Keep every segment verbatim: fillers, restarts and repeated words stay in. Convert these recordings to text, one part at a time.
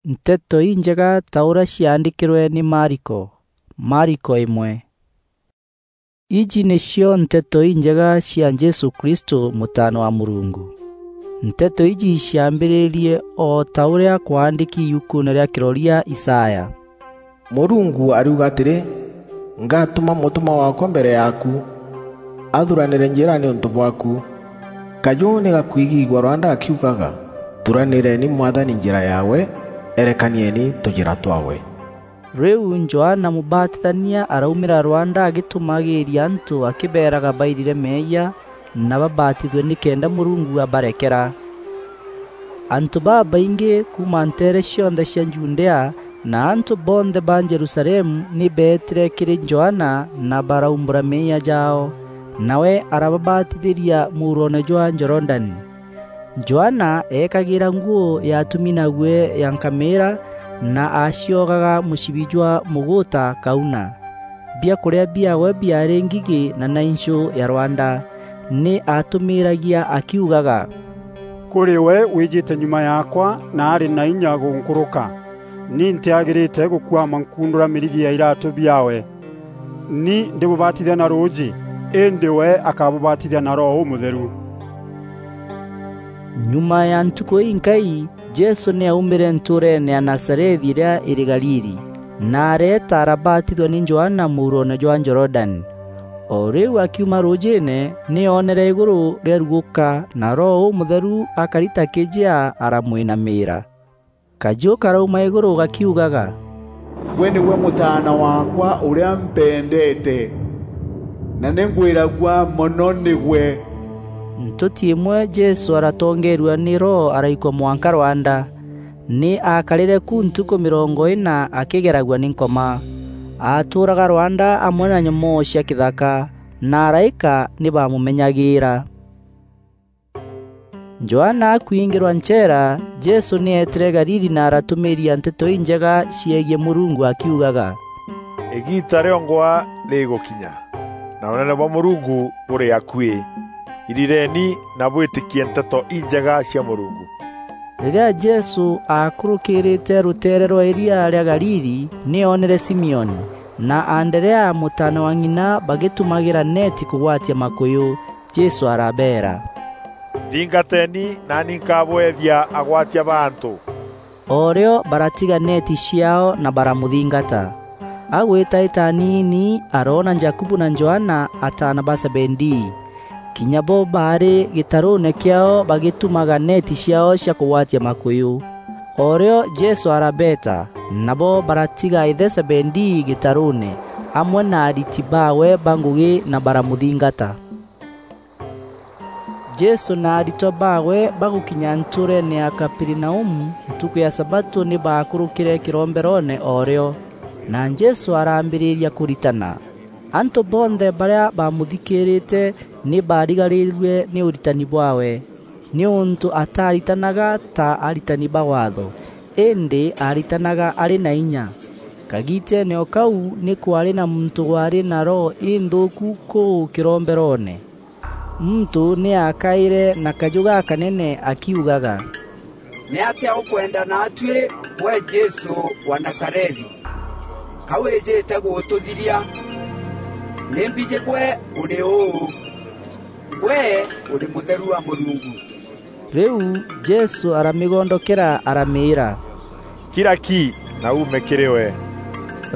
Nteto Injega ta ûrîa ciaandîkîrwe nî Mariko. Mariko îmwe. Iji nîcio Nteto Injega cia Jesû Kristû, Mûtaana wa Mûrungu. Nteto iji ciaambîrîrie o ta ûrîa kwaandîki yukuune rîa kîroria Isaya: "Mûrungu ariuga atîrî, 'Ngatûma mûtûmwa waakwa mbere yaaku, athuranîre njîra nîûntû bwaaku.' Kajû nî gakwigîîgua rwanda gakiugaga, 'Thuranîreeni Mwathani njîra yaawe, erekanieni tûjîra twaawe.'" Rîu Johana Mûbatithania araumîra rwanda agîtûmagîîria antû akîbeeraga bairire meeyia na babatithue nîkenda Mûrungu abarekera. Antû babaingî kuuma nteere cionthe cia Judea na antû bonthe ba Jerusalemu nî beetîre kîrî Johana na baraumbûra meeyia jaao, nawe arababatithîria muuroone jwa Jorodani. Johana eekagîîra nguû ya atumi na guî ya nkamîîra na aaciogaga mûcibi jwa mûgûûta kauna. Biakûrîa biaawe biaarî ngigî na nainchû ya rwanda. Nî aatûmîîragia akiugaga, "Kûrî we wîjîte nyuma yaakwa na arî na inya gûnkûrûka. Ni ntîagîrîte gûkuama nkuundûra mîrigi ya iraatû biaawe. Ni ndîbûbatithia na rûûjî, îndî we akabûbatithia na Roho Ûmûtheru." Nyuma ya ntukû inkai, Jesû nî aaumîre ntûûreene ya Nazarethi îrîa îrî Galili, na areeta arabatithua nî Johana muuroone jwa Jorodani. O rîu akiuma rûûjîîne, nî oonere îgûrû rîarugûka, na Roho Ûmûtheru akari ta kîjea aramwînamîîra. Kajû karauma îgûrû gakiugaga, "Gwe nîgwe Mûtaana waakwa ûrîa mpendeete, na nî ngwîragua mono nîgwe." Ntûti îmwe Jesû aratongeerua nî Roho araikwa mwanka rwanda. Nî aakarîre ku ntukû mîrongo îna akîgeragua nî Nkoma. Aatûûraga rwanda amwe na nyomoo cia kîthaka, na araîka nî baamûmenyagîîra. Johana akwingîrwa ncheera, Jesû nî eetîre Galili na aratûmîîria Nteto Injega ciegiî Mûrungu akiugaga, "Îgiita rîongwa rîgûkinya, na Ûnene bwa Mûrungu bûrî akuî. Irireni na bwîtîkie Nteto Injega cia Mûrungu." Rîrîa Jesû aakûrûkîrîte rûteere rwa îria rîa Galili, nî oonere Simioni na Anderea mûtaana wa ng'ina bagîtumagîra neeti kûgwatia makûyû. Jesû arabeera, "Nthingateeni, naani nkabweethia agwatia ba antû." O rîo baratiga neeti ciaao na baramûthingata. Agwîtaîta aniini, aroona Jakubu na Johana, ataana ba Zebedii. Kinya bo baarî gîtarûûne kîaao bagîtumaga neeti ciaao cia kûgwatia makûyû. O rîo Jesû arabeeta, nabo baratiga îthe Zebedii gîtarûûne, amwe na ariti baawe ba ngûgî na baramûthingata. Jesû na aritwa baawe bagûkinya ntûûreene ya Kaperinaumu ntukû ya sabatû, nî baakûrûkîre kîromberoone o rîo, na Jesû araambîrîria kûritana. Antû bonthe barîa baamûthikîîrîte nî baarigarîrue nî ûritani bwaawe, nîûntû ataaritanaga ta aritani ba Waatho, îndî aaritanaga arî na inya. Kagiiteene o kau nî kwaarî na muntû waarî na roho inthûûku kûu kîromberoone. Muntû nî aakaîre na kajû gakanene akiugaga, "Nîatîa ûkwenda naatuî, gwe Jesû wa Nazarethi? Ka wîjîte gûtûthiria? Nî mbijî gwe ûrî ûû. Gwe ûrî Mûtheru wa Mûrungu." Rîu Jesû aramîgondokera, aramîîra, "Kira ki, na uume kîrî we."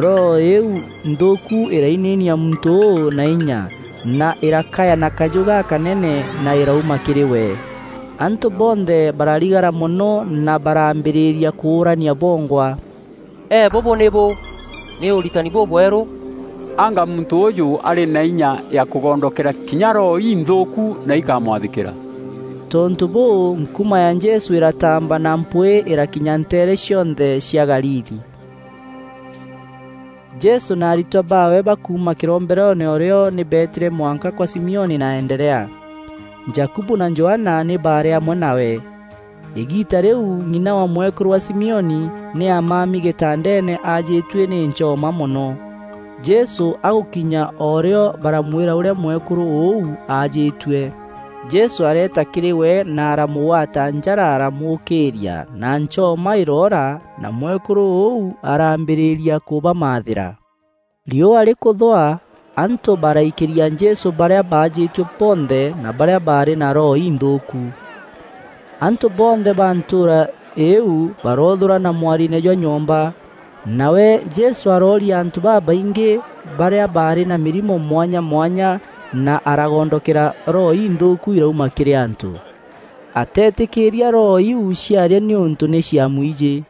Roho îîu nthûûku îrainainia muntû ûû na inya, na îrakaya na kajû gakanene, na îrauma kîrî we. Antû bonthe bararigara mono na barambîrîria kûûrania bongwa, "Ee, bûbû nîbû? Nî ûritani bûbwerû! Anga muntû ûûjû arî na inya ya kûgondokera kinya roho inthûûku na ikamwathîkîra?" Tontû bûû, nkuma ya Jesû îratamba na mpwîî îrakinya nteere cionthe cia Galili. Jesû na aritwa baawe bakuuma kîromberoone o rîo nî beetîre mwanka kwa Simioni na Anderea. Jakubu na Johana nî baarî amwe nawe. Îgiita rîu, ng'ina wa mwekûrû wa Simioni nî aamami gîtandeene aajîtue nî nchoma mono. Jesû agûkinya o rîo baramwîra ûrîa mwekûrû ûu aajîtue. Jesû areeta kîrî we na aramûgwata njara aramuûkîîria, na nchoma îroora, na mwekûrû ûu araambîrîria kûbamaathîra. Riûa rîkûthwa, antû baraikîria Jesû barîa baajîtue bonthe na barîa baarî na roho inthûûku. Antû bonthe ba ntûûra îîu baroothûrana mwariine jwa nyomba. Nawe Jesû arooria antû babaingî barîa baarî na mîrimo mwanya mwanya na aragondokera roho inthûûku irauma kîrî antû. Ateetîkîîria roho iu ciaria nîûntû nî ciamwijî.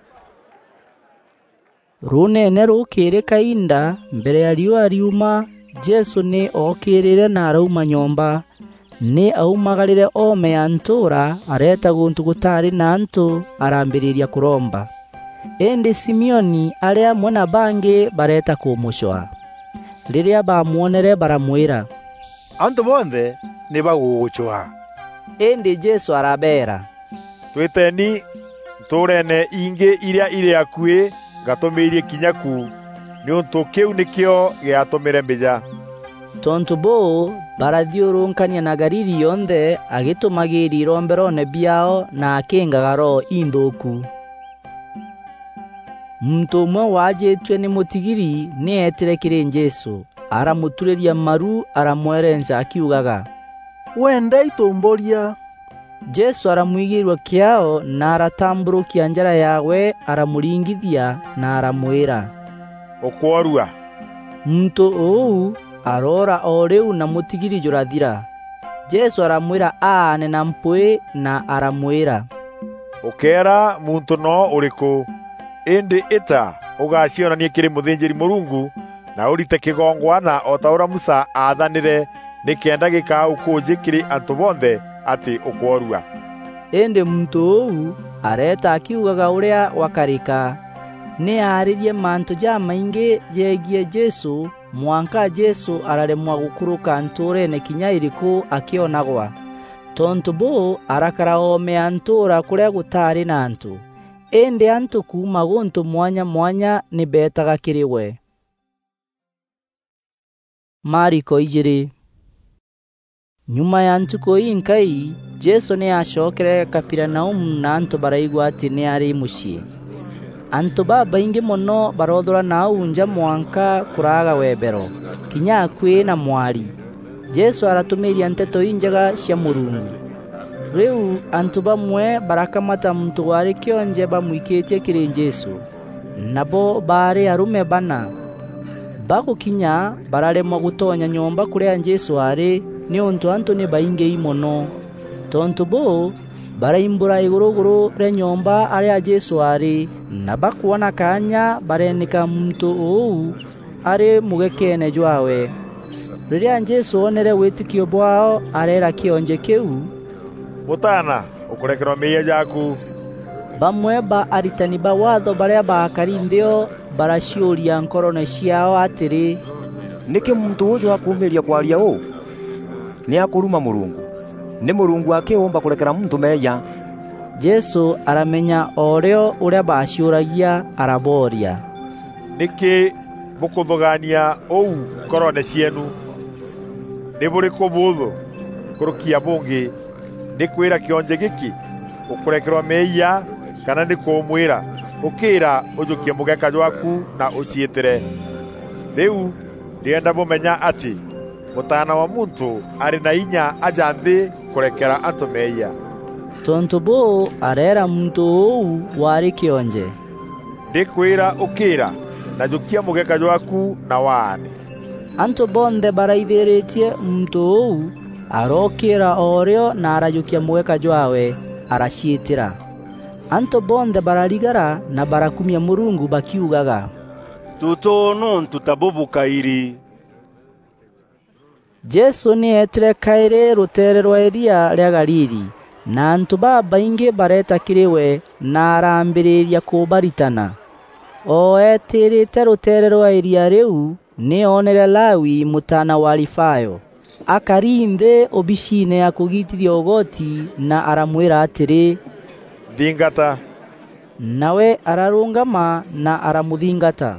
Rûûneene rûkîrî kainda, mbere ya riûa riuma, Jesû nî ookîrîre na arauma nyomba. Nî aumagarîre oome ya ntûûra, areeta gûntû gûtaarî na antû, araambîrîria kûromba. Îndî Simioni arî amwe na bangî bareeta kûmûcwaa. Rîrîa baamwonere, baramwîra, "Antû bonthe nî bagûgûcwaa." Îndî Jesû arabeera, "Twîteeni ntûûreene ingî irîa irî akuî, ngatûmîîrie kinya ku, nîûntû kîu nîkîo gîatûmîre mbîja." Tontû bûû, barathiûrûnkania na Galili yonthe, agîtûmagîîria iromberoone biaao na akîngaga roho inthûûku. Muntû ûmwe waajîtue nî mûtigiri nî eetîre kîrî Jesû, aramûturîria maru, aramwerenca akiugaga, "Wenda itûmbûria." Jesû aramwigîîrua kîaao na aratambûrûkia njara yaawe, aramûringithia na aramwîra, "Ûkworua." Muntû ûu aroora o rîu na mûtigiri jûrathira. Jesû aramwîra aane na mpwîî na aramwîra, "Ûkeera muntû noo ûrîkû, îndî îta ûgacionanie kîrî mûthînjîri-Mûrungu na ûrite kîgongwana o ta ûrîa Musa aathanîre, nîkenda gîkaa ûkûûjî kîrî antû bonthe atî ûkworua." Îndî muntû ûu areeta akiugaga ûrîa gwakarîka. Nî aarîrie mantû jamaingî jegiî Jesû, mwanka Jesû araremwa gûkûrûka ntûûreene kinya îrîkû akîonagwa. Tontû bûû, arakara oome ya ntûûra kûrîa gûtaarî na antû. Îndî antû kuuma gûntû mwanya mwanya nî beetaga kîrî we. Mariko ijîîrî. Nyuma ya ntukû inkai, Jesû nî aacokere Kaperinaumu na antû baraigua atî nî arî mûciî. Antû babaingî mono baroothûrana au nja mwanka kûraaga webero, kinya akuî na mwari. Jesû aratûmîîria Nteto Injega cia Mûrungu. Rîu antû bamwe barakamata muntû waarî kîonje bamwikîtie kîrî Jesû. Nabo baarî arûme bana. Bagûkinya, bararemwa gûtonya nyomba kûrîa Jesû aarî, nîûntû antû nî baingîi mono. Tontû bûû, baraimbûra îgûrûgûrû rîa nyomba arîa Jesû aarî, na bakwona kaanya, bareenîka muntû ûu arî mûgekeene jwaawe. Rîrîa Jesû oonere wîtîkio bwaao, areera kîonje kîu, "Mûtaana, ûkûrekerwa meeyia jaaku." Bamwe ba aritani ba Waatho barîa baakari nthî o baraciûria nkoroone ciaao atîrî, "Nîkî muntû ûûjû akûûmîîria kwaria ûû? Nî akûruma Mûrungu! Nî Mûrungu akî ûûmba kûrekera muntû meeyia." Jesû aramenya o rîo ûrîa baaciûragia, arabooria, "Nîkî bûkûthûgaania ûu nkoroone cieenu? Nî bûrîkû bûûthû nkûrûki ya bûngî, nî kwîra kîonje gîkî, 'Ûkûrekerwa meeyia,' kana nî kûmwîra, 'Ûkîîra, ûjûkie mûgeka jwaaku na ûciîtîre'? Rîu ndîenda bûmenya atî Mûtaana wa Muntû arî na inya aja nthî kûrekera antû meeyia." Tontû bûû, areera muntû ûu waarî kîonje, "Ndîkwîra, ûkîîra, na jûkia mûgeka jwaaku na waane." Antû bonthe baraithîrîtie muntû ûu, arookîîra o rîo na arajûkia mûgeka jwaawe, araciîtîra. Antû bonthe bararigara na barakumia Mûrungu bakiugaga, "Tûtûû nûntû ta bûbû kaîrî." Jesû nî eetîre kaîrî rûteere rwa îria rîa Galili, na antû babaingî bareeta kîrî we na araambîrîria kûbaritana. O eetîrîte rûteere rwa îria rîu, nî oonere Lawi, mûtaana wa Alifayo, akari nthî obiciine ya kûgiitithia ûgoti na aramwîra atîrî, "Nthingata." Nawe ararûngama na aramûthingata.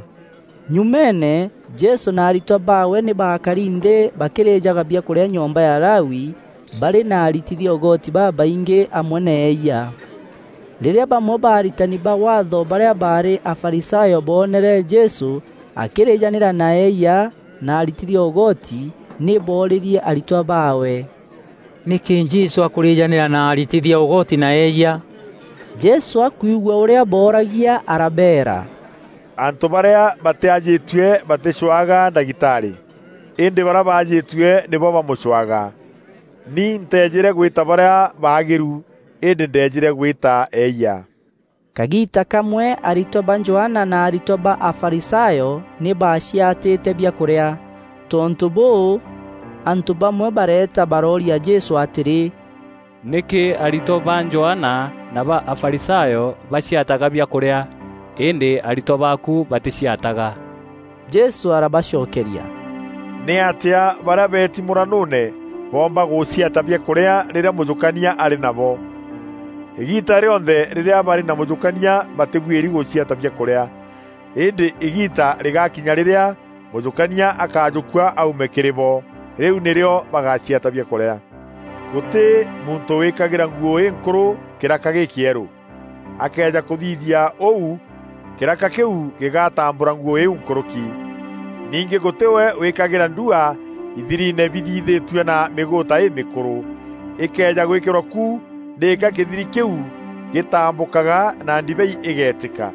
Nyumeene, Jesû na aritwa baawe nî baakari nthî bakîrîjaga biakûrîa nyomba ya Lawi, barî na aritithia ûgoti babaingî amwe na eeyia. Rîrîa bamwe ba aritani ba Waatho barîa baarî Afarisayo boonere Jesû akîrîjanîra na eeyia na aritithia ûgoti, nî boorîrie aritwa baawe, "Nîkî Jesû akûrîjanîra na aritithia ûgoti na eeyia?" Jesû akwigua ûrîa booragia, arabeera, "Antû barîa batîajîtue batîcwaga ndagîtarî, îndî barîa baajîtue nîbo bamûcwaga. Ni nteejîre gwîta barîa baagîru, îndî ndeejîre gwîta eeyia." Kagiita kamwe aritwa ba Johana na aritwa ba Afarisayo nî baaciatîte biakûrîa. Tontû bûû, antû bamwe bareeta barooria Jesû atîrî, "Nîkî aritwa ba Johana na ba Afarisayo baciataga biakûrîa, îndî aritwa baaku batîciataga?" Jesû arabacokeria, "Nîatîa barîa beeti mûranûûne boomba gûciata biakûrîa rîrîa mûjûkania arî nabo? Îgiita rîonthe rîrîa barî na mûjûkania batîbuîri gûciata biakûrîa. Îndî îgiita rîgakinya rîrîa mûjûkania akajûkua aume kîrî bo, rîu nîrîo bagaciata biakûrîa. Gûtî muntû wîkagîra nguû înkûrû kîraka gîkîerû. Akeeja kûthithia ûu, kîraka kîu gîgatambûra nguû îîu nkûrûki. Ningî gûtî we wîkagîra ndua ithiriine bithithîtue na mîgûûta îmîkûrû. Îkeeja gwîkîrwa ku, nîka kîthiri kîu gîtambûkaga na ndibei îgeetîka.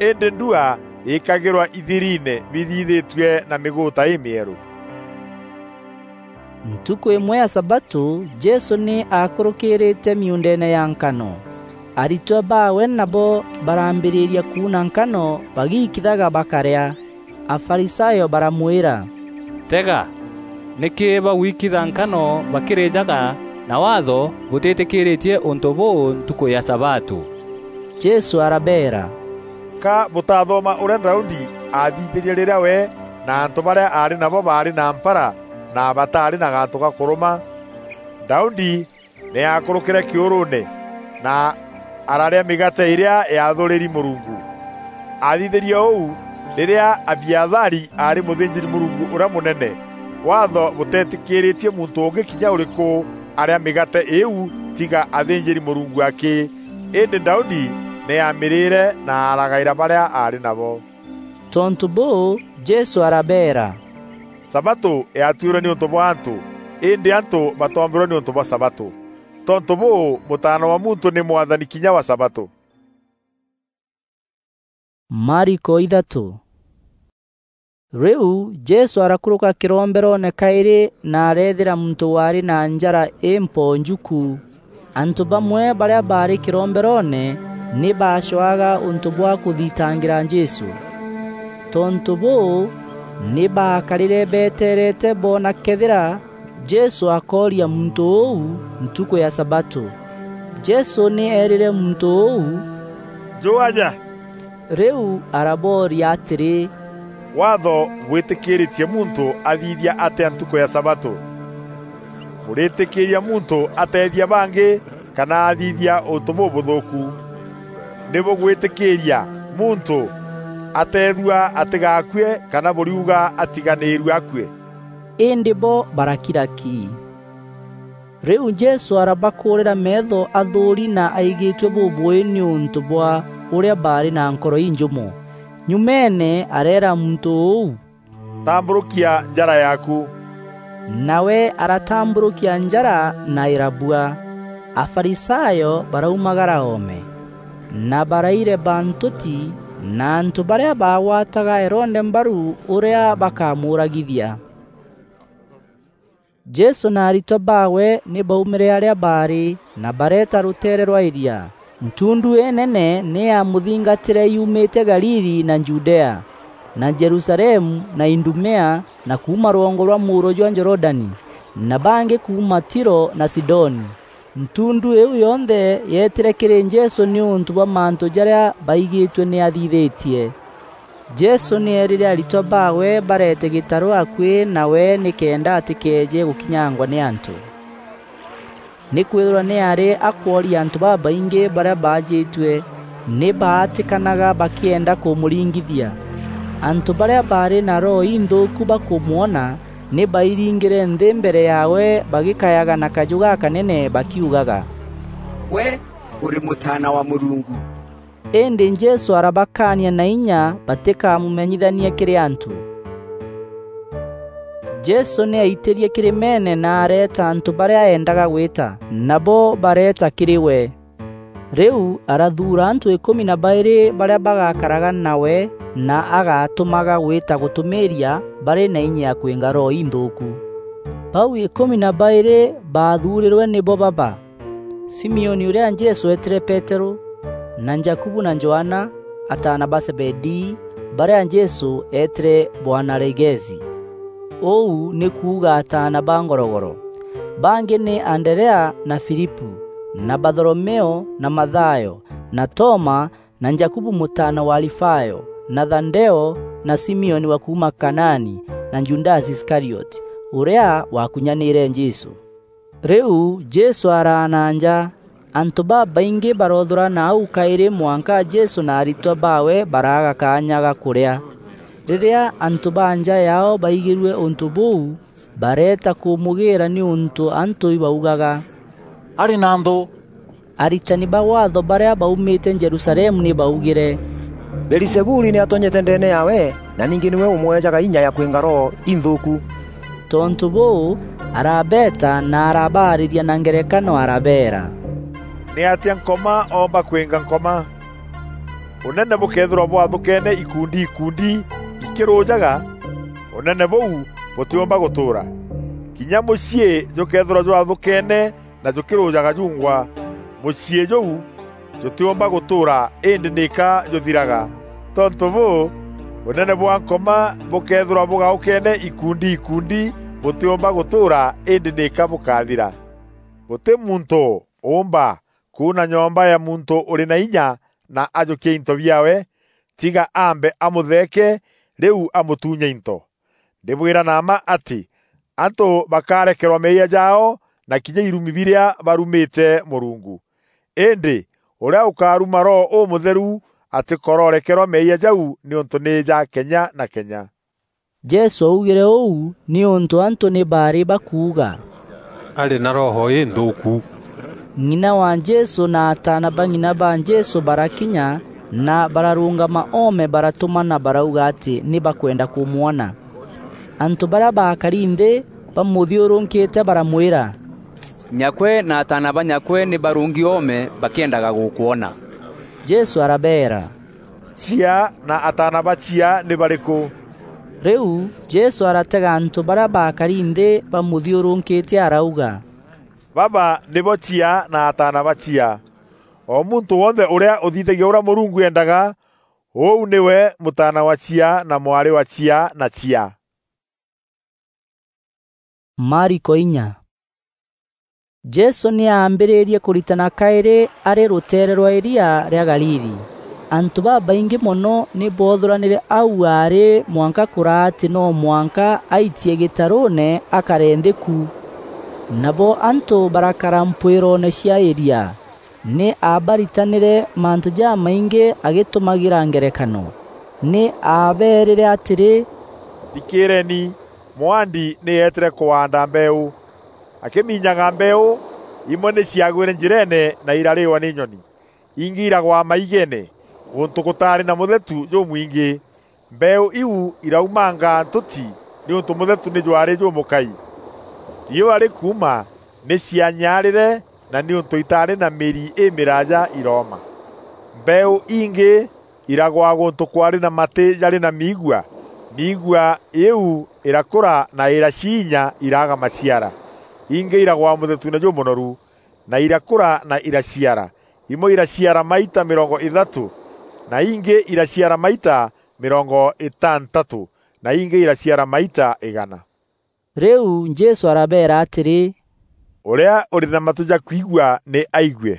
Îndî ndua îkagîrwa ithiriine bithithîtue na mîgûûta îmîerû." Ntukû îmwe ya sabatû, Jesû nî aakûrûkîrîte miuundeene ya nkano. Aritwa baawe nabo barambîrîria kuuna nkano bagikithaga bakarîa. Afarisayo baramwîra, "Tega, nîkî bagwikitha nkano bakîrîjaga na Waatho bûtîtîkîrîtie ûntû bûû ntukû ya sabatû?" Jesû arabeera, "Ka bûtathoma ûrîa Daudi aathithîrie rîrîa we na antû barîa aarî nabo baarî na mpara na bataarî na gantû ga kûrûma? Daudi nî aakûrûkîre kîûrûûne na ararîa mîgaate îrîa yaathûrîri Mûrungu. Aathithîrie ûu rîrîa Abiathari aarî mûthînjîri-Mûrungu ûrîa mûnene. Waatho bûteetîkîrîtie muntû ûngî kinya ûrîkû arîa mîgaate îîu tiga athînjîri-Mûrungu akî. Îndî Daudi nî aamîrîîre na aragaîra barîa aarî nabo." Tontû bûû, Jesû arabeera, "Sabatû yaatuîrwe nîûntû bwa antû, îndî antû batoombîrwe nîûntû bwa sabatû. Tontû bûû, Mûtaana wa Muntû nî Mwathani kinya wa sabatû." Mariko ithatû. Rîu Jesû arakûrûka kîromberoone kaîrî na areethîra muntû waarî na njara împonju ku. Antû bamwe barîa baarî kîromberoone nî baacwaga ûntû bwa kûthitangîra Jesû. Tontû bûû, nî baakarîre beteerete boona këethîra Jesû akooria muntû ûu ntukû ya sabatû. Jesû nî eerîre muntû ûu, "Jû aja." Rîu arabooria atîrî, "Waatho bwîtîkîîrîtie muntû athithia atîa ntukû ya sabatû? Bûrîtîkîîria muntû ateethia bangî kana athithia ûntû bûbûthûûku? Nî bûgwîtîkîîria muntû ateethua atîgaakue kana bûriuga atiganîîrue akue?" Îndî bo barakira ki. Rîu Jesû arabakûûrîra meetho athûûri na aigîtue bûbûî nîûntû bwa ûrîa baarî na nkoro injûmo. Nyumeene areera muntû ûu, "Tambûrûkia njara yaaku." Nawe aratambûrûkia njara na îrabua. Afarisayo baraumagara oome, na baraireba ntûti na antû barîa baagwataga Herode mbaru ûrîa bakamûûragithia. Jesû na aritwa baawe nî baumîre arîa baarî na bareeta rûteere rwa îria. Ntundu înene nî yaamûthingatîre yuumîte Galili na Judea, na Jerusalemu na Idumea, na kuuma rwongo rwa mûuro jwa Jorodani, na bangî kuuma Tiro na Sidoni. Ntundu îîu yonthe yeetîre kîrî Jesû nîûntû bwa mantû jarîa baigîtue nî athithîtie. Jesû nî eerîre aritwa baawe bareete gîtarû akuî nawe nîkenda atîkeeje gûkinyangwa nî antû. Nîkwîthîrwa nî aarî akworia antû babaingî barîa baajîtue, nî baatîkanaga bakîenda kûmûringithia. Antû barîa baarî na roho inthûûku bakûmwona, nî bairingîre nthî mbere yaawe bagîkayaga na kajû gakanene bakiugaga, "Gwe ûrî Mûtaana wa Mûrungu." Îndî Jesû arabakaania na inya batîkamûmenyithanie kîrî antû. Jesû nî aitîrie kîrîmeene na areeta antû barîa eendaga gwîta, nabo bareeta kîrî we. Rîu arathuura antû îkûmi na baîrî barîa bagakaraga nawe na agatûmaga gwîta gûtûmîîria barî na inya ya kwînga roho inthûûku. Bau îkûmi na baîrî baathuurîrwe nîbo baba: Simioni ûrîa Jesû eetîre Peterû, na Jakubu na Johana, ataana ba Zebedii, barîa Jesû eetîre Boaneregesi, ûu nî kuuga ataana ba ngorogoro. Bangî nî Anderea na Filipu, na Batholomeo na Mathayo, na Toma, na Jakubu mûtaana wa Alifayo, na Thadeo, na Simioni wa kuuma Kanaani, na Judasi Iskarioti, ûrîa wakunyanîre Jesû. Rîu Jesû araana nja. Antû babaingî baroothûrana au kaîrî mwanka Jesû na aritwa baawe baraaga kaanya ga kûrîa. Rîrîa antû ba nja yaao baigîrue ûntû bûu, bareeta kûmûgîîra nîûntû antû ibaugaga, "Arî na nthû." Aritani ba Waatho barîa baumîte Jerusalemu nî baaugîre, "Beelizebuli nî atonyete ndeene yaawe, na ningî nîwe ûmweejaga inya ya kwînga roho inthûûku." Tontû bûû, arabeeta na arabaarîria na ngerekano arabeera, "Nîatîa Nkoma oomba kwînga Nkoma? Ûnene bûkeethîrwa bwathûkeene ikundi ikundi ikîrûjaga, ûnene bûu bûtîûmba gûtûûra. Kinya mûciî jûkeethîrwa jwathûkeene na jûkîrûjaga jungwa, mûciî jûu jûtîûmba gûtûûra, îndî nîka jûthiraga. Tontû bûû, ûnene bwa Nkoma bûkeethîrwa bûgaûkeene ikundi ikundi, bûtîûmba gûtûûra, îndî nîka bûkathira. Gûtî muntû ûûmba kuuna nyomba ya muntû ûrî na inya na ajûkia into biaawe, tiga aambe amûtheeke, rîu amûtunye into. Ndîbwîra na mma atî, antû bakarekerwa meeyia jaao na kinya irumi birîa barumîte Mûrungu. Îndî ûrîa ûkaruma Roho Ûmûtheru atîkororekerwa meeyia jau, nîûntû nî ja kenya na kenya." Jesû augîre ûu nîûntû antû nî baarî bakuuga, "Arî na roho înthûûku." Ng'ina wa Jesû na ataana ba ng'ina ba Jesû barakinya na bararûngama oome, baratûmana barauga atî nî bakwenda kûmwona. Antû barîa baakari nthî bamûthiûrûkîte baramwîra, "Nyakwe na ataana ba nyakwe nî barûngi oome bakîendaga gûkwona." Jesû arabeera, "Chiaa na ataana ba chiaa nî barîkû?" Rîu Jesû aratega antû barîa baakari nthî bamûthiûrûkîte arauga, "Baba nîbo chiaa na ataana ba chiaa. O muntû wonthe ûrîa ûthithagia ûrîa Mûrungu eendaga, ûu nîwe mûtaana wa chiaa na mwarî wa chiaa na chiaa." Mariko inya. Jesû nî aambîrîrie kûritana kaîrî arî rûteere rwa îria rîa Galili. Antû babaingî mono nî boothûranîre au aarî mwanka kûraa atî no mwanka aitie gîtarûûne akare nthî ku. Nabo antû barakara mpwîroone cia îria. Nî aabaritanîre mantû jamaingî agîtûmagîra ngerekano. Nî aabeerîre atîrî, "Thikîîreeni, mûaandi nî eetîre kûaanda mbeeû. Akîminyaga mbeeû, imwe nî ciagwîre njîreene na irarîîwa nî nyoni. Ingî iragwa maigeene, gûntû gûtaarî na mûthetu jûmwingî. Mbeeû iu iraumanga ntûti nîûntû mûthetu nî jwaarî jûmûkai. Riûa rîkuuma, nî cianyaarîre, na nîûntû itaarî na mîri îmîraaja irooma. Mbeeû ingî iragwa gûntû kwaarî na matî jarî na miigua. Miigua îîu îrakûra na îraciinya, iraaga maciara. Ingî iragwa mûthetuune jûmûnoru, na irakûra na iraciara. Imwe iraciara maita mîrongo îthatû, na ingî iraciara maita mîrongo îtantatû, na ingî iraciara maita îgana." Rîu Jesû arabeera atîrî, "Ûrîa ûrî na matû ja kwigua nî aigue."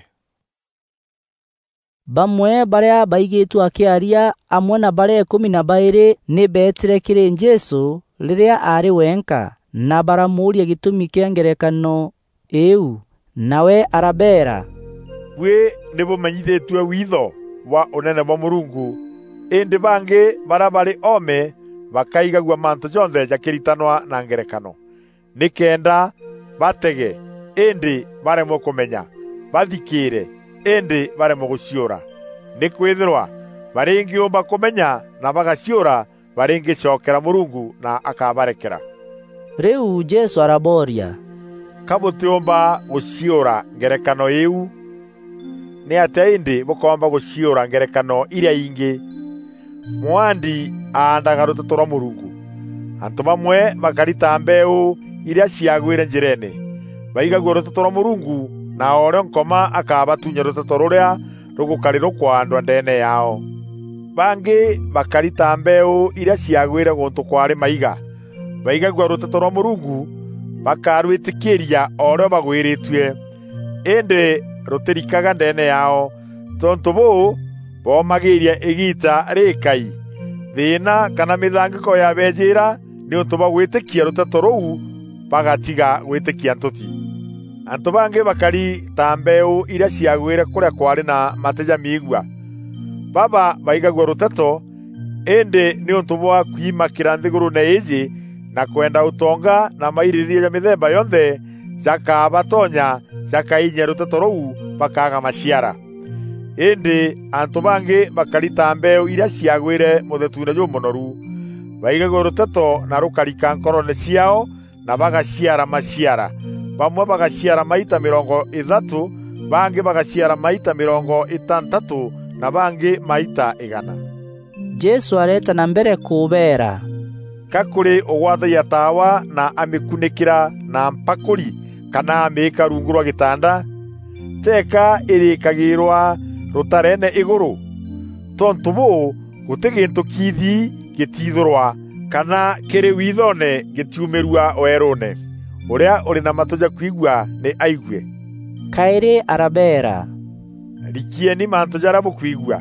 Bamwe barîa baigîtue akîaria amwe na barîa îkûmi na baîrî nî beetîre kîrî Jesû rîrîa aarî wenka, na baramûûria gîtûmi kîa ngerekano îîu. Nawe arabeera, "Buî nî bûmenyithîtue witho bwa Ûnene bwa Mûrungu, îndî bangî barîa barî oome bakaigagua mantû jonthe jakîritanwa na ngerekano, nîkenda batege, îndî baremwe kûmenya, bathikîîre, îndî baremwe gûciûra. Nîkwîthîrwa barîngîûmba kûmenya na bagaciûra, barîngîcokera Mûrungu na akabarekera. Rîu Jesû arabooria, "Ka bûtîûmba gûciûra ngerekano îîu? Nîatîa îndî bûkoomba gûciûra ngerekano irîa ingî? Mwaandi aandaga rûteto rwa Mûrungu. Antû bamwe bakari ta mbeeû irîa ciagwîre njîreene, baigagua rûteto rwa Mûrungu, na o rîo Nkoma akabatuunya rûteto rûrîa rûgûkarîrûkwa ndwa ndeene yaao. Bangî bakari ta mbeeû irîa ciagwîre gûntû kwaarî maiga, baigagua rûteto rwa Mûrungu, bakarwîtîkîîria o rîo bagwîrîtue, îndî rûtîrikaga ndeene yaao. Tontû bûû, boomagîîria îgiita rîîkai, thîîna kana mîthangîko yabeejîîra nîûntû bwa gwîtîkia rûteto rûu, bagatiga gwîtîkia ntûti. Antû bangî bakari ta mbeeû irîa ciagwîre kûrîa kwaarî na matî jamiigua. Baba baigagua rûteto, îndî nîûntû bwa kwimakîra nthîgûrûûne îîjî na kwenda ûtonga na mairîrîîria ja mîthemba yonthe, jakabatonya, jakainyia rûteto rûu, bakaaga maciara. Îndî antû bangî bakari ta mbeeû irîa ciagwîre mûthetuune jûmûnoru. Baigagua rûteto na rûkarika nkoroone ciaao, na bagaciara maciara. Bamwe bagaciara maita mîrongo îthatû, bangî bagaciara maita mîrongo îtantatû, na bangî maita îgana." Jesû areeta na mbere kûbeera, "Ka kûrî ûgwatagia taawa na amîkunîkîra na mpakûri, kana amîîka rungu rwa gîtanda? Teeka îrîîkagîîrwa rûtareene îgûrû? Tontû bûû, gûtî gîntû kiithi gîtiithûrwa, kana kîrî withoone gîtiumîrua weerûûne. Ûrîa ûrî na matû ja kwigua, nî aigue." Kaîrî arabeera, "Rikieni mantû jarîa bûkwigua.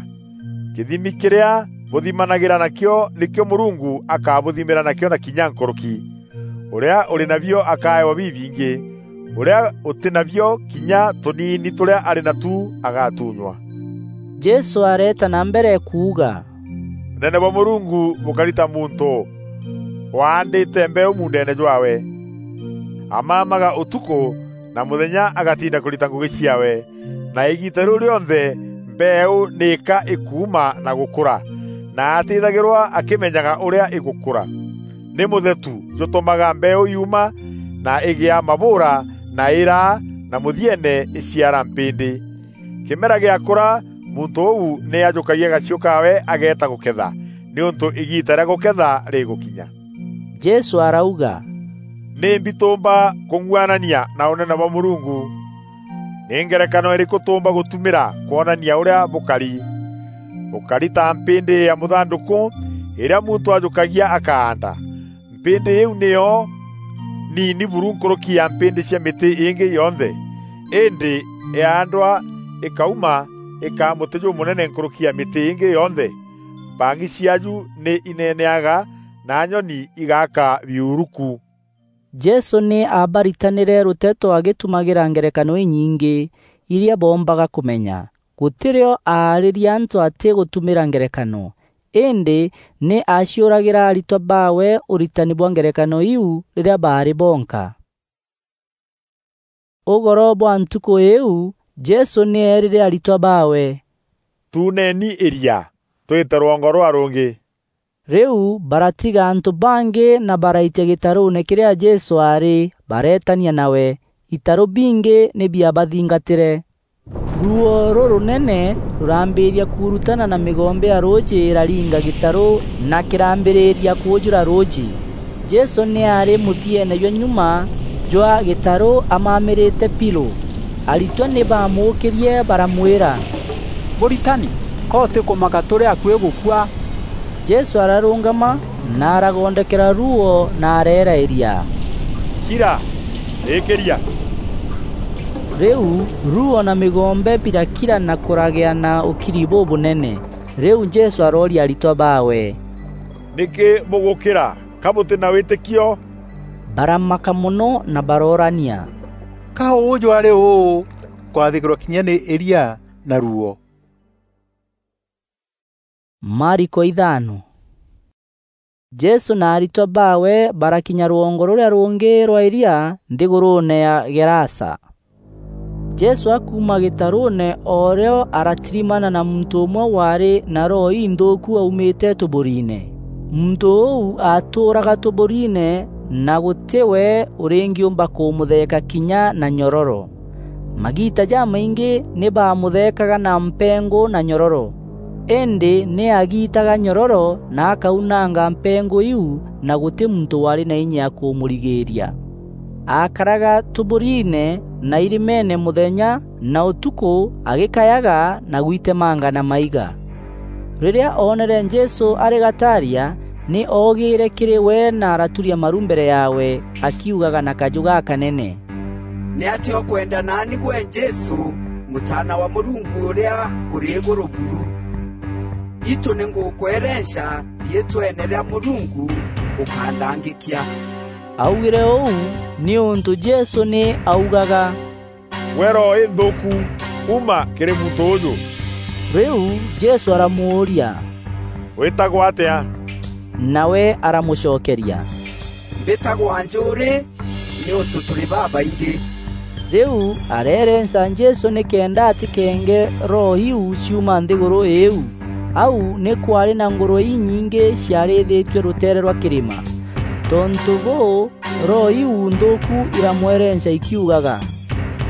Kîthimi kîrîa bûthimanagîra nakîo, nîkîo Mûrungu akabûthimîra nakîo na kinya nkûrûki. Ûrîa ûrî nabio akaewa bibingî, ûrîa ûtî nabio, kinya tûniini tûrîa arî natu agatuunywa." Jesû areeta na mbere kuuga, "Ûnene bwa Mûrungu bûkari ta muntû waandîte mbeeû muundeene jwaawe. Amaamaga ûtukû na mûthenya agatinda kûrita ngûgî ciaawe, na îgiita rîu rîonthe mbeeû nîka îkuuma na gûkûra, na atîthagîrwa akîmenyaga ûrîa îgûkûra. Nî mûthetu jûtûmaga mbeeû yuuma na îgîa mabûûra na îraa, na mûthieene îciara mpîndî. Kîmera gîakûra, muntû ûu nî ajûkagia gaciû kaawe ageeta gûketha, nîûntû îgiita rîa gûketha rîgûkinya." Jesû arauga, "Nîmbi tûûmba kûng'uanania na Ûnene bwa Mûrungu? Nî ngerekano îrîkû tûûmba gûtumîra kwonania ûrîa bûkari? Bûkari ta mpîndî ya mûthandûkû îrîa muntû ajûkagia akaanda. Mpîndî îîu nîyo niini buru nkûrûki ya mpîndî cia mîtî îngî yonthe, îndî yaandwa îkauma îkaa mûtî jûmûnene nkûrûki ya mîtî îngî yonthe. Mpang'i ciaaju nî ineeneaga, na nyoni igaaka biuruku." Jesû nî aabaritanîre rûteto agîtumagîra ngerekano inyingî, irîa boombaga kûmenya. Gûtî rîo aarîria antû atîgûtumîra ngerekano, îndî nî aaciûragîra aritwa baawe ûritani bwa ngerekano iu rîrîa baarî bonka. Ûgoro bwa ntukû îîu, Jesû nî eerîre aritwa baawe, "Tuuneni îria, twîte rwongo rûrîa rûngî." Rîu baratiga antû bangî na baraitia gîtarûûne kîrîa Jesû aarî, bareetania nawe. Îtarû bingî nî biabathingatîre. Ruuo rûrûnene rûrambîîria kuurutana na mîgombe ya rûûjî îraringa gîtarû na kîrambîrîria kûûjûra rûûjî. Jesû nî aarî mûthieene jwa nyuma jwa gîtarû amamîrîte Pilo. Aritwa nî baamûûkîrie baramwîra, "Mûritani, ka ûtîkûmaka tûrî akuî gûkua?" Jesû ararûngama na aragondokera ruuo na areera îria, "Kira! Îkîria!" Rîu ruuo na mîgombe birakira na kûragîa na ûkiri bûbûnene. Rîu Jesû arooria aritwa baawe, "Nîkî bûgûkîra? Ka bûtî na wîtîkio?" Baramaka mono na baroorania, "Ka ûûjû arî ûû kwathîkîrwa kinya nî îria na ruuo?" Mariko ithano. Jesû na aritwa baawe barakinya rwongo rûrîa rûngî rwa îria, nthîgûrûûne ya Gerasa. Jesû akuuma gîtarûûne, o rîo aratirimana na muntû ûmwe waarî na roho inthûûku aumîte tûbûriine. Muntû ûu aatûûraga tûbûriine, na gûtî we ûrîngîûmba kûmûtheeka kinya na nyororo. Magiita jamaingî nî baamûtheekaga na mpengû na nyororo, îndî nî agiitaga nyororo na akaunanga mpengû iu, na gûtî muntû waarî na inya ya kûmûrigîîria. Aakaraga tûbûriine na irimeene mûthenya na ûtukû, agîkayaga na gwitemanga na maiga. Rîrîa oonere Jesû arî gataaria, nî oogîîre kîrî we na araturia maru mbere yaawe, akiugaga na kajû gakanene, "Nîatîa ûkwenda naani gwe Jesû, Mûtaana wa Mûrungu ûrîa ûrî îgûrû buru? Itû nî ngûkwerenca riîtweene rîa Mûrungu ûkanthangîkia." Augîre ûu nîûntû Jesû nî augaga, "Gwe roho inthûûku, uma kîrî muntû ûûjû!" Rîu Jesû aramûûria, "Wîtagwa atîa?" Nawe aramûcokeria, "Mbîtagwa Njûûrî, nîûntû tûrî babaingî." Rîu areerenca Jesû nîkenda atîkenge roho iu ciuma nthîgûrû îîu. Au nî kwaarî na ngûrwe inyingî ciarîîthîtue rûteere rwa kîrîma. Tontû bûû, roho iu nthûûku iramwerenca ikiugaga,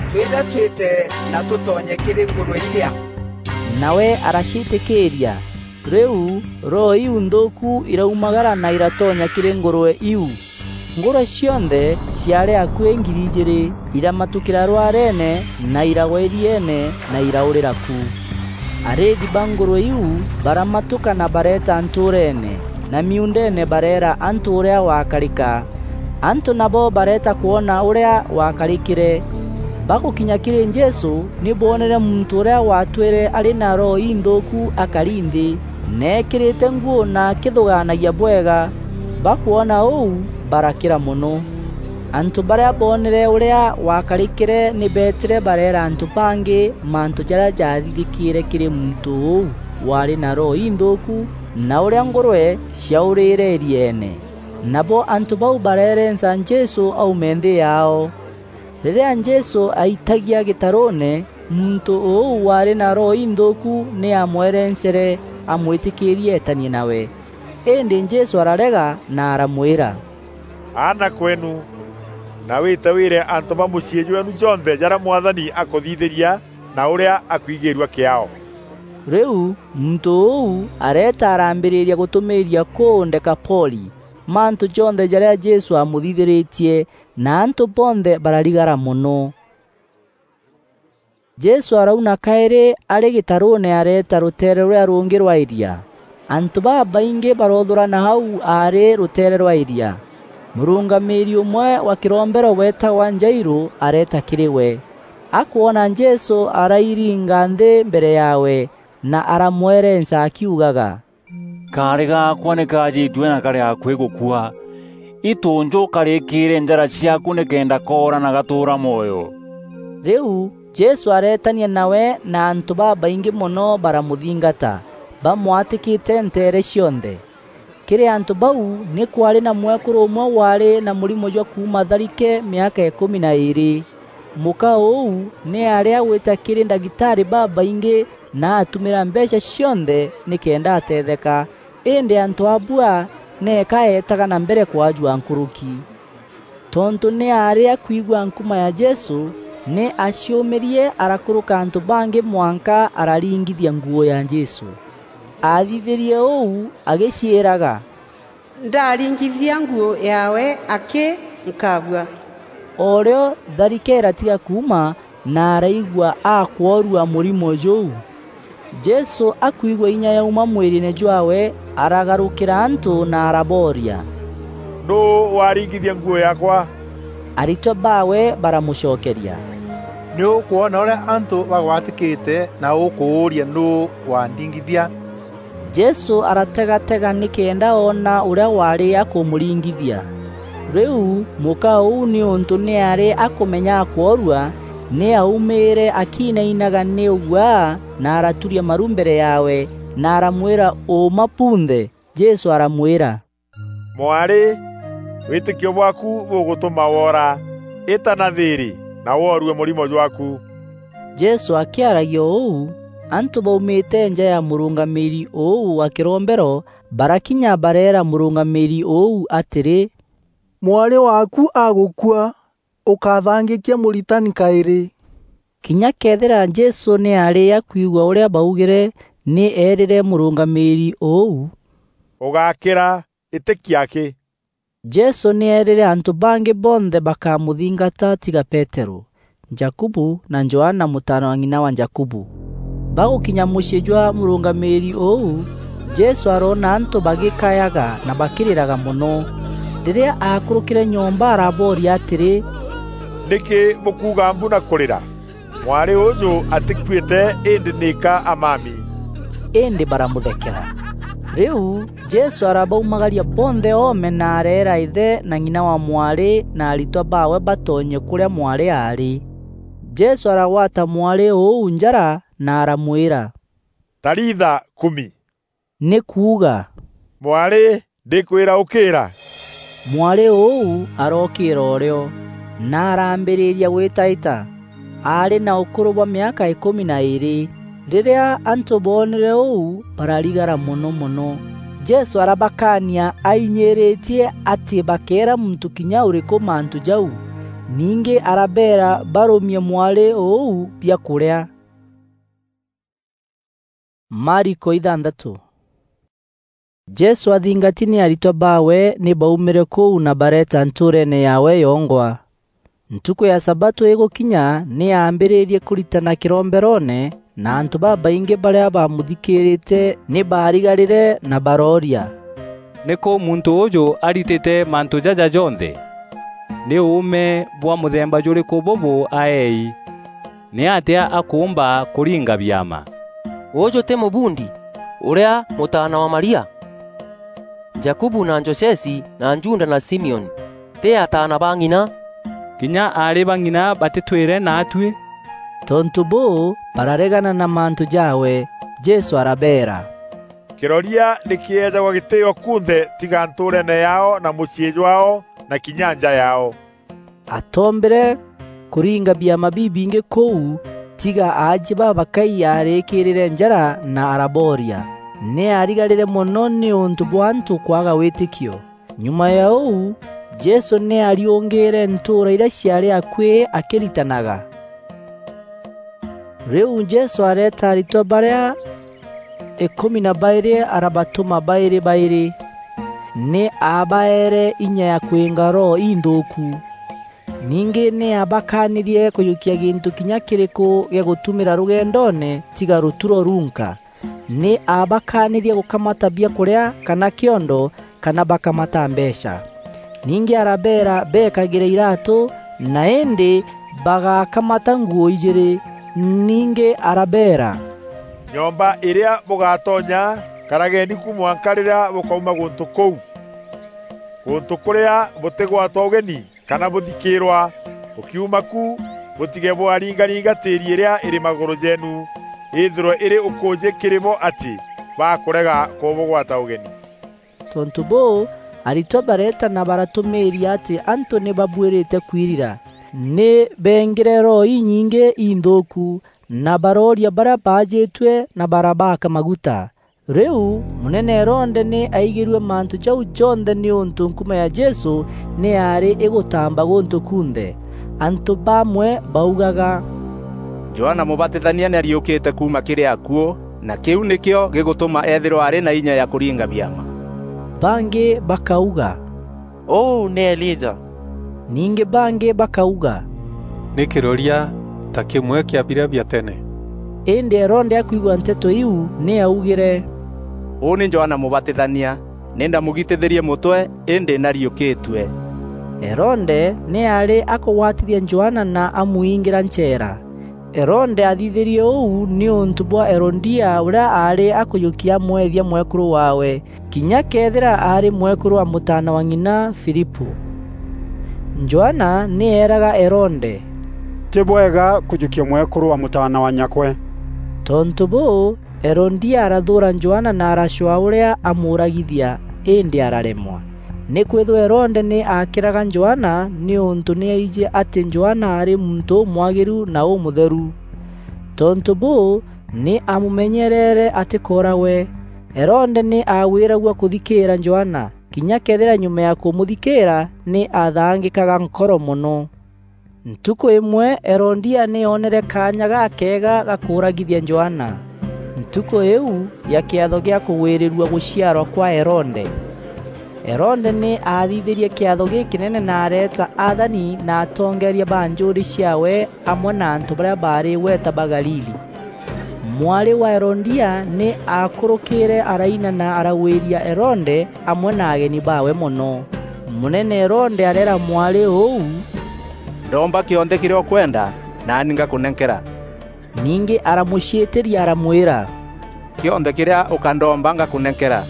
"Twîre twîte na tûtonye kîrî ngûrwe irîa." Nawe araciîtîkîîria. Rîu roho iu nthûûku iraumagara na iratonya kîrî ngûrwe iu. Ngûrwe cionthe ciaarî akuî ngiri ijîîrî, iramatûkîra rwareene na iragwa îrieene na iraûrîra ku. Arîîthi ba ngûrwe iu baramatûka na bareeta ntûûreene, na miuundeene bareera antû ûrîa wakarîka. Antû nabo bareeta kwona ûrîa wakarîkîre. Bagûkinya kîrî Jesû, nî boonere muntû ûrîa waatwîre arî na roho inthûûku akari nthî, na eekîrîte nguû na akîthûgaanagia bwega. Bakwona ûu, barakîra mono. Antû barîa boonere ûrîa wakarîkîre nî beetîre bareera antû bangî mantû jarîa jaathithîkîîre kîrî muntû ûu waarî na roho inthûûku, na ûrîa ngûrwe ciaûrîîre îrieene. Nabo antû bau bareerenca Jesû aume nthî yaao. Rîrîa Jesû aitagia gîtarûûne, muntû ûu waarî na roho inthûûku nî aamwerencere amwîtîkîîrie eetanie nawe. Îndî Jesû ararega na aramwîra, "Aana kweenu, na wîte wîre antû ba mûciî jweenu jonthe jarîa Mwathani akûthithîria na ûrîa akwigîîrua kîaao." Rîu muntû ûu areeta arambîrîria gûtûmîîria kûu Dekapoli mantû jonthe jarîa Jesû aamûthithîrîtie, na antû bonthe bararigara mono. Jesû arauna kaîrî arî gîtarûûne areeta rûteere rûrîa rûngî rwa îria. Antû babaingî baroothûrana au aarî rûteere rwa îria. Mûrûngamîîri ûmwe wa kîrombero weetagwa Jairû areeta kîrî we. Akwona Jesû arairinga nthî mbere yaawe na aramwerenca akiugaga, "Kaarî gaakwa nî kaajîtue na karî akuî gûkua. Itû njû karîkîîre njara ciaaku nîkenda koora na gatûûra mwoyo." Rîu Jesû areetania nawe na antû babaingî mono baramûthingata, bamwatîkîte nteere cionthe. Kîrî antû bau nî kwaarî na mwekûrû ûmwe waarî na mûrimo jwa kuuma tharike mîaka îkûmi na îîrî. Mûka ûu nî aarî agwîta kîrî ndagîtarî babaingî na atumîra mbeecha cionthe nîkenda ateetheka, îndî antû abua nîka eetaga na mbere kwajua nkûrûki. Tontû nî aarî akwigua nkuma ya Jesû, nî aciûmîrie arakûrûka antû bangî mwanka araringithia nguû ya Jesû. Aathithîrie ûu agîciîraga, "Ndaringithia nguû yaawe akî, nkabua." O rîo tharike îratiga kuuma, na araigua akworua mûrimo jûu. Jesû akwigua inya yauma mwîrîîne jwaawe, aragarûkîra antû na arabooria, "Nûû waringithia nguû yaakwa?" Aritwa baawe baramûcokeria, "Nî ûkwona ûrîa antû bagwatîkîte na ûkûûria, 'Nûû wandingithia?'" Jesû arategatega nîkenda oona ûrîa waarî akûmûringithia. Rîu mûka ûu nîûntû nî aarî akûmenya akworua, nî aumîîre akinainaga nî ûguaa na araturia maru mbere yaawe na aramwîra ûûma bunthe. Jesû aramwîra, "Mwarî, wîtîkio bwaaku bûgûtûma woora. Îta na thîîrî, na woorue mûrimo jwaaku." Jesû akîaragia ûu, antû baumîte nja ya mûrûngamîîri ûu wa kîrombero, barakinya bareera mûrûngamîîri ûu atîrî, "Mwarî waaku agûkua, ûkathangîkia Mûritani kaîrî." Kinya këethîra Jesû nî aarî akwigua ûrîa baugîre, nî eerîre mûrûngamîîri ûu, "Ûgakîra, îtîkia akî." Jesû nî eerîre antû bangî bonthe bakamûthingata tiga Peterû, Jakubu na Johana mûtaana wa ng'ina wa Jakubu. Bagûkinya mûciî jwa mûrûngamîîri ûu, Jesû aroona antû bagîkayaga na bakîrîraga mono. Rîrîa aakûrûkîre nyomba arabooria atîrî, "Nîkî bûkuuga mbu na kûrîra? Mwarî ûûjû atîkuîte, îndî nîka amami." Îndî baramûthekera. Rîu Jesû arabaumagaria bonthe oome na areera îthe na ng'ina wa mwarî na aritwa baawe batonye kûrîa mwarî aarî. Jesû aragwata mwarî ûu njara na aramwîra, "Talitha kumi," nî kuuga, "Mwarî, ndîkwîra ûkîîra." Mwarî ûu arookîîra ûrîo, na arambîrîria gwîtaîta. Aarî na ûkûrû bwa mîaka îkûmi na îîrî. Rîrîa antû boonere ûu, bararigara mono mono. Jesû arabakaania ainyîîrîtie atî bakeera muntû kinya ûrîkû mantû jau. Ningî arabeera barûmie mwarî ûu biakûrîa. Mariko ithantatû. Jesû athingati nî aritwa baawe nî baumîre kûu na bareeta ntûûreene yaawe yongwa. Ntukû ya sabatû îgûkinya, nî aambîrîrie kûritana kîromberoone, na antû babaingî barîa baamûthikîîrîte nî baarigarîre na barooria, "Nîkû muntû ûûjû aritîte mantû jaja jonthe? Nî ûûme bwa mûthemba jûrîkû bûbû aeei? Nîatîa akûûmba kûringa biama? Ûûjû tî mûbundi, ûrîa mûtaana wa Maria, Jakubu na Josesi na Juda na Simioni? Tî ataana ba ng'ina? Kinya aarî ba ng'ina batîtwîre naatuî?" Tontû bûû, bararegana na mantû jaawe. Jesû arabeera, "Kîroria nî kîeejagwa gîtîîo kunthe tiga ntûûreene yaao na mûciî jwaao na kinya nja yaao." Atoombîre kûringa biama bibingî kûu, tiga aajie babakai aarîkîîrîre njara na arabooria. Nî aarigarîre mono nîûntû bwa antû kwaga wîtîkio. Nyuma ya ûu, Jesû nî aariûngîîre ntûûra irîa ciaarî akuî akîritanaga. Rîu Jesû areeta aritwa barîa îkûmi na baîrî arabatûma baîrî baîrî. Nî aabaeere inya ya kwînga roho inthûûku. Ningî nî aabakaanîrie kûjûkia gîntû kinya kîrîkû gîa gûtumîra rûgendoone tiga rûturo runka. Nî aabakaanîrie gûkamata biakûrîa kana kîondo kana bakamata mbeecha. Ningî arabeera beekagîre iraatû, na îndî bagakamata nguû ijîîrî. Ningî arabeera, "Nyomba îrîa bûgatonya, karageni ku mwanka rîrîa bûkauma gûntû kûu. Gûntû kûrîa bûtîgwatwa ûgeni kana bûthikîîrwa. Bûkiuma ku, bûtige bwaringaringa tîîri îrîa îrî magûrû jeenu, îthîrwe îrî ûkûûjî kîrî bo atî bakûrega kûbûgwata ûgeni." Tontû bûû, aritwa bareeta na baratûmîîria atî antû nî babuîrîte kwirira. Nî beengîre roho inyingî inthûûku, na barooria barîa baajîtue na barabaaka maguta. Rîu, mûnene Herode nî aigîrue mantû jau jonthe nîûntû nkuma ya Jesû nî yaarî îgûtamba gûntû kunthe. Antû bamwe baugaga, "Johana Mûbatithania nî ariûkîte kuuma kîrî akuû, na kîu nîkîo gîgûtûma eethîrwa arî na inya ya kûringa biama." Bangî bakauga, "Ûu nî Elija." Ningî bangî bakauga, "Nî kîroria ta kîmwe kîa birîa bia tene." Îndî Herode akwigua nteto iu, nî aaugîre, "Ûû nî Johana Mûbatithania, nî ndamûgitîthîrie mûtwe, îndî nî ariûkîtue." Herode nî aarî akûgwatithia Johana na amwingîra ncheera. Herode aathithîrie ûu nîûntû bwa Herodia, ûrîa aarî akûjûkia amweethia mwekûrû waawe, kinya këethîra aarî mwekûrû wa mûtaana wa ng'ina Filipû. Johana nî eeraga Herode, "Tî bwega kûjûkia mwekûrû wa mûtaana wa nyakwe." Tontû bûû, Herodia arathûûra Johana na aracwaa ûrîa amûûragithia, îndî araremwa. Nîkwîthîrwa Herode nî aakîraga Johana nîûntû nî aijî atî Johana aarî muntû ûmwagîru na ûmûtheru. Tontû bûû, nî aamûmenyereere atîkooragwe. Herode nî aagwîragua kûthikîîra Johana, kinya këethîra nyuma ya kûmûthikîîra nî aathangîkaga nkoro mono. Ntukû îmwe Herodia nî oonere kaanya gakeega ga kûûragithia Johana, ntukû îîu ya kîatho gîa kûgwîrîrua gûciarwa kwa Herode. Herode nî aathithîrie kîatho gîkînene na areeta athani na atongeeria ba njûûrî ciaawe amwe na antû barîa baarî îgweta ba Galili. Mwarî wa Herodia nî aakûrûkîîre araina na aragwîria Herode amwe na ageni baawe mono. Mûnene Herode areera mwarî ûu, "Ndomba kîonthe kîrîa ûkwenda, naani ngakûnenkera." Ningî aramûciîtîria aramwîra, "Kîonthe kîrîa ûkandomba ngakûnenkera,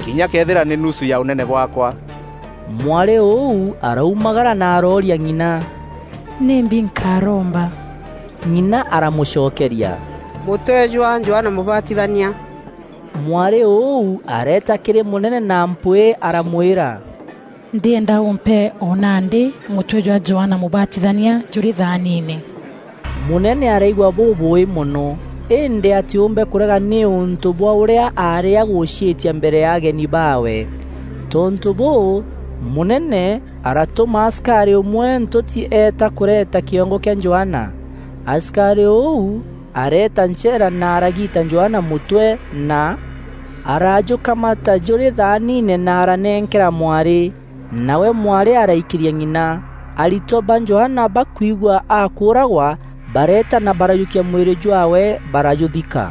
kinya këethîra nî nusu ya ûnene bwaakwa." Mwarî ûu araumagara na arooria ng'ina, "Nîmbi nkaromba?" Ng'ina aramûcokeria, "Mûtwe jwa Johana Mûbatithania." Mwarî ûu areeta kîrî mûnene na mpwîî aramwîra, "Ndîenda ûmpe o nandî mûtwe jwa Johana Mûbatithania jûrî thaaniine." Mûnene araigua bûbûûî mono, îndî atîûmbe kûrega nîûntû bwa ûrîa aarî agûciîtia mbere ya ageni baawe. Tontû bûû, mûnene aratûma asikarî ûmwe ntûti eeta kûreeta kîongo kîa Johana. Asikarî ûu areeta ncheera na aragiita Johana mûtwe na arajûkamata jûrî thaaniine na aranenkera mwarî. Nawe mwarî araikîria ng'ina. Aritwa ba Johana bakwigua akûûragwa, bareeta na barajûkia mwîrî jwaawe, barajûthika.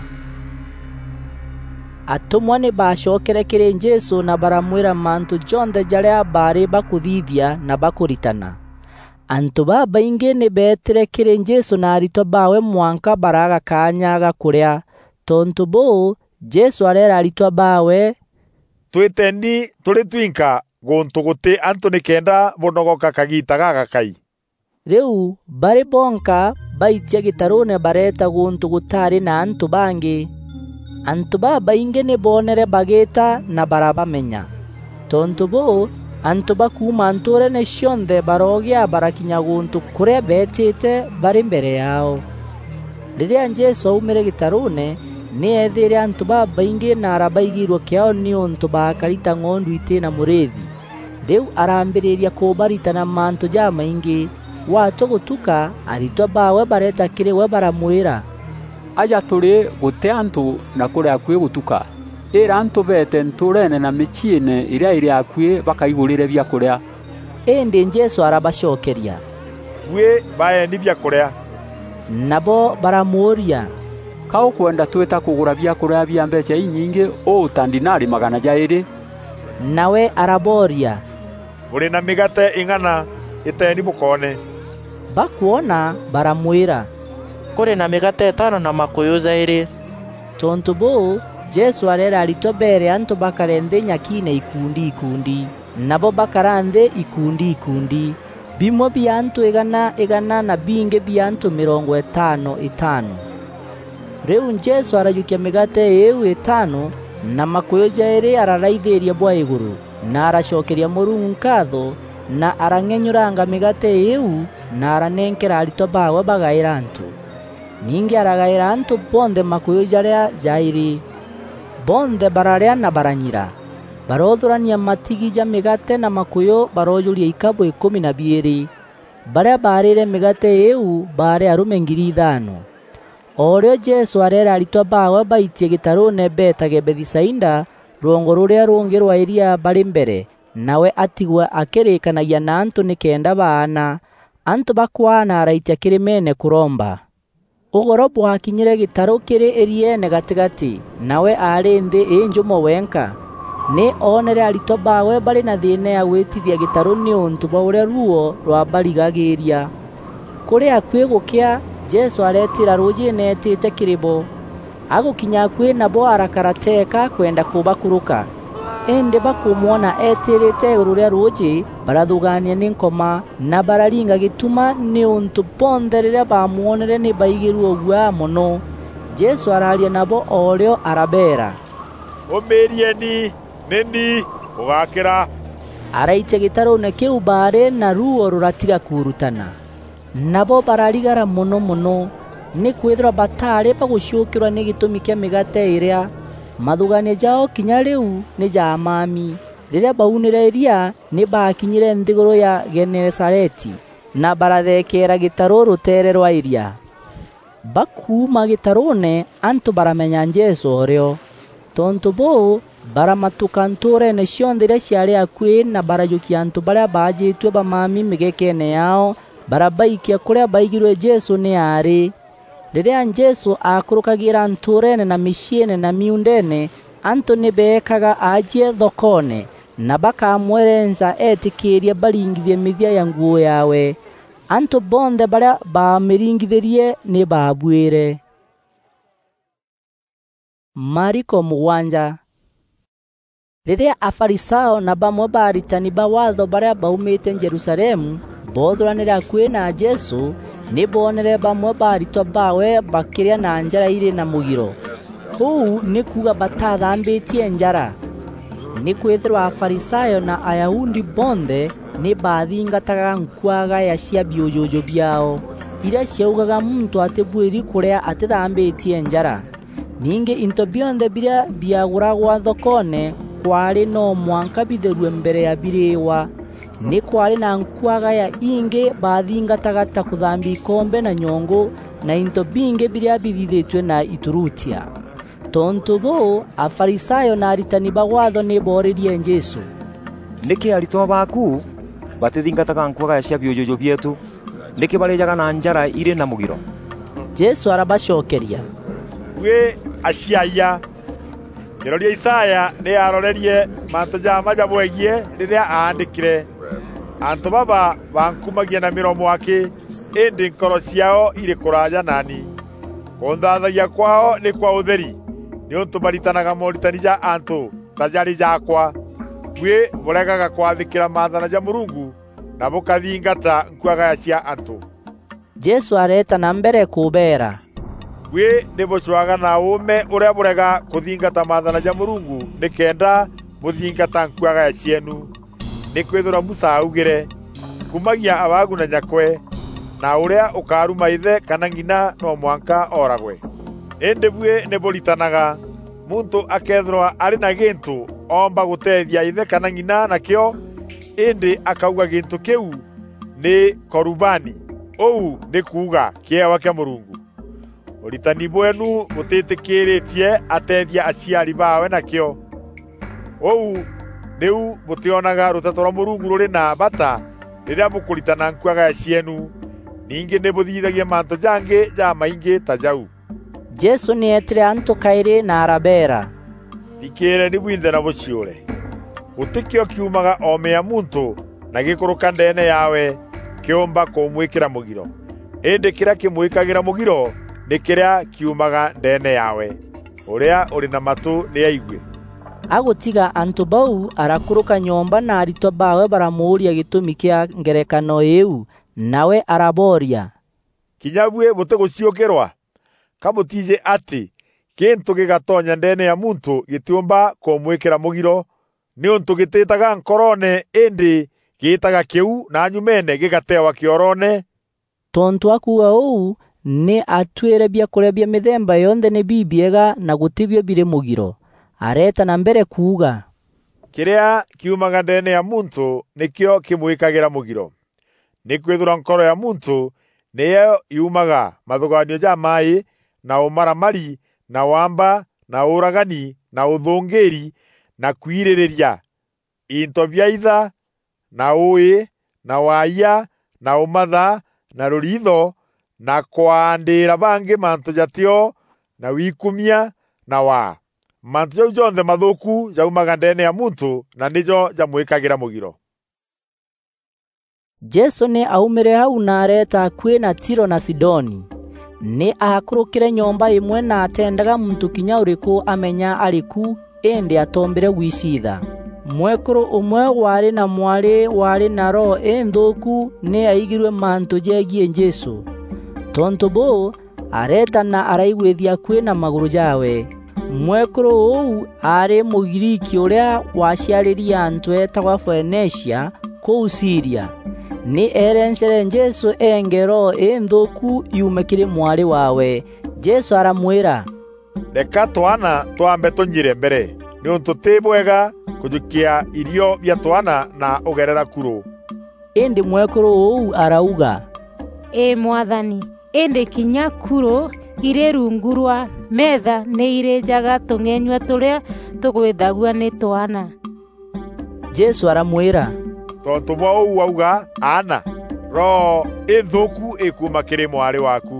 Atûmwa nî baacokere kîrî Jesû na baramwîra mantû jonthe jarîa baarî bakûthithia na bakûritana. Antû babaingî nî beetîre kîrî Jesû na aritwa baawe mwanka baraaga kaanya ga kûrîa. Tontû bûû, Jesû areera aritwa baawe, "Twîteni tûrî twinka gûntû gûtî antû nîkenda bûnogoka kagiita gagakai." Rîu barî bonka baitia gîtarûûne bareeta gûntû gûtaarî na antû bangî. Antû babaingî nî boonere bagîîta na barabamenya. Tontû bûû, antû ba kuuma ntûûreene cionthe barogîa barakinya gûntû kûrîa beetîte barî mbere yaao. Rîrîa Jesû aumîre gîtarûûne, nî eethîîre antû babaingî na arabaigîîrua kîaao nîûntû baakari ta ng'ondu itî na mûrîîthi. Rîu arambîrîria kûbaritana mantû jamaingî. Gwatua gûtuka, aritwa baawe bareeta kîrî we baramwîra, "Aja tûrî gûtî antû na kûrî akuî gûtuka. Îîra antû beete ntûûreene na mîciîne îrîa îrî akuî bakaigûrîre biakûrîa." Îndî Jesû arabacokeria, "Buî baeeni biakûrîa." Nabo baramûûria, "Ka ûkwenda twîta kûgûra biakûrîa bia mbeecha inyingî ûû ta ndinari magana jaîrî?" Nawe arabooria, "Bûrî na mîgaate îng'ana? Îteeni bûkoone." Bakwona, baramwîra, "Kûrî na mîgaate îtaano na makûyû jaîrî." Tontû bûû, Jesû areera aritwa beere antû bakare nthî nyakiine ikundi ikundi. Nabo bakara nthî ikundi ikundi, bimwe bia antû îgana îgana na bingî bia antû mîrongo îtaano îtaano. Rîu Jesû arajûkia mîgaate îîu îtaano na makûyû jaîrî araraithîîria bwa îgûrû, na aracokeria Mûrungu nkaatho, na arang'enyûranga mîgaate îîu, na aranenkera aritwa baawe bagaîra antû. Ningî aragaîra antû bonthe makûyû jarîa jaîrî. Bonthe bararîa na baranyira. Baroothûrania matigi ja mîgaate na makûyû baroojûria ikabû îkûmi na biîrî. Barîa baarîre mîgaate îîu baarî arûme ngiri ithaano. O rîo Jesû areera aritwa baawe baitie gîtarûûne beetage Bethisaida, rwongo rûrîa rûngî rwa îria barî mbere, nawe atigwe akîrîîkanagia na antû nîkenda baana, antû bakwaana araitia kîrîmeene kûromba. Ûgoro bwakinyîre gîtarû kîrî îrieene gatîgatî, nawe aarî nthî înjûmo wenka. Nî oonere aritwa baawe barî na thîîna ya gwîtithia gîtarû nîûntû bwa ûrîa ruuo rwabarigagîîria. Kûrî akuî gûkîa, Jesû areetîîra rûûjîîne eetîte kîrî bo. Agûkinya akuî nabo arakara teeka akwenda kûbakûrûka. Îndî bakûmwona eetîrîte îgûrû rîa rûûjî, barathûgaania nî nkoma, na bararinga gîtuma nîûntû bonthe rîrîa baamwonere nî baigîrue ûguaa mono. Jesû araaria nabo o rîo arabeera, "Ûmîîrieni, nî ni, bûgakîra." Araitia gîtarûûne kîu baarî na ruuo rûratiga kuurutana. Nabo bararigara mono mono, nîkwîthîrwa bataarî bagûciûkîrwa nî gîtûmi kîa mîgaate îrîa. Mathûgaanio jaao kinya rîu nî ja amami. Rîrîa baunîre îria, nî baakinyîre nthîgûrû ya Genesareti, na barathekeera gîtarû rûteere rwa îria. Bakuuma gîtarûûne, antû baramenya Jesû o rîo. Tontû bûû, baramatûka ntûûreene cionthe irîa ciaarî akuî, na barajûkia antû barîa baajîtue bamami mîgekeene yaao, barabaikia kûrîa baigîrue Jesû nî aarî. Rîrîa Jesû aakûrûkagîîra ntûûreene na mîciîne na miuundeene, antû nî beekaga aacie thokoone, na bakamwerenca eetîkîîria baringithie mîthia ya nguû yaawe. Antû bonthe barîa baamîringithîrie nî baabuîre. Mariko mûgwanja. Rîrîa Afarisayo na bamwe ba aritani ba Waatho barîa baumîte Jerusalemu boothûranîre akuî na Jesû, nî boonere bamwe ba aritwa baawe bakîrîa na njara irî na mûgiro. Ûu nî kuuga batathambîtie njara. Nîkwîthîrwa Afarisayo na Ayahudi bonthe nî baathingataga nkuagaya cia biûjûjû biaao, irîa ciaugaga muntû atîbuîri kûrîa atîthambîtie njara. Ningî into bionthe birîa biagûragwa thokoone kwaarî no mwanka bitherue mbere ya birîîwa. Nî kwaarî na nkuagaya ingî baathingataga ta kûthambia ikombe na nyongû na into bingî birîa bithithîtue na iturutia. Tontû bûû, Afarisayo na aritani ba Waatho nî boorîrie Jesû, "Nîkî aritwa baaku batîthingataga nkuagaya cia biûjûjû bieetû? Nîkî barîjaga na njara irî na mûgiro?" Jesû arabacokeria, "Buî aciayia! Kîroria Isaya nî aarorerie mantû ja mma jabwegiî rîrîa aandîkîre, 'Antû baba bankumagia na mîromo akî, îndî nkoro ciaao irî kûraaja naani. Kûnthaathayia kwaao nî kwa ûtheri, nîûntû baritanaga mooritani ja antû ta jarî jaakwa. Buî bûregaga kwathîkîra maathana ja Mûrungu na bûkathingata nkuagaya cia antû.'" Jesû areeta na mbere kûbeera, "Buî nî bûcwaga na ûûme ûrîa bûrega kûthingata maathana ja Mûrungu nîkenda bûthingata nkuagaya cieenu. Nîkwîthîrwa Musa aaugîre, 'Kumagia abaagu na nyakwe, na ûrîa ûkaaruma îthe kana ng'ina no mwanka ooragwe.' Îndî buî nî bûritanaga, 'Muntû akëethîrwa arî na gîntû oomba gûteethia îthe kana ng'ina nakîo, îndî akauga gîntû kîu nî korubani, ûu nî kuuga kîewa kîa Mûrungu.' Ûritani bweenu bûtîtîkîîrîtie ateethia aciari baawe nakîo. Ûu nîu bûtîonaga rûteto rwa Mûrungu rûrî na bata rîrîa bûkûritana nkuagaya cieenu. Ningî nî bûthithagia mantû jangî jamaingî ta jau." Jesû nî eetîre antû kaîrî na arabeera, "Thikîîreeni bwinthe na bûciûre. Gûtî kîo kiumaga oome ya muntû na gîkûrûka ndeene yaawe kîûmba kûmwîkîra mûgiro. Îndî kîrîa kîmwîkagîra mûgiro nî kîrîa kiumaga ndeene yaawe. Ûrîa ûrî na matû nî aigue." Agûtiga antû bau, arakûrûka nyomba na aritwa baawe baramûûria gîtûmi kîa ngerekano îîu. Nawe arabooria, "Kinya buî bûtîgûciûkîrwa? Ka bûtiijî atî gîntû gîgatonya ndeene ya muntû gîtîûmba kûmwîkîra mûgiro? Nîûntû gîtîîtaga nkoroone îndî gîîtaga kîu na nyumeene gîgatewa kîoroone." Tontû akuuga ûu, nî atuîre biakûrîa bia mîthemba yonthe nî bibiega na gûtîbio birî mûgiro. Areeta na mbere kuuga, "Kîrîa kiumaga ndeene ya muntû nîkîo kîmwîkagîra mûgiro. Nîkwîthîrwa nkoro ya muntû nîyo yumaga mathûgaanio jamaaî, na ûmaramari, na waamba, na ûûragani, na ûthûngîîri, na kwirîrîria, into bia itha, na ûûî, na waayia, na ûmatha, na rûriitho, na kwaandîîra bangî mantû jatîo, na wikumia, na waa. Mantû jau jonthe mathûûku jaumaga ndeene ya muntû, na nîjo jamwîkagîra mûgiro." Jesû nî aumîre au na areeta akuî na Tiro na Sidoni. Nî aakûrûkîre nyomba îmwe na ateendaga muntû kinya ûrîkû amenya arî ku, îndî atoombîre gwiciitha. Mwekûrû ûmwe waarî na mwarî waarî na roho înthûûku nî aigîrue mantû jegiî Jesû. Tontû bûû, areeta na araigwîthia akuî na magûrû jaawe. Mwekûrû ûu aarî Mûgriiki ûrîa waciarîrie antû eetagwa Foenicia kûu Siria. Nî eerencere Jesû eenge roho înthûûku yuume kîrî mwarî waawe. Jesû aramwîra, "Reka twaana twambe tûnyire mbere, nîûntû tî bwega kûjûkia irio bia twaana na ûgerera kurû." Îndî mwekûrû ûu arauga, "Îî Mwathani, îndî kinya kurû irî rungu rwa meetha nî irîjaga tûng'enyua tûrîa tûgwîthagua nî twaana." Jesû aramwîra, "Tontû bwa ûu wauga, aana, roho înthûûku îkuuma kîrî mwarî waaku."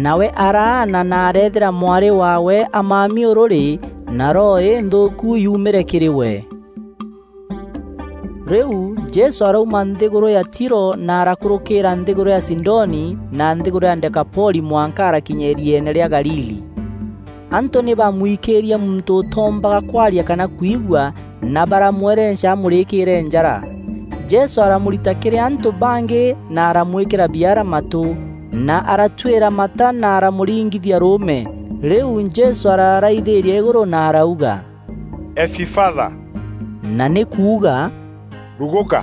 Nawe araana na areethîra mwarî waawe amami ûrûrî, na roho înthûûku yuumîre kîrî we. Rîu Jesû arauma nthîgûrû ya Tiro na arakûrûkîîra nthîgûrû ya Sidoni na nthîgûrû ya Dekapoli mwanka arakinya îrieene rîa Galili. Antû nî baamwikîîria muntû ûtoombaga kwaria kana kwigua, na baramwerenca amûrîkîîre njara. Jesû aramûrita kîrî antû bangî na aramwîkîra biara matû, na aratuîra mata na aramûringithia rûûme. Rîu Jesû araraithîîria îgûrû na arauga, "Efifatha," na nî kuuga, "Rugûka."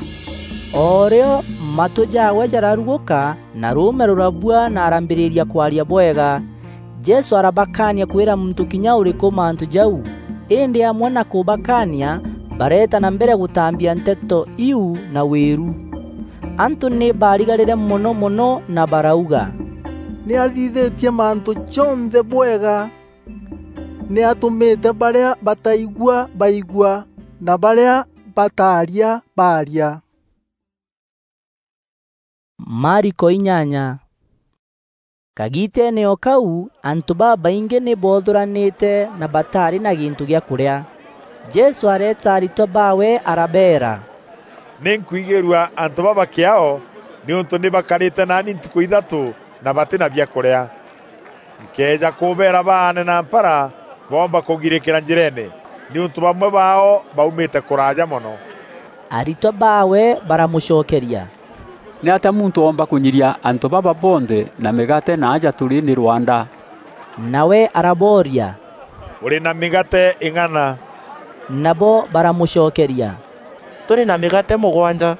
O rîo matû jaawe jararugûka, na rûûme rûrabua na arambîrîria kwaria bwega. Jesû arabakaania kwîra muntû kinya ûrîkû mantû jau, îndî amwe na kûbakaania, bareeta na mbere gûtambia nteto iu na wîru. Antû nî baarigarîre mono mono na barauga, "Nî athithîtie mantû jonthe bwega. Nî atûmîte barîa bataigua baigua, na barîa bataaria baaria." Mariko inyanya. Kagiiteene o kau, antû babaingî nî boothûranîte na bataarî na gîntû gîa kûrîa. Jesû areeta aritwa baawe arabeera, "Nî nkwigîîrua antû baba kîaao, nîûntû nî bakarîte naani ntukû ithatû na batî na biakûrîa. Nkëeja kûbeera baane na mpara, boomba kûgirîkîra njîreene, nîûntû bamwe baao baumîte kûraaja mono." Aritwa baawe baramûcokeria, "Nîatîa muntû oomba kûnyiria antû baba bonthe na mîgaate na aja tûrî nî rwanda?" Nawe arabooria, "Bûrî na mîgaate îng'ana?" Nabo baramûcokeria, "Tûrî na mîgaate mûgwanja."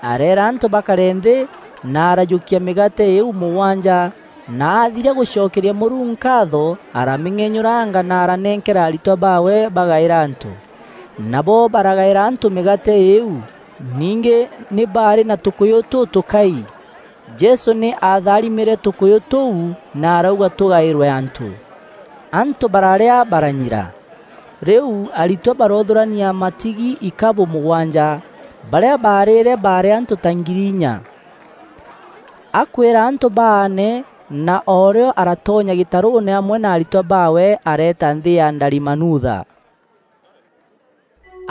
Areera antû bakare nthî, na arajûkia mîgaate îîu mûgwanja, na athiria gûcokeria Mûrungu nkaatho, aramîng'enyûranga na aranenkera aritwa baawe bagaîra antû. Nabo baragaîra antû mîgaate îîu, ningî nî baarî na tûkûyû tûtûkai. Jesû nî aatharimîre tûkûyû tûu na arauga tûgaîrwe antû. Antû bararîa baranyira. Rîu aritwa baroothûrania matigi ikabû mûgwanja, barîa baarîre baarî antû ta ngiri inya. Akwîra antû baane, na o rîo aratonya gîtarûûne amwe na aritwa baawe areeta nthî ya Ndarimanutha.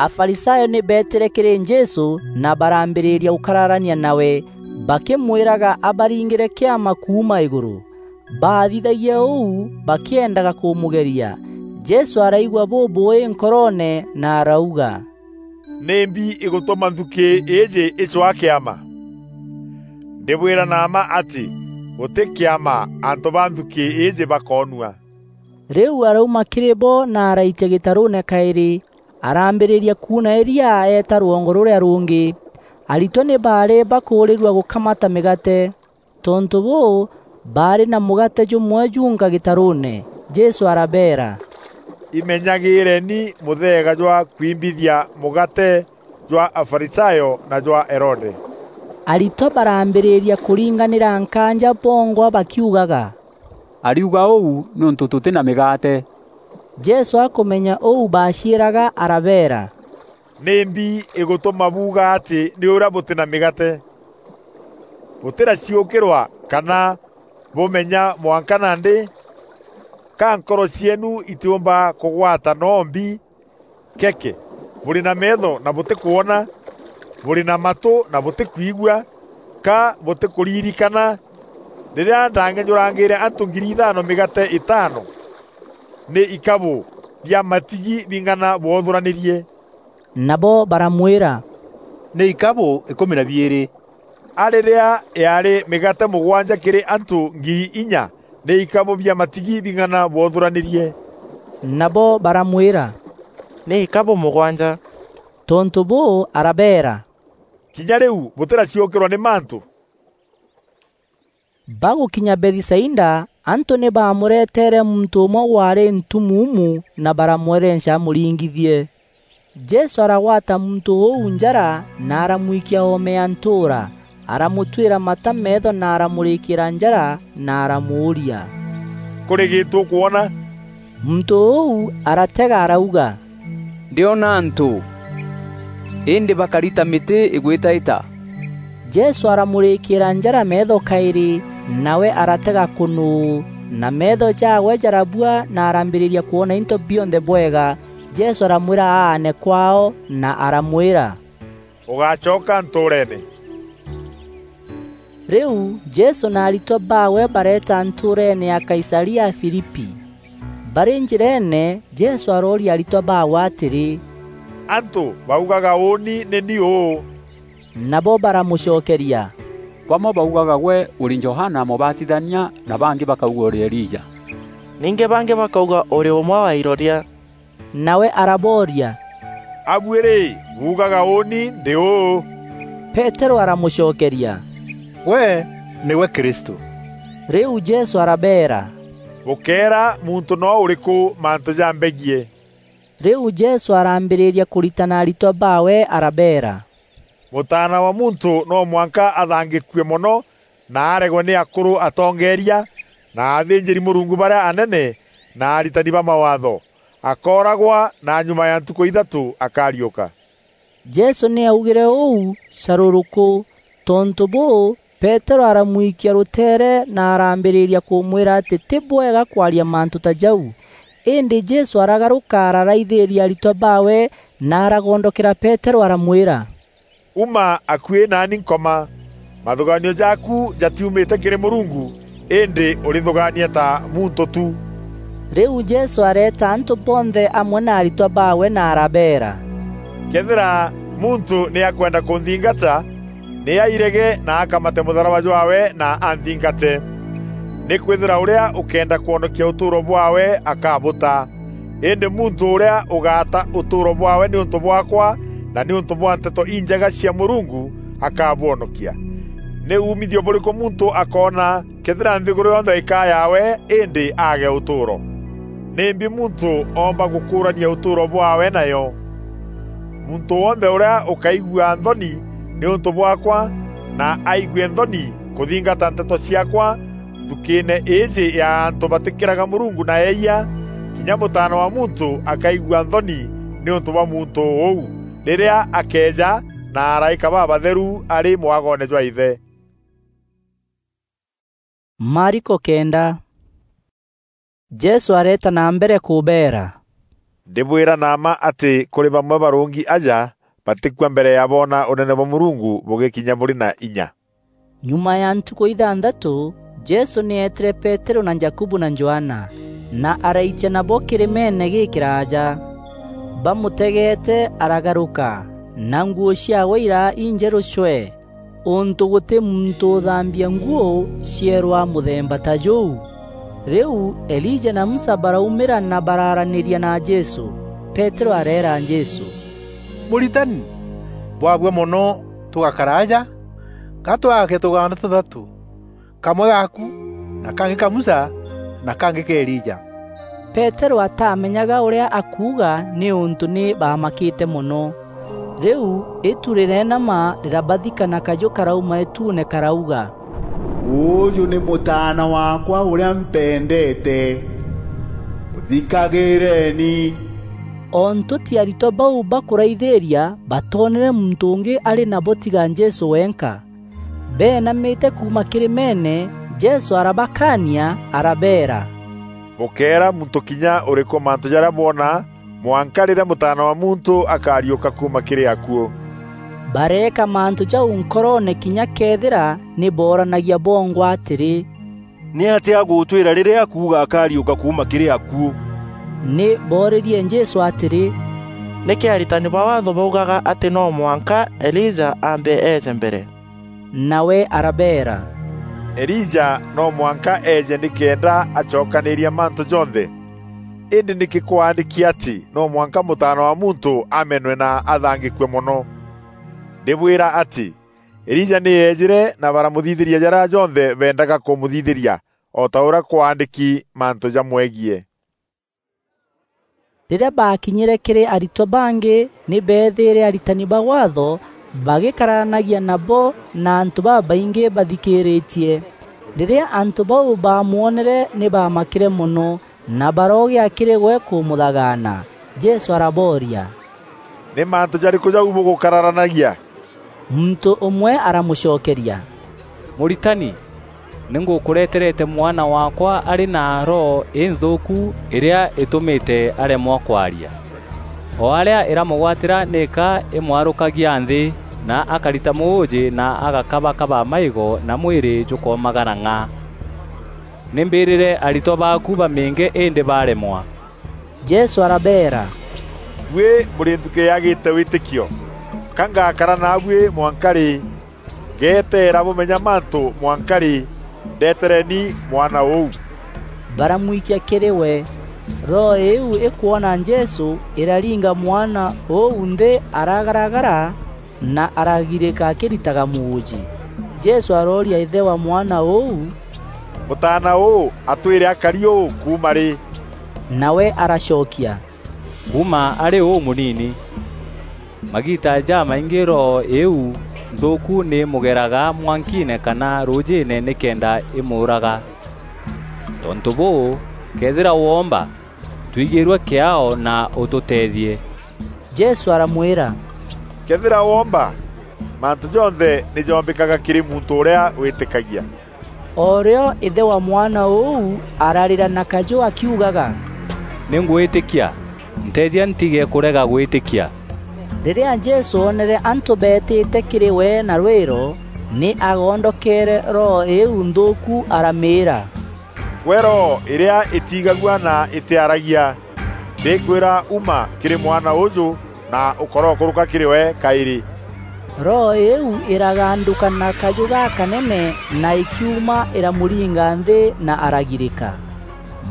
Afarisayo nî beetîre kîrî Jesû na barambîrîria gûkararania nawe, bakîmwîraga abaringîre kîama kuuma îgûrû. Baathithagia ûu bakîendaga kûmûgeria. Jesû araigua bûbûûî nkoroone na arauga, "Nîmbi îgûtûma nthukî îîjî îcwaa kîama? Ndîbwîra na mma atî gûtî kîama antû ba nthukî îîjî bakoonua." Rîu arauma kîrî bo na araitia gîtarûûne kaîrî, arambîrîria kuuna îria eeta rwongo rûrîa rûngî. Aritwa nî baarî bakûûrîrua gûkamata mîgaate. Tontû bûû, baarî na mûgaate jûmwe junka gîtarûûne. Jesû arabeera, "Imenyagîîreni mûtheega jwa kwimbithia mûgaate jwa Afarisayo na jwa Herode." Aritwa barambîrîria kûringanîra nkaanja bongwa bakiugaga, "Ariuga ûu nîûntû tûtî na mîgaate." Jesû akûmenya ûu baaciîraga, arabeera, "Nîmbi îgûtûma buuga atî nî ûrîa bûtî na mîgaate? Bûtîraciûkîrwa kana bûmenya mwanka nandî? Ka nkoro cieenu itîûmba kûgwata noo mbi? Keke, bûrî na meetho na bûtîkwona, bûrî na matû na bûtîkwigua, ka bûtîkûririkana rîrîa ndang'enyûrangîîre antû ngiri ithaano mîgaate îtaano, nî ikabû bia matigi bing'ana bwothûranîrie?" Nabo baramwîra, "Nî ikabû îkûmi na biîrî." A rîrîa yaarî mîgaate mûgwanja kîrî antû ngiri inya, nî ikabû bia matigi bing'ana bwothûranîrie? Nabo baramwîra, "Nî ikabû mûgwanja." Tontû bûû, arabeera, "Kinya rîu bûtîraciûkîrwa nî mantû?" Bagûkinya Bethisaida, antû nî baamûreteere muntû ûmwe waarî ntumuumu na baramwerenca amûringithie. Jesû aragwata muntû ûu njara na aramwikia oome ya ntûûra, aramûtuîra mata meetho na aramûrîkîîra njara na aramûûria, "Kûrî gîntû ûkwona?" Muntû ûu aratega arauga, "Ndîona antû, îndî bakari ta mîtî îgwîtaîta." Jesû aramûrîkîîra njara meetho kaîrî, nawe aratega kûnûû, na meetho jaawe jarabua na arambîrîria kwona into bionthe bwega. Jesû aramwîra aane kwaao na aramwîra, "Ûgacoka ntûûreene." Rîu Jesû na aritwa baawe bareeta ntûûreene ya Kaisaria Filipi. Barî njîreene, Jesû arooria aritwa baawe atîrî, "Antû baugaga ûûni nî ni ûû?" Nabo baramûcokeria, "Bamwe baugaga gwe ûrî Johana Mûbatithania, na bangî bakauga ûrî Elija, ningî bangî bakauga ûrî ûmwe wa iroria." Nawe arabooria, "A buî rî, buugaga ûûni ndî ûû?" Peterû aramûcokeria, "Gwe nîgwe Kristû." Rîu Jesû arabeera, "Bûkeera muntû noo ûrîkû mantû jambegiî." Rîu Jesû arambîrîria kûritana aritwa baawe arabeera, "Mûtaana wa muntû no mwanka athangîkue mono na aregwe nî akûrû atongeeria, na athînjîri-Mûrungu barîa anene, na aritani ba Mawaatho, akooragwa, na nyuma ya ntukû ithatû akariûka." Jesû nî aaugîre ûu carûrûkû. Tontû bûû, Peterû aramwikia rûteere na arambîrîria kûmwîra atî tî bwega kwaria mantû ta jau. Îndî Jesû aragarûka araraithîîria aritwa baawe na aragondokera Peterû aramwîra, "Uma akuî naani Nkoma. Mathûgaanio jaaku jatiumîte kîrî Mûrungu, îndî ûrîthûgaania ta muntû tu." Rîu Jesû areeta antû bonthe amwe na aritwa baawe na arabeera, "Këethîra muntû nî akwenda kûnthingata, nî airege na akamate mûtharaba jwaawe na anthingate. Nîkwîthîrwa ûrîa ûkeenda kwonokia ûtûûro bwaawe akabûta. Îndî muntû ûrîa ûgaata ûtûûro bwaawe nîûntû bwaakwa na nîûntû bwa Nteto Injega cia Mûrungu akabwonokia. Nî umithio bûrîkû muntû akoona këethîra nthîgûrû yonthe îkaa yaawe, îndî aage ûtûûro? Nîmbi muntû oomba gûkûûrania ûtûûro bwaawe nayo? Muntû wonthe ûrîa ûkaigua nthoni nîûntû bwaakwa na aigue nthoni kûthingata nteto ciaakwa nthukîîne îîjî ya antû batîkîraga Mûrungu na eeyia, kinya Mûtaana wa Muntû akaigua nthoni nîûntû bwa muntû ûu, rîrîa akeeja na araîka babatheru arî mwagoone jwa Îthe." Mariko kenda. Jesû areeta na mbere kûbeera, "Ndîbwîra na mma atî kûrî bamwe barûngi aja batîkua mbere ya boona Ûnene bwa Mûrungu bûgîkinya bûrî na inya." Nyuma ya ntukû ithanthatû, Jesû nî eetîre Peterû na Jakubu na Johana, na araitia nabo kîrîmeene gîkîraaja. Bamûtegeete aragarûka, na nguû ciaawe iraa injerû cwee. Ûntû gûtî muntû ûthambia nguû cieerwa mûthemba ta jûu. Rîu Elija na Musa baraumîra na baraaranîria na Jesû. Peterû areera Jesû, "Mûritani, bwabua mono tûgakara aja, ga twaake tûgaanda tûthatû, kamwe gaaku, na kangî ka Musa, na kangî ka Elija." Peterû atamenyaga ûrîa akuuga nîûntû nî baamakîte mono. Rîu îtu rîreenama rîrabathika na kajû karauma îtuune karauga, "Ûûjû nî Mûtaana waakwa ûrîa mpendeete. Mûthikagîîreeni." O ntûti aritwa bau bakûraithîîria batoonere muntû ûngî arî nabo tiga Jesû wenka. Beenamîte kuuma kîrîmeene, Jesû arabakaania, arabeera, "Bûkeera muntû kinya ûrîkû mantû jarîa bwona, mwanka rîrîa Mûtaana wa Muntû akariûka kuuma kîrî akuû." Bareeka mantû jau nkoroone kinya këethîra nî booranagia bongwa atîrî, "Nîatîa agûtwîra rîrîa akuuga akariûka kuuma kîrî akuû?" Nî boorîrie Jesû atîrî, "Nîkî aritani ba Waatho baugaga atî no mwanka Elija aambe eeje mbere?" Nawe arabeera, "Elija no mwanka eeje nîkenda acokanîîria mantû jonthe." Îndî nîkî kwaandîki atî no mwanka Mûtaana wa Muntû amenwe na athangîkue mono? Ndîbwîra atî, Elija nî eejîre na baramuthithîria jarîa jonthe beendaga kûmûthithîria, o ta ûrîa kwaandîki mantû jamwegiî. Rîrîa baakinyîre kîrî aritwa bangî, nî beethîîre aritani ba Waatho bagîkararanagia nabo na antû babaingî bathikîîrîtie. Rîrîa antû bau baamwonere, nî baamakîre mono, na barogîa kîrî we kûmûthagaana. Jesû arabooria, "Nî mantû jarîkû jau bûgûkararanagia?" Muntû ûmwe aramûcokeria, "Mûritani, nî ngûkûreterete mwana waakwa arî na roho înthûûku îrîa îtûmîte aremwa kwaria. O arîa îramûgwatîra nîka îmwarûkagia nthî, na akarita mûûjî na agakabakaba maîgo na mwîrî jûkomagara ng'a. Nî mbîrîre aritwa baaku bamînge îndî baremwa." Jesû arabeera, "Buî bûrî nthukî yagîte wîtîkio! Ka ngakara naabuî mwanka rî? Ngeteera bûmenya mantû mwanka rî? Ndetereni mwana ûu." Baramwikia kîrî we. Roho îîu îkwona Jesû, îraringa mwana ûu nthî aragaragara, na aragirîka akîritaga mûûjî. Jesû arooria îthe wa mwana ûu, "Mûtaana ûû atwîre akari ûû kuuma rî?" Nawe aracokia, "Kuuma arî ûmûnini. Magiita jamaingî roho îîu nthûûku nî îmûgeraga mwankiine kana rûûjîîne nîkenda îmûûraga. Tontû bûû, këethîra woomba, twigîîrue kîaao na ûtûteethie." Jesû aramwîra, "Këethîra woomba, mantû jonthe nî joombîkaga kîrî muntû ûrîa wîtîkagia." O rîo îthe wa mwana ûu ararîra na kajû akiugaga, "Nî ngwîtîkia, nteethia ntige kûrega gwîtîkia." Rîrîa Jesû oonere antû beetîte kîrî we na rwîro, nî agondokeere roho îîu nthûûku aramîîra, "Gwe roho îrîa îtiigagua na îtîaragia, ndîkwîra, uma kîrî mwana ûûjû na ûkorokûrûka kîrî we kaîrî." Roho îîu îragandûka na kajû gakanene na îkiuma îramûringa nthî na aragirîka.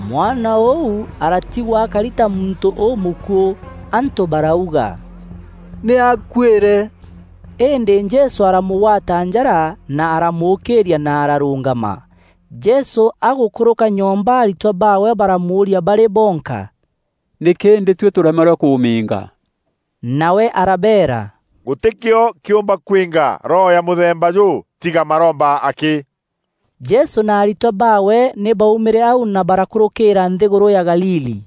Mwana ûu aratigwa akari ta muntû ûmûkuû. Antû barauga, "Nî akuîre." Îndî Jesû aramûgwata njara na aramûûkîîria na ararûngama. Jesû agûkûrûka nyomba, aritwa baawe baramûûria barî bonka, "Nîkî îndî tuî tûremerwe kûmînga?" Nawe arabeera, "Gûtî kîo kîûmba kwînga roho ya mûthemba jûû, tiga maromba akî." Jesû na aritwa baawe nî baumîre au na barakûrûkîîra nthîgûrû ya Galili.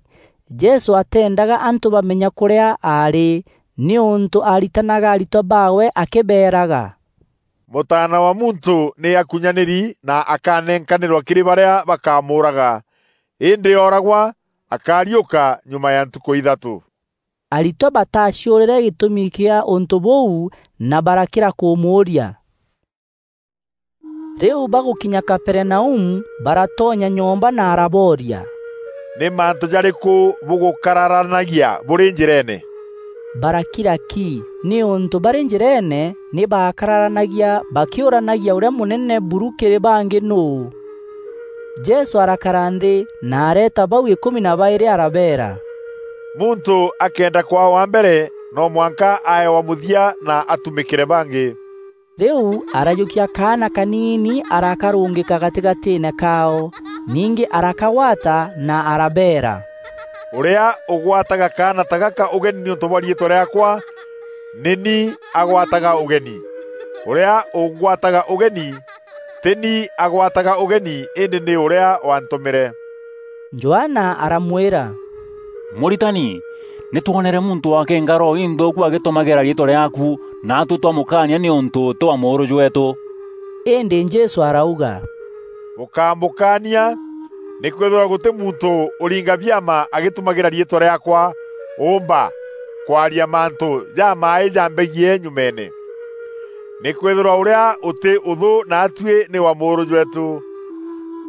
Jesû ateendaga antû bamenya kûrîa aarî, nîûntû aaritanaga aritwa baawe akîbeeraga, "Mûtaana wa Muntû nî akunyanîri na akanenkanîrwa kîrî barîa bakamûûraga, îndî ooragwa, akariûka nyuma ya ntukû ithatû." Aritwa bataciûrîre gîtûmi kîa ûntû bûu na barakîra kûmûûria. Rîu bagûkinya Kaperinaumu, baratonya nyomba na arabooria, "Nî mantû jarîkû bûgûkararanagia bûrî njîreene?" Barakira ki, nîûntû barî njîreene nî baakararanagia bakîûranagia ûrîa mûnene buru kîrî bangî nûû. Jesû arakara nthî na areeta bau îkûmi na baîrî arabeera, "Muntû akenda kwaa wa mbere, no mwanka ae wa mûthia na atumîkîre bangî." Rîu arajûkia kaana kaniini arakarûngîka gatîgatîîne kaao, ningî arakagwata na arabeera, "Ûrîa ûgwataga kaana ta gaka ûgeni nîûntû bwa riîtwa rîaakwa, nî ni agwataga ûgeni. Ûrîa ûngwataga ûgeni, tî ni agwataga ûgeni, îndî nî ûrîa wantûmîre." Johana aramwîra, "Mûritani, nî twonere muntû akînga roho inthûûku agîtûmagîra riîtwa rîaaku, naatû twamûkaania nîûntû tî wa mûûrû jweetû." Îndî Jesû arauga, "Bûkamûkaania, nîkwîthîrwa gûtî muntû ûringa biama agîtûmagîra riîtwa rîaakwa ûûmba kwaria mantû jamaaî jambegiî nyumeene. Nîkwîthîrwa ûrîa ûtî ûthû naatuî nî wa mûûrû jweetû.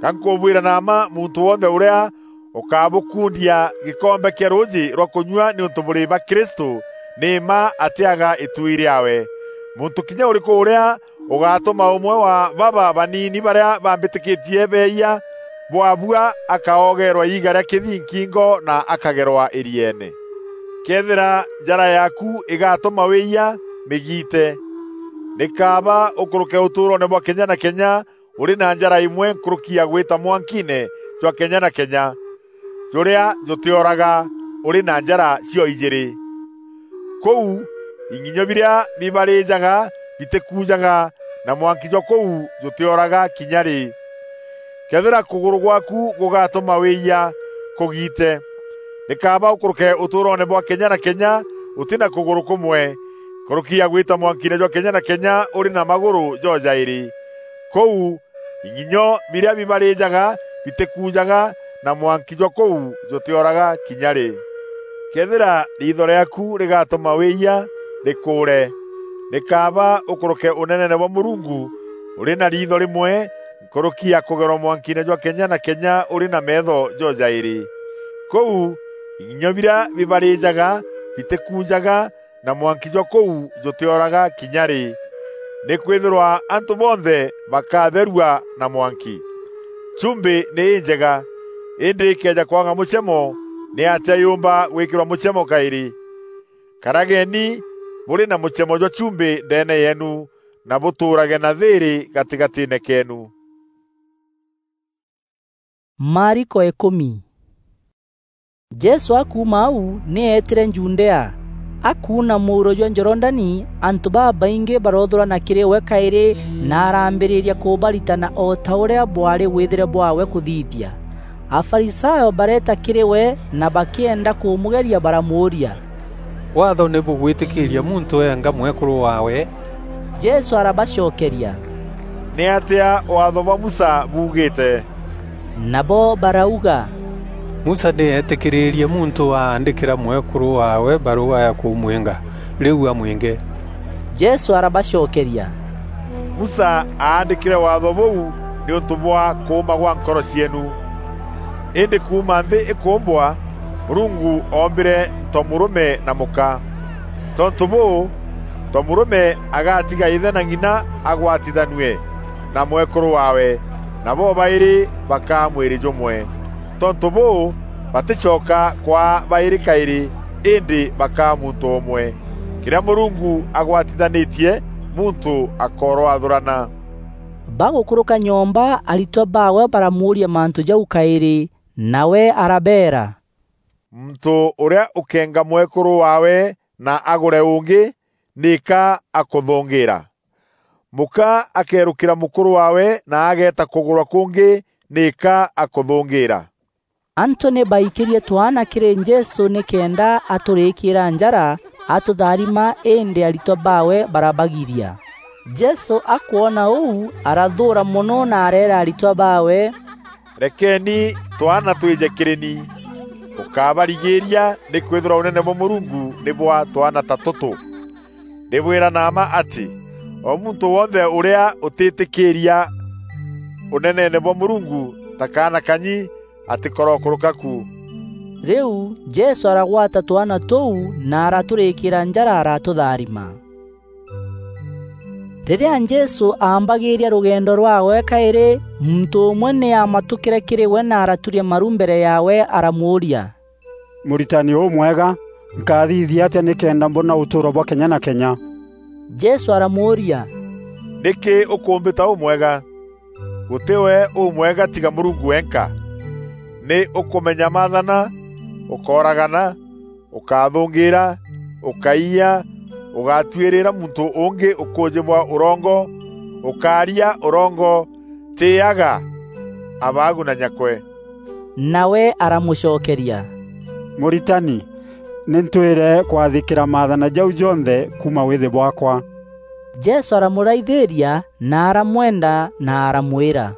Ga nkûbwîra na mma, muntû wonthe ûrîa ûkabûkundia gîkombe kîa rûûjî rwa kûnyua nîûntû bûrî ba Kristû, nî mma atîaga îtuui rîaawe. Muntû kinya ûrîkû ûrîa ûgatûma ûmwe wa baba baniini barîa bambîtîkîtie beeyia, bwabua akaogeerwa iiga ria kithi nkingo na akagerwa irieene. Kethira njara yaaku igatuma wiiyia, migiite. Ni kaaba ukuruke utuuroone bwa kenya na kenya uri na njara imwe nkuruki ya gwita mwankiine jwa kenya na kenya, juria jutioraga uri na njara cio ijiri. Kuu, ing'inyo biria bibarijaga bitikujaga, na mwanki jwa kuu jutioraga kinya ri. Kethira kuguru gwaku gugatuma wiiyia, kugiite. Ni kaaba ukuruke utuuroone bwa kenya na kenya uti na kuguru kumwe, nkuruki ya gwita mwankiine jwa kenya na kenya uri na maguru jojairi. Kuu, ing'inyo biria bibarijaga bitikujaga, na mwanki jwa kuu jutioraga kinya ri. Kethira riitho riaaku rigatuma wiiyia, rikuure. Ni kaaba ukuruke uneneene bwa Murungu uri na riitho rimwe nkuruki ya kugerwa mwankiine jwa kenya na kenya uri na meetho jojairi. Kuu, ing'inyo biria bibarijaga bitikujaga, na mwanki jwa kuu jutioraga kinya ri. Nikwithirwa antu bonthe bakatherua na mwanki. Chumbi ni injega, indi ikeeja kwaga muchemo, niatia yumba gwikirwa muchemo kairi? Karageni buri na muchemo jwa chumbi ndeene yeenu, na butuurage na thiiri gatigatiine keenu. Mariko ikumi. Jesû akuuma au, nî eetîre Judea. Akuuna mûuro jwa Jorodani, antû babaingî baroothûrana kîrî we kaîrî, na araambîrîria kûbaritana o ta ûrîa bwaarî wîthîre bwaawe kûthithia. Afarisayo bareeta kîrî we, na bakîenda kûmûgeria, baramûûria, "Waatho nî bûgwîtîkîîria muntû eenga mwekûrû waawe?" Jesû arabacokeria, "Nîatîa Waatho bwa Musa buugîte?" Nabo barauga, "Musa nî eetîkîrîîrie muntû aandîkîra mwekûrû waawe barûga ya kûmwînga, rîu amwînge." Jesû arabacokeria, "Musa aandîkîre Waatho bûu nîûntû bwa kûûma gwa nkoro cieenu. Îndî kuuma nthî îkûûmbwa, Mûrungu oombîre ntomûrûme na mûka. Tontû bûû, ntomûrûme agatiga îthe na ng'ina agwatithanue na mwekûrû waawe, na bobaîrî bakaa mwîrî jûmwe. Tontû bûû, batîcoka kwaa baîrî kaîrî, îndî bakaa muntû ûmwe. Kîrîa Mûrungu agwatithanîtie, muntû akoorwathûrana." Bagûkûrûka nyomba, aritwa baawe baramûûria mantû jau kaîrî, nawe arabeera, "Muntû ûrîa ûkeenga mwekûrû waawe na agûre ûngî, nîka akûthûngîîra? Mûka akeerûkîra mûkûrû waawe na ageeta kûgûrwa kûngî, nîka akûthûngîîra?" Antû nî baikîrie twaana kîrî Jesû nîkenda atûrîkîîra njara, atûtharima, îndî aritwa baawe barabagiria. Jesû akwona ûu, arathûûra mono na areera aritwa baawe, "Rekeeni twaana twîje kîrî ni, bûkábarigîîria, nîkwîthîrwa Ûnene bwa Mûrungu nî bwa twaana ta tûtû. Ndîbwîra na mma atî, o muntû wonthe ûrîa ûtîtîkîîria Ûneneene bwa Mûrungu ta kaana kanyi, atîkorokûrûka ku." Rîu Jesû aragwata twaana tûu na aratûrîkîîra njara, aratûtharima. Rîrîa Jesû aambagîîria rûgendo rwaawe kaîrî, muntû ûmwe nî aamatûkîre kîrî we na araturia maru mbere yaawe, aramûûria, "Mûritani ûmwega, nkathithia atîa nîkenda mbona ûtûûro bwa kenya na kenya?" Jesû aramûûria, "Nîkî ûkûmbîta ûmwega? Gûtî we ûmwega tiga Mûrungu wenka. Nî ûkûmenya maathana: 'Ûkooragana, ûkathûngîîra, ûkaiya, ûgatuîrîra muntû ûngî ûkûûjî bwa ûrongo, ûkaaria ûrongo, tîîaga abaagu na nyakwe.'" Nawe aramûcokeria, "Mûritani, nî ntwîre kwathîkîra maathana jau jonthe kuuma wîthî bwaakwa." Jesû aramûraithîîria na aramwenda na aramwîra,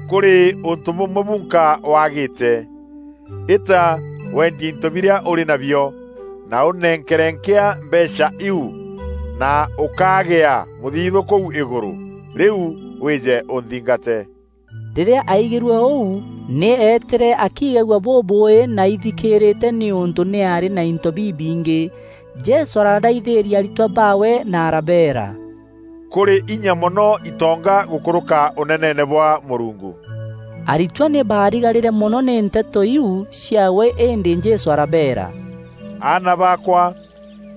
"Kûrî ûntû bûmwe bunka wagîte. Îta, wendie into birîa ûrî nabio, na ûnenkere nkîa mbeecha iu, na ûkagîa mûthithû kûu îgûrû. Rîu wîje ûnthingate." Rîrîa aigîrue ûu, nî eetîre akigagua bûbûûî na aithikîîrîte nîûntû nî aarî na into bibingî. Jesû araraithîîria aritwa baawe na arabeera, "Kûrî inya mono itonga gûkûrûka Ûneneene bwa Mûrungu." Aritwa nî baarigarîre mono nî nteto iu ciaawe, îndî Jesû arabeera, "Aana baakwa,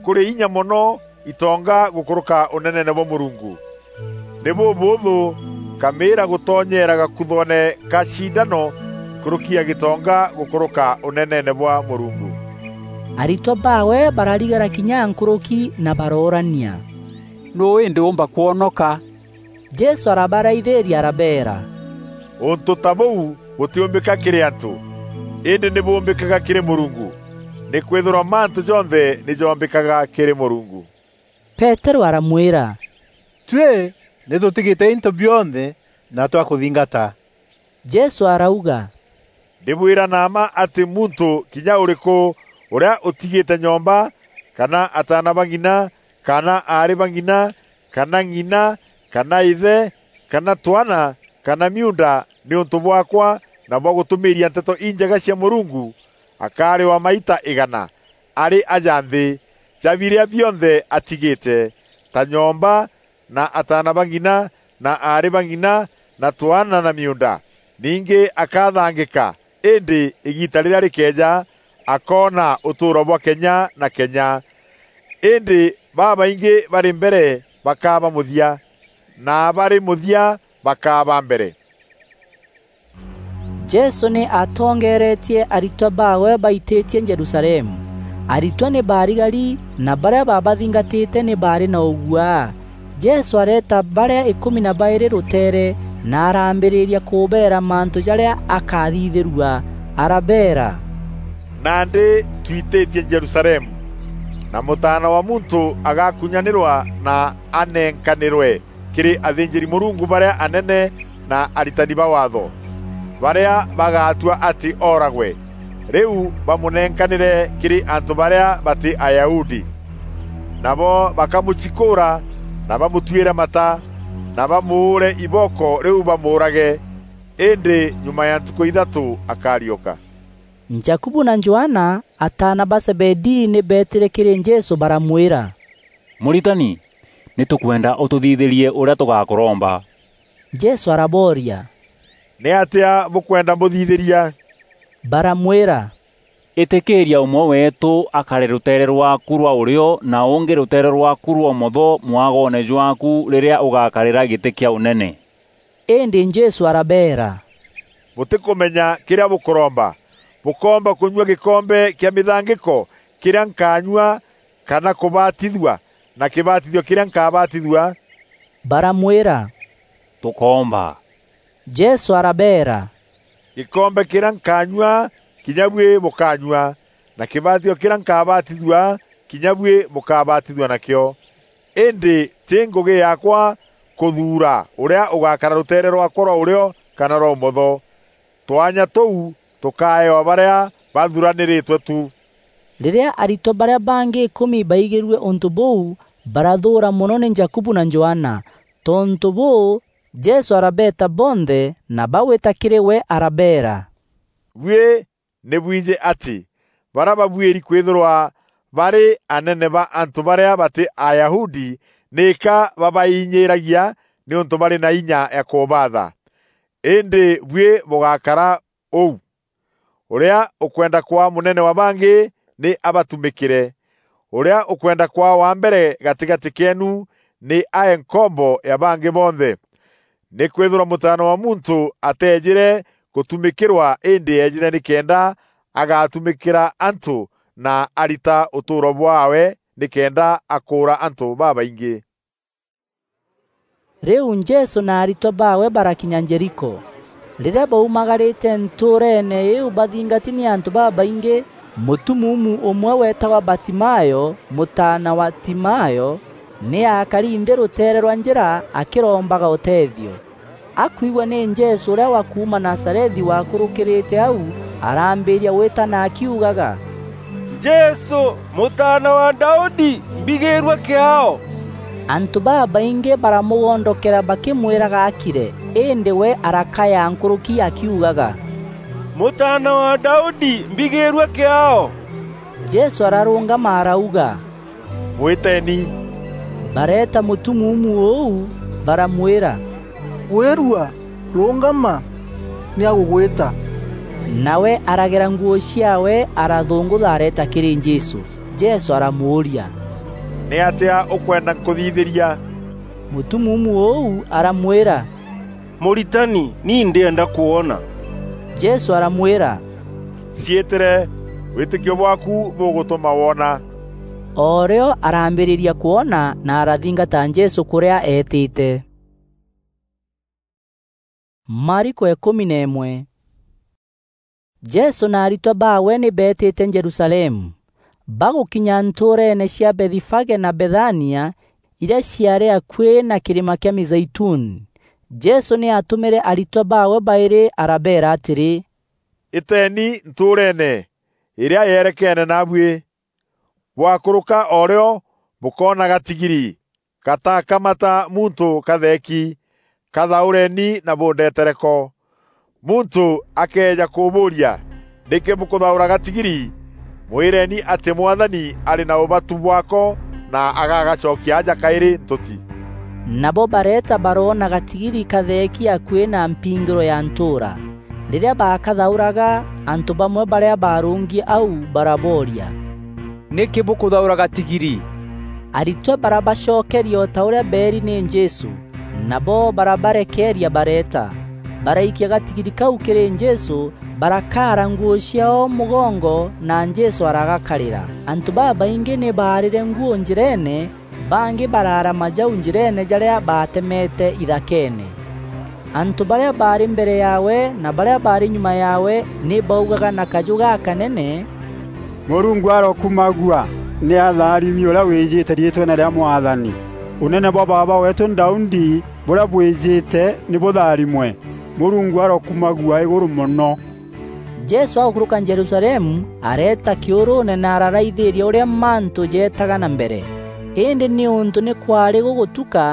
kûrî inya mono itonga gûkûrûka ûneneene bwa Mûrungu. Nî bûbûûthû nkamîîra gûtonyeera gakuthoone ka cindano nkûrûki ya gîtonga gûkûrûka ûneneene bwa Mûrungu." Aritwa baawe bararigara kinya nkûrûki na baroorania, "Nûû îndî ûûmba kwonoka?" Jesû arabaraithîîria arabeera, "Ûntû ta bûu bûtîûmbîka kîrî antû, îndî nî bûûmbîkaga kîrî Mûrungu, nîkwîthîrwa mantû jonthe nî joombîkaga kîrî Mûrungu." Peterû aramwîra, "Tuî nî tûtigîte into bionthe na twakûthingata." Jesû arauga, "Ndîbwîra na mma atî muntû kinya ûrîkû ûrîa ûtigîte nyomba, kana ataana ba ng'ina, kana aarî ba ng'ina, kana ng'ina, kana îthe, kana twaana, kana miuunda nîûntû bwaakwa na bwa gûtûmîîria Nteto Injega cia Mûrungu, akarîwa maita îgana arî aja nthî ja birîa bionthe atigîte, ta nyomba, na ataana ba ng'ina, na aarî ba ng'ina, na twaana na miuunda. Ningî akathangîka, îndî îgiita rîrîa rîkeeja, akoona ûtûûro bwa kenya na kenya. Îndî babaingî barî mbere bakaa ba mûthia, na barî mûthia bakaa ba mbere." Jesû nî atongeeretie aritwa baawe baitîtie Jerusalemu. Aritwa nî baarigari, na barîa baabathingatîte nî baarî na ûguaa. Jesû areeta barîa îkûmi na baîrî rûteere, na araambîrîria kûbeera mantû jarîa akathithîrua. Arabeera, "Nandî twitîtie Jerusalemu, na Mûtaana wa Muntû agakunyanîrwa na anenkanîrwe kîrî athînjîri-Mûrungu barîa anene na aritani ba Waatho, barîa bagatua atî ooragwe, rîu bamûnenkanîre kîrî antû barîa batî Ayahudi. Nabo bakamûcikûûra na bamûtuîre mata, na bamûûre ibooko, rîu bamûûrage, îndî nyuma ya ntukû ithatû akariûka." Jakubu na Johana, ataana ba Zebedii, nî beetîre kîrî Jesû baramwîra, "Mûritani, nî tûkwenda ûtûthithîrie ûrîa tûgakûromba." Jesû arabooria, "Nîatîa bûkwenda mbûthithîria?" Baramwîra, "Îtîkîîria ûmwe weetû akare rûteere rwaaku rwa ûrîo na ûngî rûteere rwaaku rwa ûmotho mwagoone jwaaku rîrîa ûgakarîra gîtî kîa ûnene." Îndî Jesû arabeera, "Bûtîkûmenya kîrîa bûkûromba. Bûkoomba kûnyua gîkombe kîa mîthangîko kîrîa nkanyua, kana kûbatithua na kîbatithio kîrîa nkabatithua?" Baramwîra, "Tûkoomba." Jesû arabeera, "Gîkombe kîrîa nkanyua, kinya buî bûkanyua, na kîbatithio kîrîa nkabatithua, kinya buî bûkabatithua nakîo. Îndî tî ngûgî yaakwa kûthuura ûrîa ûgakara rûteere rwaakwa rwa ûrîo kana rwa ûmotho. Twanya tûu tûkaewa barîa bathuranîrîtwe tu." Rîrîa aritwa barîa bangî îkûmi baigîrue ûntû bûu, barathûûra mono nî Jakubu na Johana. Tontû bûû, Jesû arabeeta bonthe na bagwîta kîrî we arabeera, "Buî nî bwijî atî barîa babuîri kwîthîrwa barî anene ba antû barîa batî Ayahudi nîka babainyîîragia nîûntû barî na inya ya kûbaatha. Îndî buî bûgakara ûu. Ûrîa ûkwenda kwaa mûnene wa bangî nî abatumîkîre. Ûrîa ûkwenda kwaa wa mbere gatîgatî keenu nî ae nkombo ya bangî bonthe. Nîkwîthîrwa Mûtaana wa Muntû ateejîre gûtumîkîrwa, îndî eejîre nîkenda agatumîkîra antû na arita ûtûûro bwaawe nîkenda akûûra antû babaingî." Rîu Jesû na aritwa baawe barakinya Jeriko. Rîrîa baumagarîte ntûûreene îîu bathingati nî antû babaingî, mûtumuumu ûmwe weetagwa Batimayo, mûtaana wa Timayo, nî aakari nthî rûteere rwa njîra akîrombaga ûteethio. Akwigua nî Jesû ûrîa wa kuuma Nazarethi wakûrûkîrîte au, arambîîria gwîtana akiugaga, "Jesû, Mûtaana wa Daudi, mbigîîrua kîaao!" Antû babaingî baramûgondokera bakîmwîraga akire, îndî we arakaya nkûrûki akiugaga, "Mûtaana wa Daudi, mbigîîrua kîaao!" Jesû ararûngama arauga, "Mwîteni." Bareeta mûtumuumu ûu, baramwîra, "Wîrua, rûngama." nî agûgwîta." Nawe aragera nguû ciaawe, arathûngûtha areeta kîrî Jesû. Jesû aramûûria, "Nîatîa ûkwenda nkûthithîria?" Mûtumuumu ûu aramwîra, "Mûritani, ni ndîenda kwona." Jesû aramwîra, "Ciîtîre, wîtîkio bwaaku bûgûtûma woona." O rîo arambîrîria kwona na arathingata Jesû kûrîa eetîte. Mariko îkûmi na îmwe. Jesû na aritwa baawe nî beetîte Jerusalemu. Bagûkinya ntûûreene cia Bethifage na Bethania, irîa ciaarî akuî na kîrîma kîa Mizeituni, Jesû nî aatûmîre aritwa baawe baîrî arabeera atîrî, "Îteeni ntûûreene îrîa yerekeene naabuî. Bwakûrûka o rîo bûkoona gatigiri gatakamata muntû katheeki, kathaûreni na bûndetere ko. Muntû akëeja kûbûûria, 'Nîkî bûkûthaûra gatigiri?' Mwîreni atî Mwathani arî na ûbatu bwako na agagacokia aja kaîrî ntûti." Nabo bareeta baroona gatigiri katheeki akuî na mpingîro ya ntûûra. Rîrîa baakathaûraga, antû bamwe barîa baarûngi au barabooria, "Nîkî bûkûthaûra gatigiri?" Aritwa barabacokeria o ta ûrîa beeri nî Jesû, nabo barabarekeeria bareeta. Baraikia gatigiri kau kîrî Jesû, barakaara nguû ciaao mûgongo na Jesû aragakarîra. Antû babaingî nî baarîre nguû njîreene, bangî baraara majau njîreene jarîa baatemete ithakeene. Antû barîa baarî mbere yaawe na barîa baarî nyuma yaawe nî baugaga na kajû gakanene, "Mûrungu arokumagua! Nî atharimi ûrîa wîjîte riîtweene rîa Mwathani! Ûnene bwa baaba weetû Daudi bûrîa bwîjîte nî bûtharimwe! Mûrungu arokumagua îgûrû mono!" Jesû agûkûrûka Jerusalemu, areeta kîûrûûne na araraithîîria ûrîa mantû jeetaga na mbere. Îndî nîûntû nî kwaarî gûgûtuka,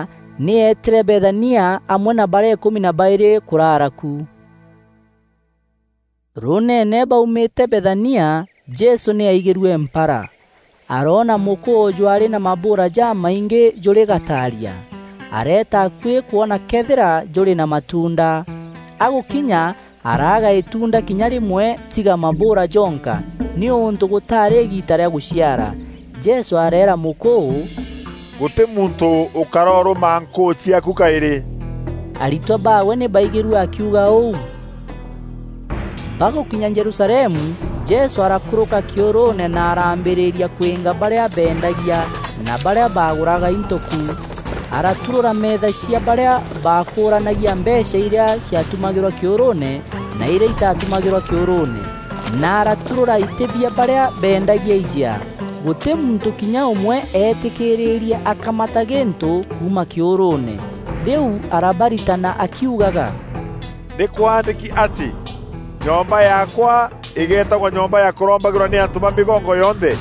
nî eetîre Bethania amwe na barîa îkûmi na baîrî kûraara ku. Rûûneene baumîte Bethania, Jesû nî aigîrue mpara. Aroona mûkûû jwaarî na mabûûra jamaingî jûrî gataaria. Areeta akuî kwona këethîra jûrî na matuunda. Agûkinya, araaga îtuunda kinya rîmwe tiga mabûûra jonka, nîûntû gûtaarî îgiita rîa gûciara. Jesû areera mûkûû, "Gûtî muntû ûkarorûma nkûû ciaaku kaîrî." Aritwa baawe nî baigîrue akiuga ûu. Bagûkinya Jerusalemu, Jesû arakûrûka kîûrûûne na arambîrîria kwînga barîa beendagia na barîa baagûraga into ku. Araturûra meetha cia barîa baakûûranagia mbeecha irîa ciatumagîrwa kîûrûûne na irîa itatumagîrwa kîûrûûne, na araturûra itî bia barîa beendagia ijea. Gûtî muntû kinya ûmwe eetîkîîrîrie akamata gîntû kuuma kîûrûûne. Rîu arabaritana akiugaga, "Nî kwaandîki atî, 'Nyomba yaakwa îgeetagwa nyomba ya kûrombagîrwa nî antû ba mîgongo yonthe,'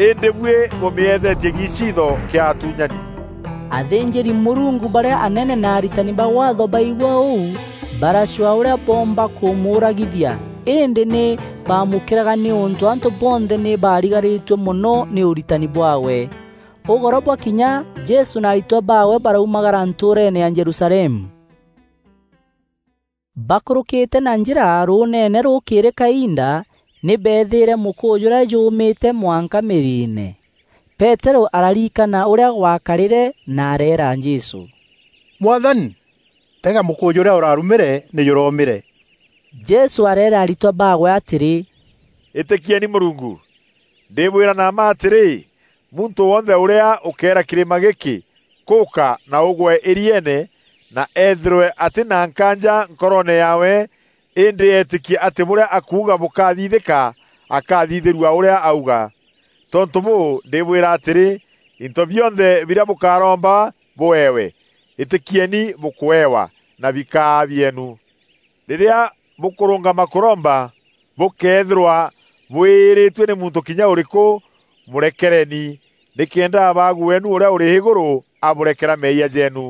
îndî buî bûmîeethetie giciitho kîa atuunyani." Athînjîri-Mûrungu barîa anene na aritani ba Waatho baigua ûu, baracwaa ûrîa boomba kûmûûragithia, îndî nî baamûkîraga nîûntû antû bonthe nî baarigarîtue mono nî ûritani bwaawe. Ûgoro bwakinya, Jesû na aritwa baawe baraumagara ntûûreene ya Jerusalemu. Bakûrûkîte na njîra rûûneene rûkîrî kainda, nî beethîîre mûkûû jûrîa jûûmîte mwanka mîriine. Peterû ararikana ûrîa gwakarîre na areera Jesû, "Mwathani, tega mûkûû jûrîa ûrarumîre nî jûromîre." Jesû areera aritwa baawe atîrî, "Îtîkieni Mûrungu. Ndîbwîra na mma atîrî, muntû wonthe ûrîa ûkeera kîrîma gîkî, 'Kûka na ûgwe îrieene,' na eethîrwe atî na nkaanja nkoroone yaawe, îndî eetîkie atî bûrîa akuuga bûkathithîka, akathithîrua ûrîa auga. Tontû bûû, ndîbwîra atîrî, into bionthe birîa bûkaromba bûewe, îtîkieni bûkûewa, na bikaa bieenu. Rîrîa bûkûrûngama kûromba, bûkeethîrwa bwîîrîtue nî muntû kinya ûrîkû, mûrekereni, nîkenda Abaagu weenu ûrîa ûrî îgûrû abûrekera meeyia jeenu.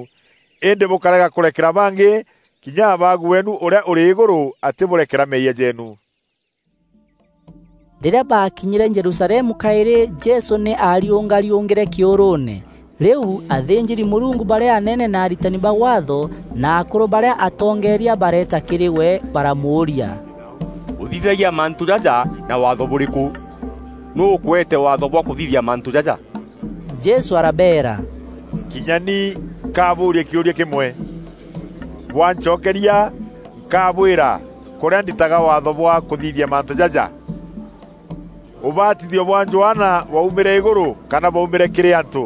Îndî bûkarega kûrekera bangî, kinya Abaagu weenu ûrîa ûrî îgûrû atîbûrekera meeyia jeenu." Rîrîa baakinyîre Jerusalemu kaîrî, Jesû nî aariûngariûngîre kîûrûûne. Riu athînjîri-Mûrungu barîa anene na aritani ba Waatho na akûrû barîa atongeeria bareeta kîrî we, baramûûria, "Ûthithagia mantû jaja na waatho bûrîkû? Nûû ûkweete waatho bwa kûthithia mantû jaja?" Jesû arabeera, "Kinya ni nkabûûria kîûria kîmwe. Bwancokeria, nkabwîra kûrîa nditaga waatho bwa kûthithia mantû jaja. Ûbatithio bwa Johana bwaumîre îgûrû kana bwaumîre kîrî antû?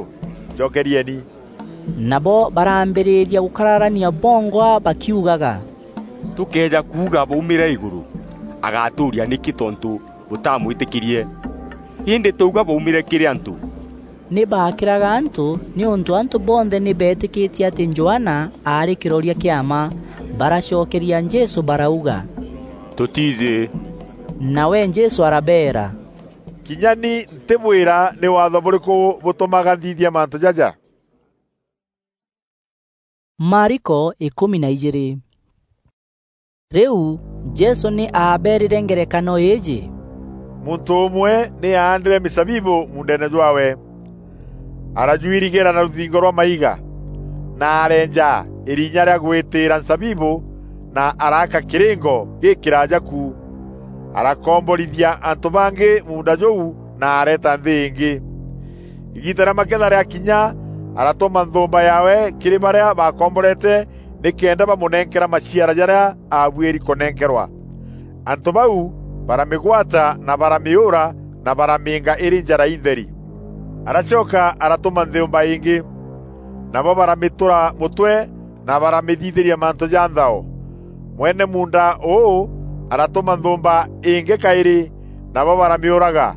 Cokerieni." Nabo barambîrîria gûkararania bongwa bakiugaga, "Tûkëeja kuuga bwaumîre îgûrû, agatûûria nîkî tontû bûtamwîtîkîrie? Îndî twauga bwaumîre kîrî antû." Nî baakîraga antû, nîûntû antû bonthe nî beetîkîtie atî Johana aarî kîroria kîa mma. Baracokeria Jesû barauga, "Tûtiijî." Nawe Jesû arabeera, "Kinya ni ntîbwîra nî waatho bûrîkû bûtûmaga nthithia mantû jaja." Mariko ikûmi na ijîîrî. Rîu Jesû nî aabeerîre ngerekano îîjî, "Muntû ûmwe nî aandîre mîzabibû muundeene jwaawe. Arajwirigîra na rûthingo rwa maiga, na areenja îrinya rîa gwîtîîra nzabibû, na araaka kîrîngo gîkîraaja ku. Arakomborithia antû bangî muunda jûu, na areeta nthî îngî. Îgiita rîa maketha rîakinya, aratûma nthûûmba yaawe kîrî barîa baakomborete, nîkenda bamûnenkera maciara jarîa aabuîri kûnenkerwa. Antû bau baramîgwata na baramîûra na baramîînga îrî njara intheri. Aracoka aratûma nthûûmba îngî, nabo baramîtûra mûtwe na baramîthithîria mantû ja nthao. Mwene muunda ûû aratûma nthûûmba îngî kaîrî, nabo baramîûraga.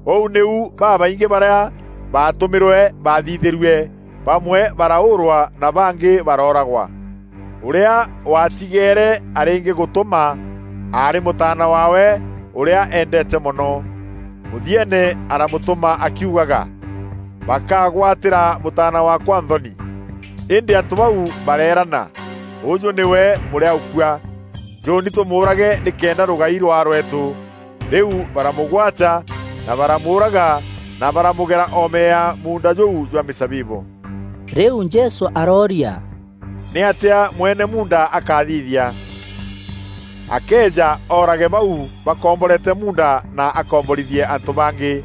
Ûu nîu babaingî barîa baatûmîrwe baathithîrue, bamwe baraûûrwa na bangî barooragwa. Ûrîa waatigeere arîngî gûtûma aarî mûtaana waawe ûrîa eendeete mono. Mûthieene aramûtûma akiugaga, 'Bakagwatîra mûtaana waakwa nthoni.' Îndî antû bau bareerana, 'Ûûjû nîwe mûrîa ûkua. Njûûni tûmûûrage nîkenda rûgai rwaa rweetû.' Rîu baramûgwata na baramûûraga na baramûgera oome ya muunda jûu jwa mîzabibû." Rîu Jesû arooria, "Nîatîa mwene muunda akathithia? Akeeja oorage bau bakomborete muunda na akomborithie antû bangî.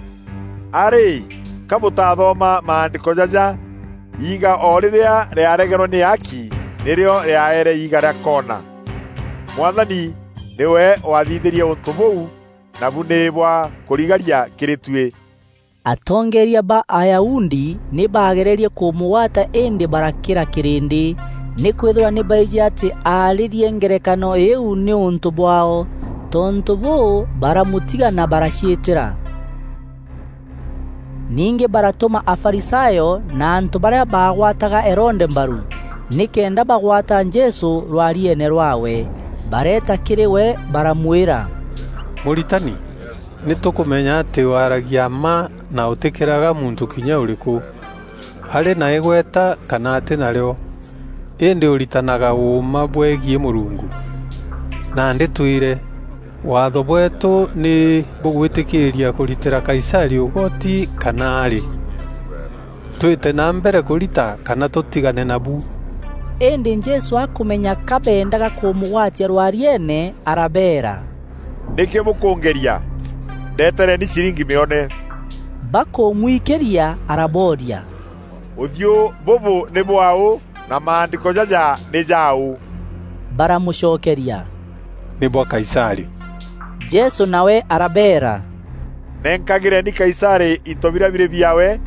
A rî, ka bûtathoma maandîko jaja, 'Iiga o rîrîa rîaregerwe nî aaki, nîrîo rîaere iiga rîa koona'? Mwathani nîwe waathithîrie ûntû bûu, nabu nî bwa kûrigaria kîrî tuî." Atongeeria ba Ayahudi nî baagererie kûmûgwata îndî barakîra kîrîndî, nîkwîthîrwa nî baijî atî aarîrie ngerekano îîu nîûntû bwaao. Tontû bûû, baramûtiga na baraciîtîra. Ningî baratûma Afarisayo na antû barîa baagwataga Herode mbaru, nîkenda bagwata Jesû rwarieene rwaawe. Bareeta kîrî we, baramwîra, "Mûritani, nî tûkûmenya atî waaragia mma na ûtîkîraga muntû kinya ûrîkû. Arî na îgweta kana atî narîo, îndî ûritanaga ûûma bwegiî Mûrungu. Nandî twîre, waatho bweetû nî bûgwîtîkîîria kûritîra Kaisarî ûgoti kana arî? Twîte na mbere kûrita kana tûtigane nabu?" Îndî Jesû akûmenya ka beendaga kûmûgwatia rwarieene, arabeera, "Nîkî bûkûngeria? Ndetereni ciringi mîone." Bakûmwikîria, arabooria, "Ûthiû bûbû nî bwaaû, na maandîko jaja nî jaaû?" Baramûcokeria, "Nî bwa Kaisarî." Jesû nawe arabeera, "Nenkagîreni Kaisarî into birîa birî biaawe,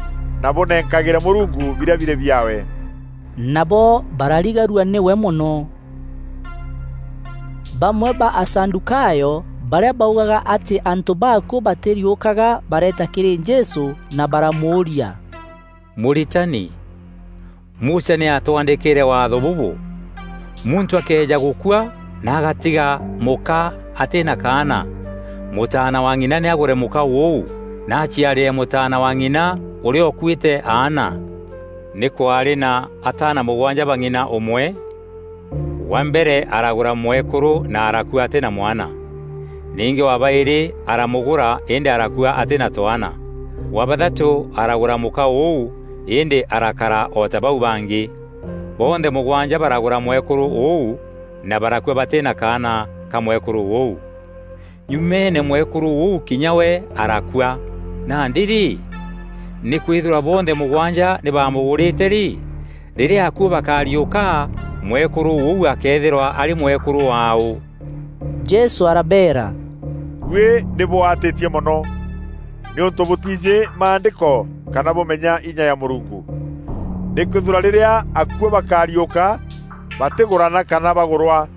na bûnenkagîre Mûrungu birîa birî biaawe." Nabo bararigarua nîwe mono. Bamwe ba Asadukayo, barîa baugaga atî antû bakuû batîriûkaga, bareeta kîrî Jesû na baramûûria, "Mûritani, Musa nî aatwandîkîîre waatho bûbû: 'Muntû akeeja gûkua na agatiga mûka atî na kaana, mûtaana wa ng'ina nî agûre mûka ûû, na aciarîre mûtaana wa ng'ina ûrîa ûkuîte aana.' Nî kwaarî na ataana mûgwanja ba ng'ina ûmwe. Wa mbere aragûra mwekûrû na arakua atî na mwana. Ningî wa baîrî aramûgûra, îndî arakua atî na twaana. Wa bathatû aragûra mûka ûû, îndî arakara o ta bau bangî. Bonthe mûgwanja baragûra mwekûrû ûu na barakua batî na kaana ka mwekûrû ûu. Nyumeene mwekûrû ûu kinya we arakua. Nandî rî, nîkwîthîrwa bonthe mûgwanja nî baamûgûrîte rî, rîrîa akuû bakariûka, mwekûrû ûu akeethîrwa arî mwekûrû waaû? Jesû arabeera, "Buî nî bûatîtie mono, nîûntû bûtiijî Maandîko kana bûmenya inya ya Mûrungu. Nîkwîthîrwa rîrîa akuû bakariûka, batîgûrana kana bagûrwa,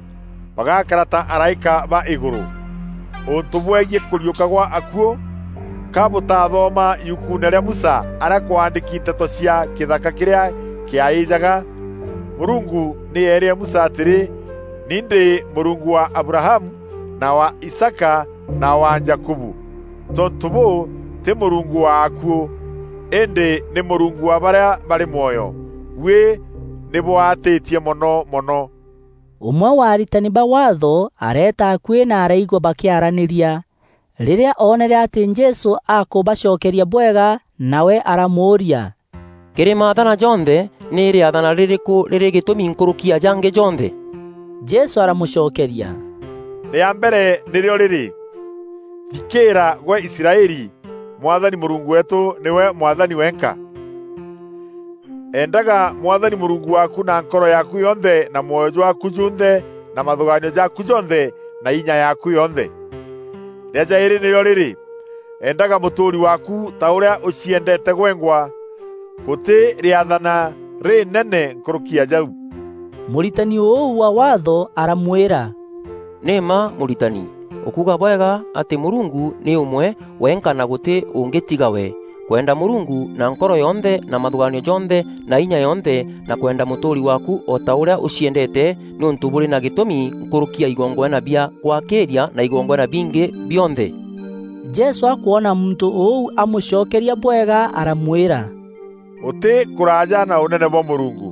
bagakara ta araîka ba îgûrû. Ûntû bwegiî kûriûka gwa akuû, ka bûtathoma yukuune rîa Musa arîa kwaandîki nteto cia kîthaka kîrîa kîaîjaga? Mûrungu nî eerîre Musa atîrî, 'Ni ndî Mûrungu wa Abrahamu, na wa Isaaka, na wa Jakubu.' Tontû bûû, tî Mûrungu wa akuû, îndî nî Mûrungu wa barîa barî mwoyo. Buî nî bwaatîtie mono mono." Ûmwe wa aritani ba Waatho areeta akuî na araigua bakîaranîria. Rîrîa oonere atî Jesû akûbacokeria bwega, nawe aramûûria, "Kîrî maathana jonthe, nî rîathana rîrîkû rîrî gîtûmi nkûrûki ya jangî jonthe?" Jesû aramûcokeria, "Rîa mbere nîrîo rîrî, 'Thikîîra gwe Israeli, Mwathani Mûrungu weetû nîwe Mwathani wenka. Endaga Mwathani Mûrungu waaku na nkoro yaaku yonthe na mwoyo jwaaku junthe na mathûgaanio jaaku jonthe na inya yaaku yonthe.' Rîa jaîrî nîrîo rîrî, 'Endaga mûtûûri waaku ta ûrîa ûciendeete gwengwa.' Gûtî rîathana rînene nkûrûki ya jau." Mûritani ûu wa Waatho aramwîra, "Nî mma, Mûritani, ûkuuga bwega atî Mûrungu nî ûmwe wenka na gûtî ûngî tiga we. Kwenda Mûrungu na nkoro yonthe na mathûgaanio jonthe na inya yonthe, na kwenda mûtûûri waaku o ta ûrîa ûciendeete, nîûntû bûrî na gîtûmi nkûrûki ya igongwana bia gwakîîria na igongwana bingî bionthe." Jesû akwona muntû ûu amûcokeria bwega, aramwîra, "Ûtî kûraaja na ûnene bwa Mûrungu."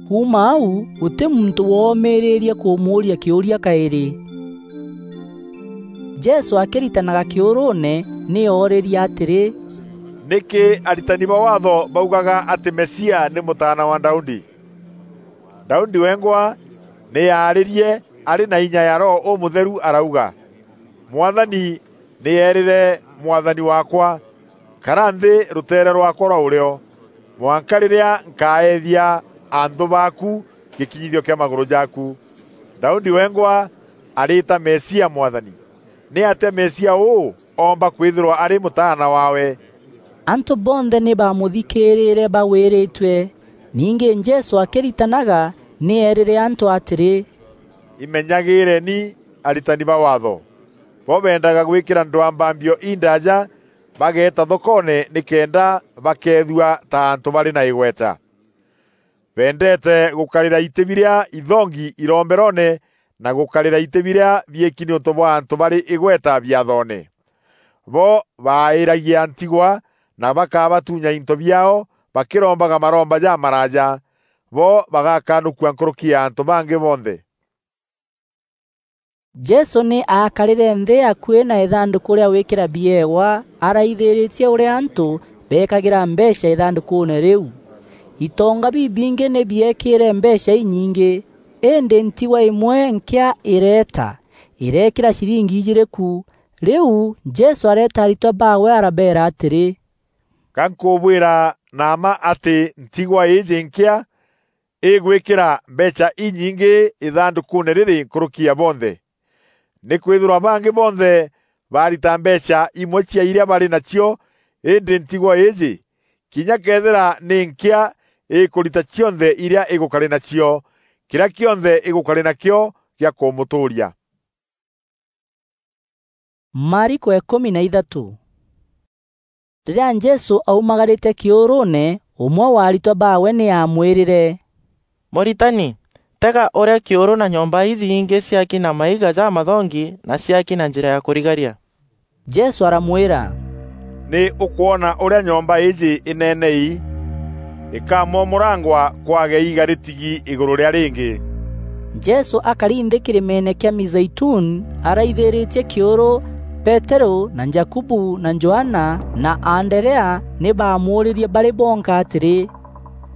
Kuuma au, gûtî muntû woomîrîîrie kûmûûria kîûria kaîrî. Jesû akîritanaga kîûrûûne, nî oorîrie atîrî, "Nîkî aritani ba Waatho baugaga atî Mesia nî mûtaana wa Daudi? Daudi wengwa nî aarîrie arî na inya ya Roho Ûmûtheru arauga, 'Mwathani nî eerîre Mwathani waakwa, "Kara nthî rûteere rwaakwa rwa ûrîo, mwanka rîrîa nkaeethia anthû baaku gîkinyithio kîa magûrû jaaku." Daudi wengwa arîta Mesia Mwathani. Nîatîa Mesia ûû oomba kwîthîrwa arî mûtaana waawe?" Antû bonthe nî baamûthikîîrîre bagwîrîtue. Ningî Jesû akîritanaga, nî eerîre antû atîrî, "Imenyagîîreni aritani ba Waatho. Bo beendaga gwîkîra ndwambambio indaaja, bageeta thokoone nîkenda bakeethua ta antû barî na îgweta. Beendeete gûkarîra itî birîa ithongi iromberoone na gûkarîra itî birîa biîki nîûntû bwa antû barî îgweta biathoone. Bo baaîragia ntigwa na bakabatunya into biaao bakîrombaga maromba jamaraaja. Bo bagakanûkua nkûrûki ya antû bangî bonthe." Jesû nî aakarîre nthî akuî na îthandûkû rîa gwîkîra biewa, araithîrîtie ûrîa antû beekagîra mbeecha îthandûkûûne rîu. Itonga bibingî nî bieekîîre mbeecha inyingî, îndî ntigwa îmwe nkîa îreeta, îreekîra ciringi ijîîrî ku. Rîu Jesû areeta aritwa baawe arabeera atîrî, "Ga nkûbwîra na mma atî ntigwa îîjî nkîa îgwîkîra mbeecha inyingî îthandûkûûne rîrî nkûrûki ya bonthe. Nîkwîthîrwa bangî bonthe baarita mbeecha imwe cia irîa barî nacio, îndî ntigwa îîjî, kinya këethîra nî nkîa, îkûrita cionthe irîa îgûkarî nacio, kîrîa kîonthe îgûkarî nakîo gîa kûmûtûûria." Mariko ikûmi na ithatû. Rîrîa Jesû aumagarîte kîûrûûne, ûmwe wa aritwa baawe nî aamwîrîre, "Mûritani, tega ûrîa kîûrû na nyomba iji ingî ciaki na maiga jamathongi na ciaki na njîra ya kûrigaria." Jesû aramwîra, "Nî ûkwona ûrîa nyomba îîjî îneene îî? Îkamomorangwa kwage iiga rîtigi îgûrû rîa rîngî." Jesû akari nthî kîrîmeene kîa Mizeituni, araithîrîtie kîûrû Peteru na Jakubu na Johana na Anderea nî baamuûrîrie barî bonka atîrî,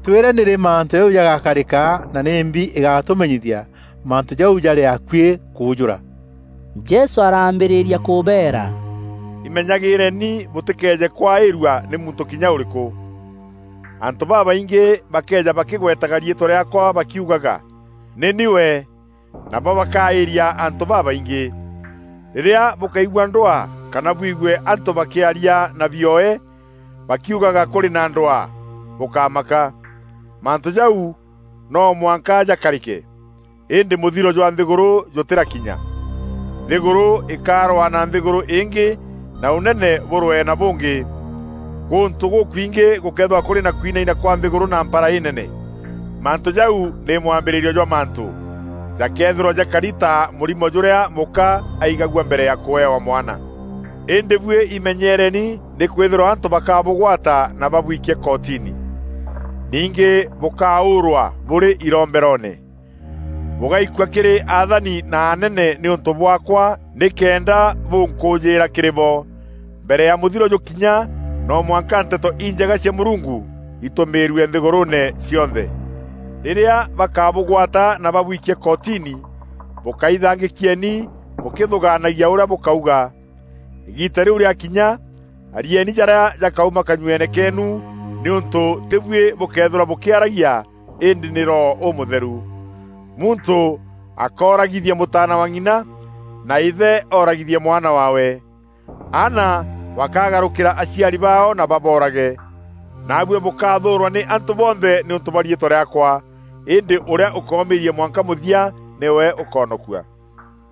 "Twîre nîrî mantû jau jagakarîka, na nîmbi îgatûmenyithia mantû jau jarî akuî kûûjûra?" Jesû araambîrîria kûbeera, "Imenyagîîreni bûtîkeeje kwaîrua nî muntû kinya ûrîkû. Antû babaingî bakeeja bakîgwetaga riîtwa rîaakwa bakiugaga, 'Nî ni we,' nabo bakaîria antû babaingî. Rîrîa bûkaigua ndwaa kana bwigue antû bakîaria na bioe bakiugaga kûrî na ndwaa, bûkamaka. Mantû jau no mwanka jakarîke, îndî mûthiro jwa nthîgûrû jûtîrakinya. Nthîgûrû îkarwaa na nthîgûrû îngî, na ûnene bûrwee na bûngî. Gûntû gûkwingî gûkeethîrwa kûrî na kwinaina kwa nthîgûrû na mpara înene. Mantû jau nî mwambîrîrio jwa mantû. Jakeethîrwa jakari ta mûrimo jûrîa mûka aigagua mbere ya kûewa mwana. Îndî buî imenyereni, nîkwîthîrwa antû bakabûgwata na babwikie kotini. Ningî bûkaûûrwa bûrî iromberoone. Bûgaikua kîrî athani na anene nîûntû bwaakwa, nîkenda bûnkûûjîîra kîrî bo. Mbere ya mûthiro jûkinya, no mwanka nteto injega cia Mûrungu itûmîîrue nthîgûrûûne cionthe. Rîrîa bakabûgwata na babwikie kotini, bûkaithangîkieni bûkîthûgaanagia ûrîa bûkauga. Îgiita rîu rîakinya, arieni jarîa jakauma kanyueene keenu, nîûntû tî buî bûkeethîrwa bûkîaragia, îndî nî Roho Ûmûtheru. Muntû akooragithia mûtaana wa ng'ina, na îthe ooragithie mwana waawe. Aana bakagarûkîra aciari baao na baboorage. Naabuî bûkathûûrwa nî antû bonthe nîûntû bwa riîtwa rîaakwa, îndî ûrîa ûkoomîîria mwanka mûthia nîwe ûkoonokua.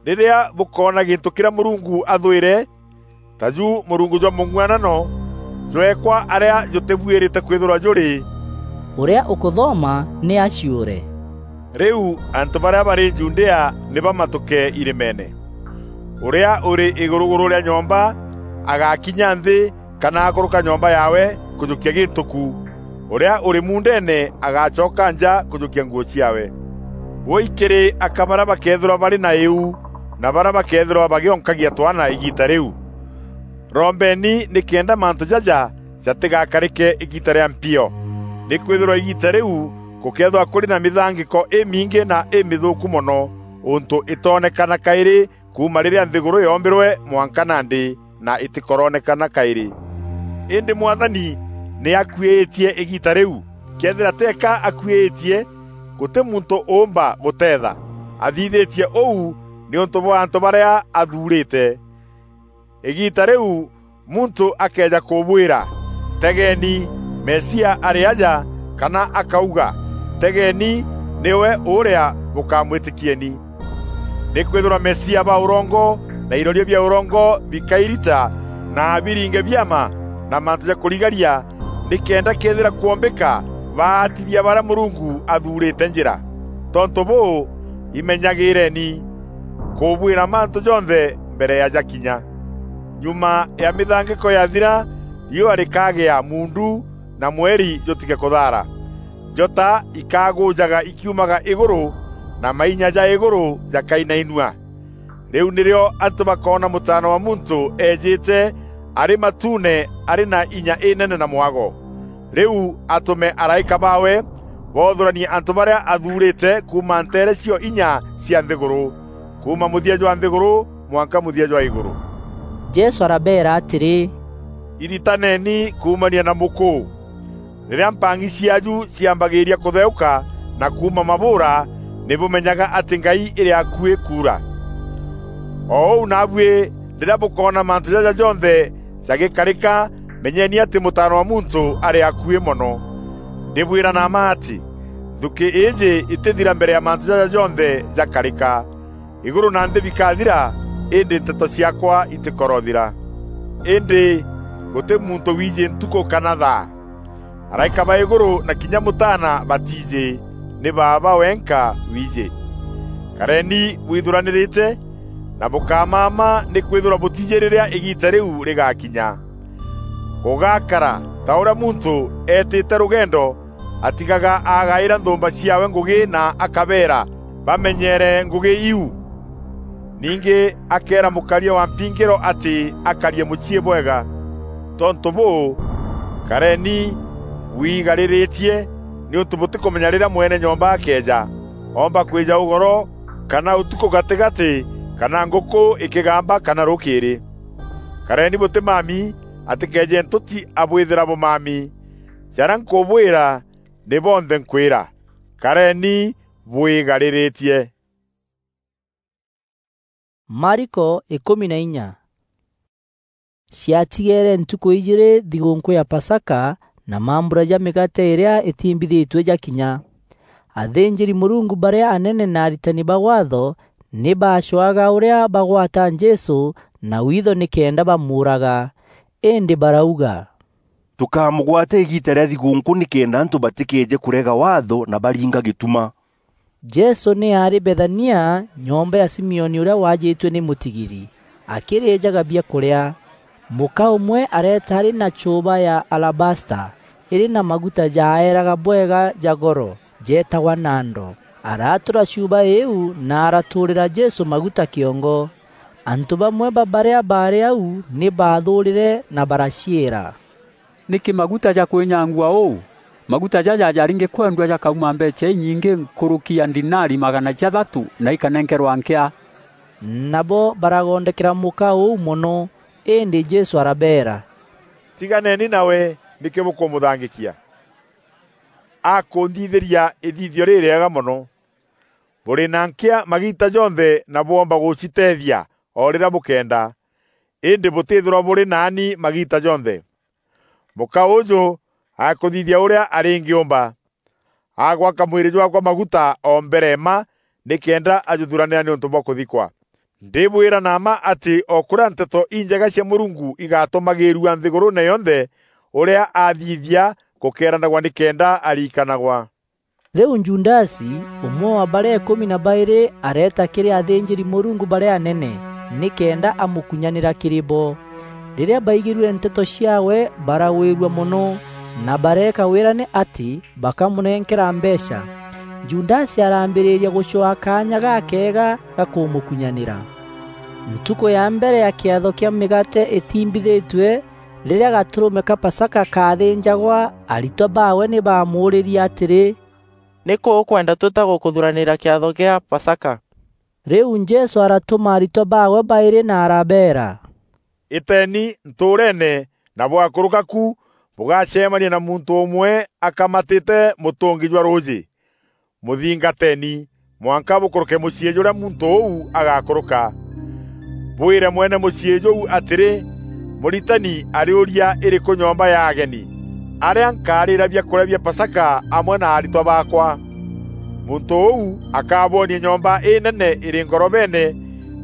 Rîrîa bûkoona gîntû kîrîa Mûrungu athwîre, ta ju mûrungu jwa mûng'uanano, jweekwa arîa jûtîbuîrîte kwîthîrwa jûrî, "Ûrîa ûkûthoma nî aciûre." Rîu antû barîa barî Judea nî bamatûke irîmeene. Ûrîa ûrî îgûrûgûrû rîa nyomba agakinya nthî kana akûrûka nyomba yaawe kûjûkia gîntû ku. Ûrîa ûrî muundeene agacoka nja kûjûkia nguû ciaawe. Wûûi kîrî aka barîa bakeethîrwa barî na îu, na barîa bakeethîrwa bagîonkagia twaana îgiita rîu. Rombeeni nîkenda mantû jaja jatîgakarîke îgiita rîa mpio. Nîkwîthîrwa îgiita rîu gûkeethîrwa kûrî na mîthangîko îmingî na îmîthûûku mono, ûntû îtoonekana kaîrî kuuma rîrîa nthîgûrû yoombîrwe mwanka nandî, na îtîkoronekana kaîrî. Îndî Mwathani nî akuîîtie îgiita rîu. Këethîra teeka akuîîtie, gûtî muntû ûûmba gûteetha. Athithîtie ûu nîûntû bwa antû barîa athuurîte. Îgiita rîu muntû akeeja kûbwîra, "Tegeeni, Mesia arî aja," kana akauga, "Tegeeni, nîwe ûrîa," bûkamwîtîkieni. Nîkwîthîrwa mesia ba ûrongo na iroria bia ûrongo bikairita na biringe biama na mantû ja kûrigaria, nîkenda këethîra kwombîka baatithia barîa Mûrungu athuurîte njîra. Tontû bûû, imenyagîîreni kûbwîra mantû jonthe mbere ya jakinya. Nyuma ya mîthangîko yathira, riûa rîkagîa muundu na mweri jûtige kûthaara. Njota ikagûjaga ikiumaga îgûrû, na mainya ja îgûrû jakainainua. Rîu nîrîo antû bakoona Mûtaana wa Muntû eejîte arî matuune arî na inya înene na mwago. Rîu atûme araîka baawe boothûranie antû barîa athuurîte kuuma nteere cio inya cia nthîgûrû, kuuma mûthia jwa nthîgûrû mwanka mûthia jwa îgûrû. Jesû arabeera atîrî, "Iritaneni kuumania na mûkûû. Rîrîa mpang'i ciaaju ciambagîîria kûtheûka na kuuma mabûûra, nî bûmenyaga atî ngai îrî akuî kuura. O ûu naabuî, rîrîa bûkoona mantû jaja jonthe jagîkarîka, menyeni atî Mûtaana wa Muntû arî akuî mono. Ndîbwîra na mma atî, nthukî îîjî îtîthira mbere ya mantû jaja jonthe jakarîka. Îgûrû na nthî bikathira, îndî nteto ciaakwa itîkorothira. Îndî gûtî muntû wiijî ntukû kana thaa. Araîka ba îgûrû na kinya Mûtaana batiijî, nî Baaba wenka wiijî. Kareni bwithuranîrîte, na bûkamama, nîkwîthîrwa bûtiijî rîrîa îgiita rîu rîgakinya. Gûgakara ta ûrîa muntû eetîte rûgendo atigaga agaîra nthûûmba ciaawe ngûgî na akabeera bamenyeere ngûgî iu. Ningî akeera mûkaria wa mpingîro atî akarie mûciî bwega. Tontû bûû, kareni bwigarîrîtie, nîûntû bûtîkûmenya rîrîa mwene nyomba akeeja, oomba kwîja ûgoro, kana ûtukû gatîgatî, kana ngûkû îkîgamba, kana rûkîîrî. Kareni bûtîmami, atîkeeje ntûti abwîthîra bûmami. Jarîa nkûbwîra, nî bonthe nkwîra. Kareni bwigarîrîtie. Mariko ikûmi na inya. Ciatigeere ntukû ijîîrî thigûnkû ya Pasaka na mambura ja mîgaate îrîa îtimbithîtue jakinya. Athînjîri-Mûrungu barîa anene na aritani ba Waatho nî baacwaga ûrîa bagwata Jesû na witho nîkenda bamûûraga. Îndî barauga, "Tûkamûgwata îgiita rîa thigûnkû nîkenda antû batîkeeje kûrega Waatho na baringa gîtuma." Jesû nî aarî Bethania, nyomba ya Simioni ûrîa waajîtue nî mûtigiri, akîrîjaga biakûrîa. Mûka ûmwe areeta arî na chûûba ya alabasta, îrî na maguta jaaeraga bwega ja goro, jeetagwa nando. Aratûra chuuba îîu na aratûûrîra Jesû maguta kîongo. Antû bamwe ba barîa baarî au nî baathûûrîre na baraciîra, "Nîkî maguta ja kwînyangua ûu? Maguta jaja jaringî kwendua jakauma mbeecha inyingî nkûrûki ya ndinari magana jathatû na ikanenkerwa nkîa." Nabo baragondekera mûka ûu mono, îndî Jesû arabeera, "Tiganeni nawe, nîkî bûkûmûthangîkia? Akûnthithîria îthithio rîrîega mono. Bûrî na nkîa magiita jonthe na bwoomba gûciteethia o rîrîa bûkeenda, îndî bûtîthîrwa bûrî naani magiita jonthe. Mûka ûûjû akûthithia ûrîa arîngîûmba. Agwaka mwîrî jwaakwa maguta o mbere mma nîkenda ajûthuranîra nîûntû bwa kûthikwa. Ndîbwîra na mma atî o kûrîa nteto injega cia Mûrungu igatumagîîrua nthîgûrûûne yonthe, ûrîa athithia gûkeeranagwa nîkenda ariikanagwa." Rîu Judasi, ûmwe wa barîa îkûmi na baîrî, areeta kîrî athînjîri-Mûrungu barîa anene, nîkenda amûkunyanîra kîrî bo. Rîrîa baigîrue nteto ciaawe, baragwîrua mono, na bareeka wîrane atî bakamûnenkera mbeecha. Judasi arambîrîria gûcwaa kaanya gakeega ga kûmûkunyanîra. Ntukû ya mbere ya kîatho kîa mîgaate îtimbithîtue, rîrîa gatûrûme ka Pasaka kaathînjagwa, aritwa baawe nî baamûûrîrie atîrî, "Nîkû ûkwenda twîta gûkûthuranîra kîatho gîa Pasaka?" Rîu Jesû aratûma aritwa baawe baîrî na arabeera, "Îteeni ntûûreene na bwakûrûka ku bûgacemania na muntû ûmwe akamatîte mûtûngi jwa rûûjî. Mûthingateeni mwanka bûkûrûke mûciî jûrîa muntû ûu agakûrûka. Bwîre mwene mûciî jûu atîrî, 'Mûritani arîûria îrîkû nyomba ya ageni, arîa nkarîîra biakûrîa bia Pasaka amwe na aritwa baakwa?' Muntû ûu akabwonie nyomba înene îrî ngorobeene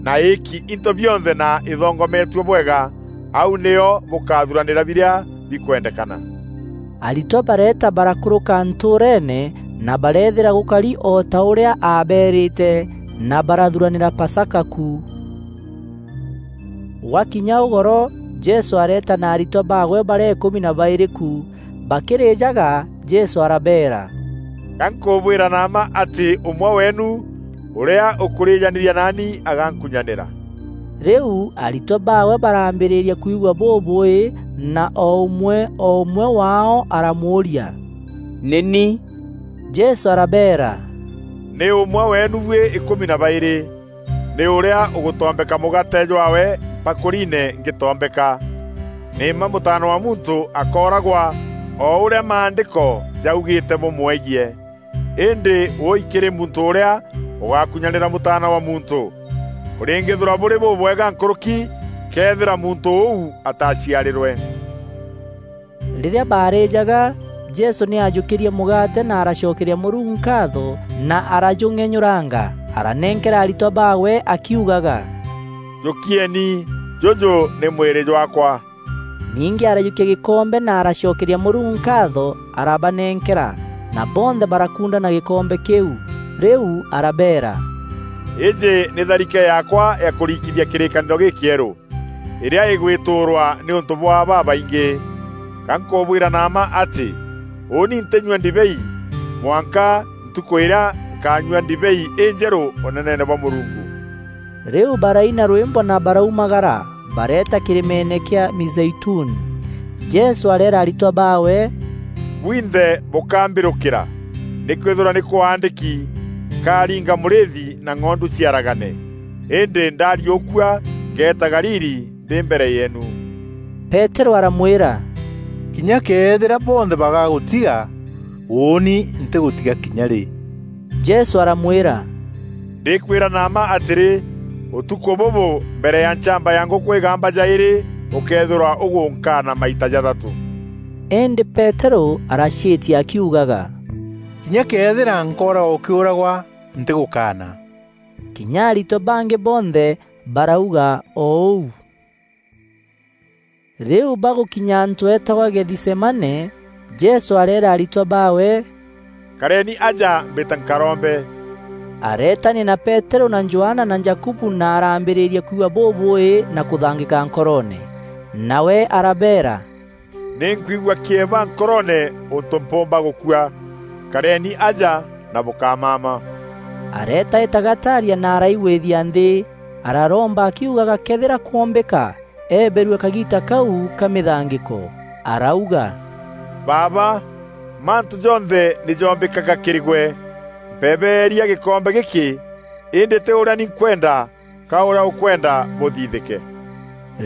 na îîki into bionthe na îthongometue bwega. Au nîo bûkathuranîra birîa bikwendekana." Aritwa bareeta barakûrûka ntûûreene, na bareethîra gûkari o ta ûrîa aabeerîte, na barathuranîra Pasaka ku. Gwakinya ûgoro, Jesû areeta na aritwa baawe barîa îkûmi na baîrî ku. Bakîrîjaga, Jesû arabeera, "Ga nkûbwîra na mma atî ûmwe weenu ûrîa ûkûrîjanîria naani agankunyanîra." Rîu aritwa baawe barambîrîria kwigua bûbûî, na o ûmwe o ûmwe waao aramûûria, "Nî ni?" Jesû arabeera, "Nî ûmwe weenu buî îkûmi na baîrî, nî ûrîa ûgûtombeka mûgaate jwaawe mpakûriine ngîtombeka. Nî mma Mûtaana wa Muntû akooragwa o ûrîa Maandîko jaugîîte bûmwegiî. Îndî wûûi kîrî muntû ûrîa ûgakunyanîra Mûtaana wa Muntû! Bûrîngîthîrwa bûrî bûbwega nkûrûki këethîra muntû ûu ataciarîrwe." Rîrîa baarîjaga, Jesû nî aajûkîrie mûgaate na aracokeria Mûrungu nkaatho na arajûng'enyûranga, aranenkera aritwa baawe akiugaga, "Jûkieni, jûjû nî mwîrî jwaakwa." Ningî arajûkia gîkombe na aracokeria Mûrungu nkaatho, arabanenkera, na bonthe barakunda na gîkombe kîu. Rîu arabeera, "Îîjî nî tharike yaakwa ya kûrikithia kîrîkanîro gîkîerû, îrîa îgwîtûûrwa nîûntû bwa babaingî. Ga nkûbwîra na mma atî, ûûni ntînyua ndibei, mwanka ntukû îrîa nkanyua ndibei înjerû ûneneene bwa Mûrungu." Rîu baraina rwîmbo na baraumagara, bareeta kîrîmeene kîa Mizeituni. Jesû areera aritwa baawe, "Bwinthe bûkambîrûkîra, nîkwîthîrwa nî kwaandîki, 'Nkaringa mûrîîthi na ng'ondu ciaragane.' Îndî ndariûkua, ngeeta Galili ndî mbere yeenu." Peterû aramwîra, "Kinya këethîra bonthe bagagûtiga, ûûni ntîgûtiga kinya rî." Jesû aramwîra, "Ndîkwîra na mma atîrî, ûtukû bûbû, mbere ya nchamba ya ngûkû îgamba jaîrî, ûkeethîrwa ûgûnkaana maita jathatû." Îndî Peterû araciîtia akiugaga, "Kinya këethîra nkooragwa ûkîûragwa, ntîgûkaana." Kinya aritwa bangî bonthe barauga o ûu. Rîu bagûkinya antû eetagwa Gethisemane, Jesû areera aritwa baawe, "Kareni aja mbîte nkarombe." Areetania na Peterû na Johana na Jakubu na araambîrîria kwigua bûbûî na kûthangîka nkoroone. Nawe arabeera, "Nî nkwigua kîeba nkoroone ûntû mpûûmba gûkua. Kareni aja na bûkamama." Areeta îtagataaria na araigwîthia nthî. Araromba akiugaga këethîra kwombîka, eeberue kagiita kau ka mîthangîko. Arauga, "Baaba, mantû jonthe nî joombîkaga kîrî gwe. Mpebeeria gîkombe gîkî, îndî tî ûrîa ni nkwenda, ka ûrîa ûkwenda bûthithîke."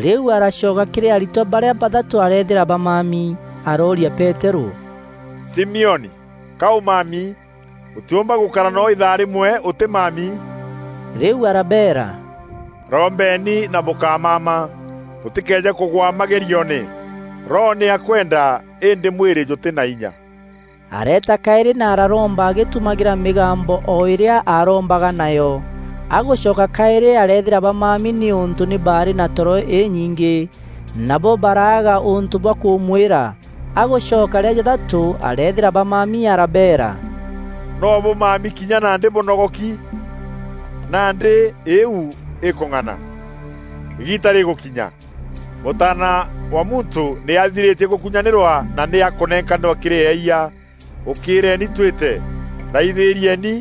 Rîu aracoka kîrî aritwa barîa bathatû areethîra bamami. Arooria Peterû, "Simioni, ka ûmami? Ûtîûmba gûkara noo îthaa rîmwe ûtîmami?" Rîu arabeera, "Rombeeni na bûkamama, bûtîkeeje kûgwa magerioone. Roho nî akwenda, îndî mwîrî jûtî na inya." Areeta kaîrî na araromba agîtumagîra mîgambo o îrîa aarombaga nayo. Agûcoka kaîrî areethîra bamami nîûntû nî baarî na toro înyingî, nabo baraaga ûntû bwa kûmwîra. Agûcoka rîa jathatû areethîra bamami arabeera, "No bûmami kinya nandî bûnogoki? Nandî îîu îkûng'ana. Îgiita rîgûkinya. Mûtaana wa Muntû nî athirîtie gûkunyanîrwa na nî akûnenkanîrwa kîrî eeyia. Ûkîîreeni twîte. Raithîrieni,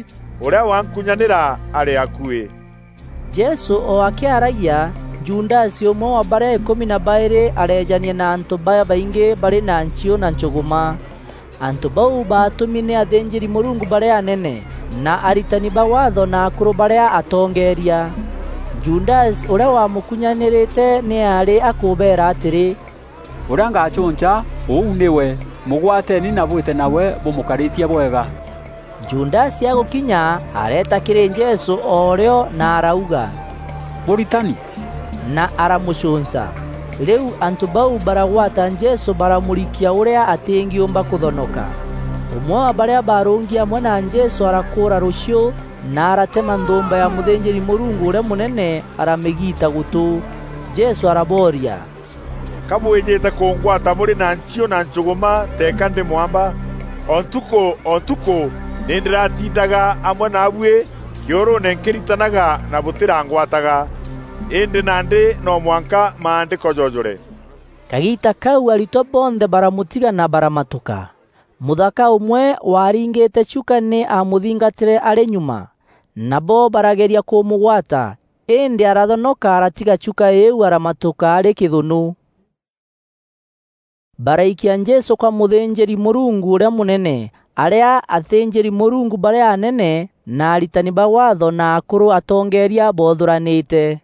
ûrîa wankunyanîra arî akuî." Jesû o akîaragia, Judasi, ûmwe wa barîa îkûmi na baîrî, areejania na antû babaingî barî na nchiû na nchûgûma. Antû bau baatûmi nî athînjîri-Mûrungu barîa anene, na aritani ba Waatho na akûrû barîa atongeeria. Judasi, ûrîa wamûkunyanîrîte, nî aarî akûbeera atîrî, "Ûrîa ngacûnca, ûu nîwe. Mûgwateeni na bwîte nawe bûmûkarîtie bwega." Judasi agûkinya, areeta kîrî Jesû o rîo na arauga, "Mûritani!" Na aramûcûnca. Rîu antû bau baragwata Jesû, baramûrikia ûrîa atîngîûmba kûthonoka. Ûmwe wa barîa baarûngi amwe na Jesû arakûûra rûchiû na aratema nthûûmba ya mûthînjîri-Mûrungu ûrîa mûnene, aramîgiita gûtû. Jesû arabooria, "Ka bwîjîte kûngwata bûrî na nchiû na nchûgûma teeka ndî mwamba? O ntukû o ntukû nî ndîratindaga amwe naabuî kîûrûûne nkîritanaga na bûtîrangwataga. Îndî nandî no mwanka Maandîko jojûre." Kagiita kau aritwa bonthe baramûtiga na baramatûka. Mûthaka ûmwe waaringîte chuka nî aamûthingatîre arî nyuma. Nabo barageria kûmûgwata, îndî arathonoka aratiga chuka îîu aramatûka arî kîthûnû. Baraikia Jesû kwa mûthînjîri-Mûrungu ûrîa mûnene, arîa athînjîri-Mûrungu barîa anene na aritani ba Waatho na akûrû atongeeria boothûranîte.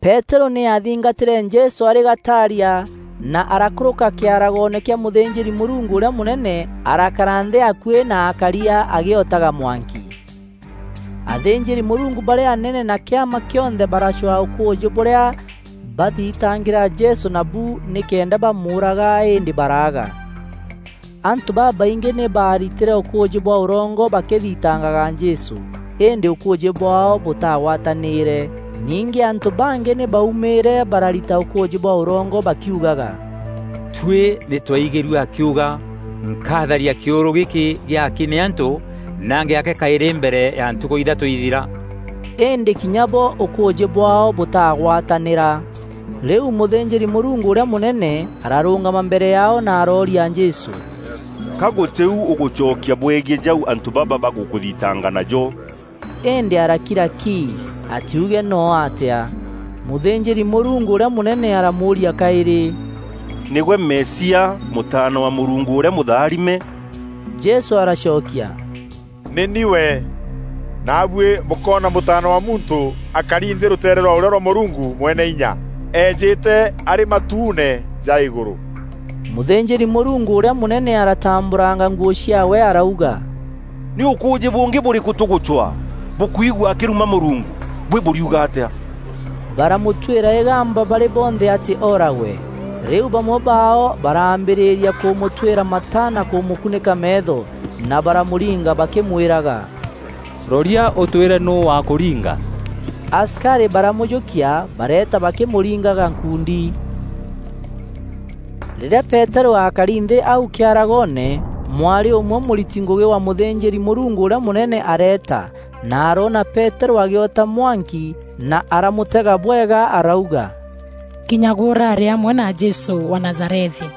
Peterû nî aathingatîre Jesû arî gataaria, na arakûrûka kîaragoone kîa mûthînjîri-Mûrungu ûrîa mûnene, arakara nthî akuî na akaria agîotaga mwanki. Athînjîri-Mûrungu barîa anene na kîama kîonthe baracwaa ûkûûjî bûrîa bathitangîra Jesû nabu nîkenda bamûûraga, îndî baraaga. Antû babaingî nî baaritîre ûkûûjî bwa ûrongo bakîthitangaga Jesû, îndî ûkûûjî bwaao bûtagwatanîîre. Ningî antû bangî nî baumîîre bararita ûkûûjî bwa ûrongo bakiugaga, "Tuî nî twaigîrue akiuga, 'Nkatharia kîûrû gîkî gîaki nî antû, na ngîake kaîrî mbere ya ntukû ithatû ithira.'" Îndî kinya bo ûkûûjî bwaao bûtagwatanîra. Rîu mûthînjîri-Mûrungu ûrîa mûnene ararûngama mbere yaao na arooria Jesû, "Ka gûtî u ûgûcokia bwegiî jau antû baba bagûkûthitanga najo?" Îndî arakira ki. atiuge noo atia. Mûthînjîri-Mûrungu ûrîa mûnene aramûûria kaîrî, "Nîgwe Mesia, Mûtaana wa Mûrungu ûrîa mûtharime?" Jesû aracokia, "Nî ni we. Naabuî bûkoona Mûtaana wa Muntû akari nthî rûteere rwa ûrîo rwa Mûrungu Mwene-Inya, eejîte arî matuune ja îgûrû." Mûthînjîri-Mûrungu ûrîa mûnene aratambûranga nguû ciaawe arauga, "Nî ûkûûjî bûngî bûrîkû tûgûcwaa bûkwigua akîruma Mûrungu? Bûi bûriuga atîa?" Baramûtuîra îgamba barî bonthe atî ooragwe. Rîu bamwe baao baraambîrîria kûmûtuîra mata na kûmûkunîka meetho, na baramûringa bakîmwîraga, "Roria ûtwîre nûû wakûringa." Asikarî baramûjûkia, bareeta bakîmûringaga nkundi. Rîrîa Peterû aakari nthî au kîaragoone, mwarî ûmwe mûriti ngûgî wa mûthînjîri-Mûrungu ûrîa mûnene areeta, na aroona Peterû agîota mwanki, na aramûtega bwega, arauga, "Kinya gwe ûrarî amwe na Jesû wa Nazarethi."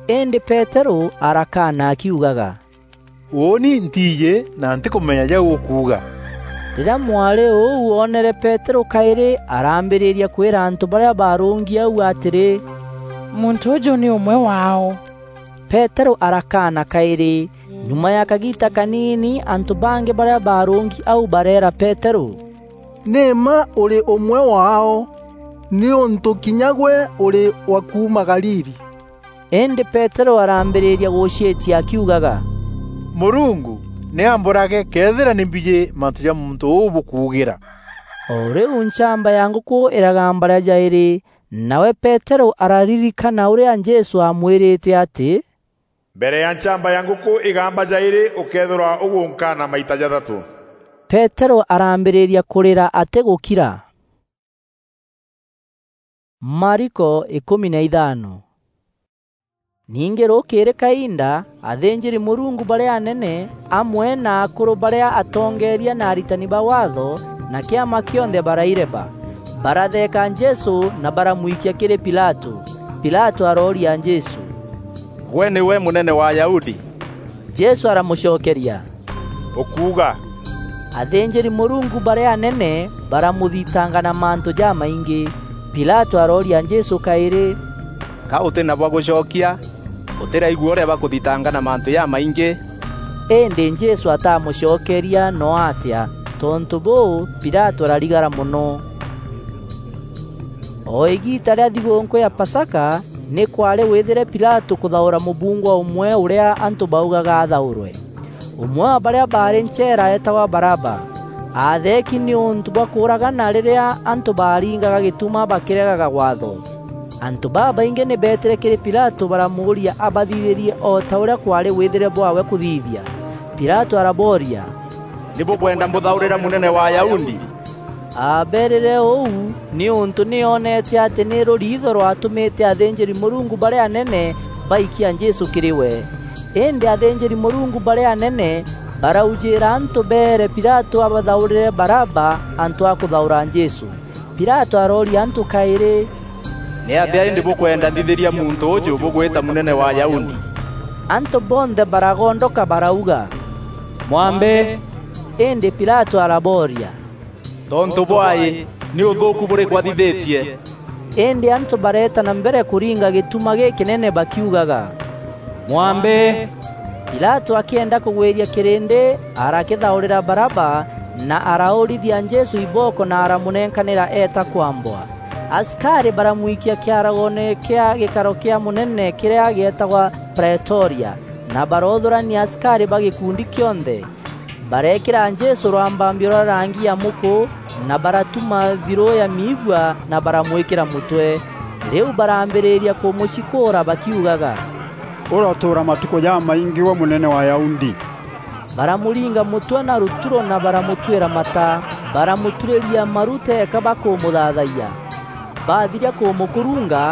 Îndî Peterû arakaana akiugaga, "Ûûni ntiijî na ntîkûmenya jau ûkuuga." Rîrîa mwarî ûu oonere Peterû kaîrî, araambîrîria kwîra antû barîa baarûngi au atîrî, "Muntû ûjû nî ûmwe waao." Peterû arakaana kaîrî. Nyuma ya kagiita kaniini, antû bangî barîa baarûngi au bareera Peterû, "Nî mma ûrî ûmwe waao, nîûntû kinya gwe ûrî wa kuuma Galili." Îndî Peterû araambîrîria gûciîtia akiugaga, "Mûrungu nî ambûrage këethîra nî mbijî mantû ja muntû ûû bûkuugîra." O rîu nchamba ya ngûkû îragamba rîa jaîrî, nawe Peterû araririkana ûrîa Jesû aamwîrîte atî, "Mbere ya nchamba ya ngûkû îgamba jaîrî, ûkeethîrwa ûgûnkaana maita jathatû." Peterû araambîrîria kûrîra atîgûkira. Mariko ikûmi na ithano. Ningî rûkîrî kainda, athînjîri-Mûrungu barîa anene, amwe na akûrû barîa atongeeria na aritani ba Waatho, na kîama kîonthe baraireba. Baratheeka Jesû na baramwikia kîrî Pilatû. Pilatû arooria Jesû, "Gwe nîwe mûnene wa Ayahudi?" Jesû aramûcokeria, "Ûkuuga." Athînjîri-Mûrungu barîa anene baramûthitanga na mantû jamaingî. Pilatû arooria Jesû kaîrî, "Ka ûtî na bwa gûcokia? Ûtîraigua ûrîa bakûthitanga na mantû jamaingî?" Îndî Jesû atamûcokeria noo atîa. Tontû bûû, Pilatû ararigara mono. O îgiita rîa thigûûnkû ya Pasaka, nî kwaarî wîthîre Pilatû kûthaûra mûbungwa ûmwe ûrîa antû baugaga athaûrwe. Ûmwe wa barîa baarî ncheera eetagwa Baraba. Aatheeki nîûntû bwa kûûragana rîrîa antû baaringaga gîtuma bakîregaga Waatho. Antû babaingî nî beetîre kîrî Pilatû baramûûria abathithîrie o ta ûrîa kwaarî wîthîre bwaawe kûthithia. Pilatû arabooria, "Nî bûkwenda mbûthaûrîre mûnene wa Ayahudi?" Aabeerîre ûu nîûntû nî oonete atî nî rûriitho rwatûmîte athînjîri-Mûrungu barîa anene baikia Jesû kîrî we. Îndî athînjîri-Mûrungu barîa anene baraujîîra antû beere Pilatû abathaûrîre Baraba antû a kûthaûra Jesû. Pilatû arooria antû kaîrî, "Nîatîa îndî bûkwenda nthithîria muntû ûjû bûgwîta mûnene wa Ayahudi?" Antû bonthe baragondoka barauga, "Mwambe!" Îndî Pilatû arabooria, "Tontû bwaî, nî ûthûûku bûrîkû athithîtie?" Îndî antû bareeta na mbere kûringa gîtuma gîkînene bakiugaga, "Mwambe!" Pilatû akîenda kûgwîria kîrîndî, arakîthaûrîra Baraba, na araûrithia Jesû ibooko na aramûnenkanîra eeta kwambwa. Asikarî baramwikia kîaragoone kîa gîkaro kîa mûnene kîrîa gîetagwa Praetoria, na baroothûrania asikarî ba gîkundi kîonthe. Bareekîra Jesû rwambambio rwa rangi ya mûkû, na baratuma thirû ya miigua, na baramwîkîra mûtwe. Rîu barambîrîria kûmûcikûûra bakiugaga, "Ûratûûra matukû jamaingî gwe mûnene wa Ayahudi!" Baramûringa mûtwe na rûturo na baramûtuîra mata. Baramûturîria maru teeka bakûmûthaathayia. Baathiria kûmûkurunga,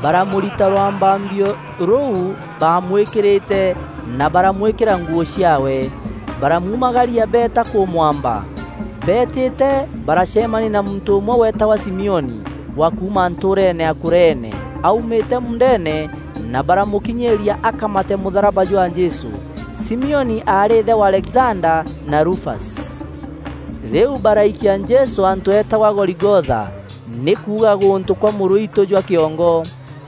baramûrita rwambambio rûu baamwîkîrîte, na baramwîkîra nguû ciaawe. Baramuumagaria beeta kûmwamba. Beetîte, baracemania na muntû ûmwe weetagwa Simioni, wa kuuma ntûûreene ya Kureene. Aumîte muundeene, na baramûkinyîîria akamate mûtharaba jwa Jesû. Simioni aarî îthe wa Alexanda na Rufasi. Rîu baraikia Jesû antû eetagwa Goligotha, nî kuuga gûntû kwa mûrûitû jwa kîongo.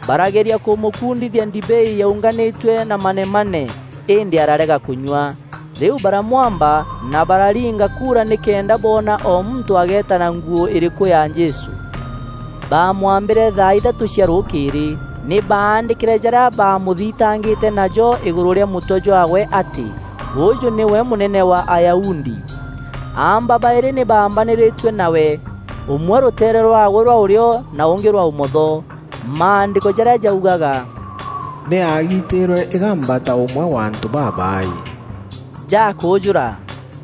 Barageria kûmûkundithia ndibei yaunganîtue na manemane, îndî ararega kûnyua. Rîu baramwamba na bararinga kuura nîkenda boona o muntû ageeta na nguû îrîkû ya Jesû. Baamwambîre thaa ithatû cia rûkîîrî. Nî baandîkîre jarîa baamûthitangîte najo îgûrû rîa mûtwe jwaawe atî, "Ûûjû nîwe mûnene wa Ayahudi." Aamba baîrî nî baambanîrîtue nawe, ûmwe rûteere rwaawe rwa ûrîo na ûngî rwa ûmotho. Maandîko jarîa jaugaga, "Nî aagitîîrwe îgamba ta ûmwe wa antû babaaî." Jakûûjûra.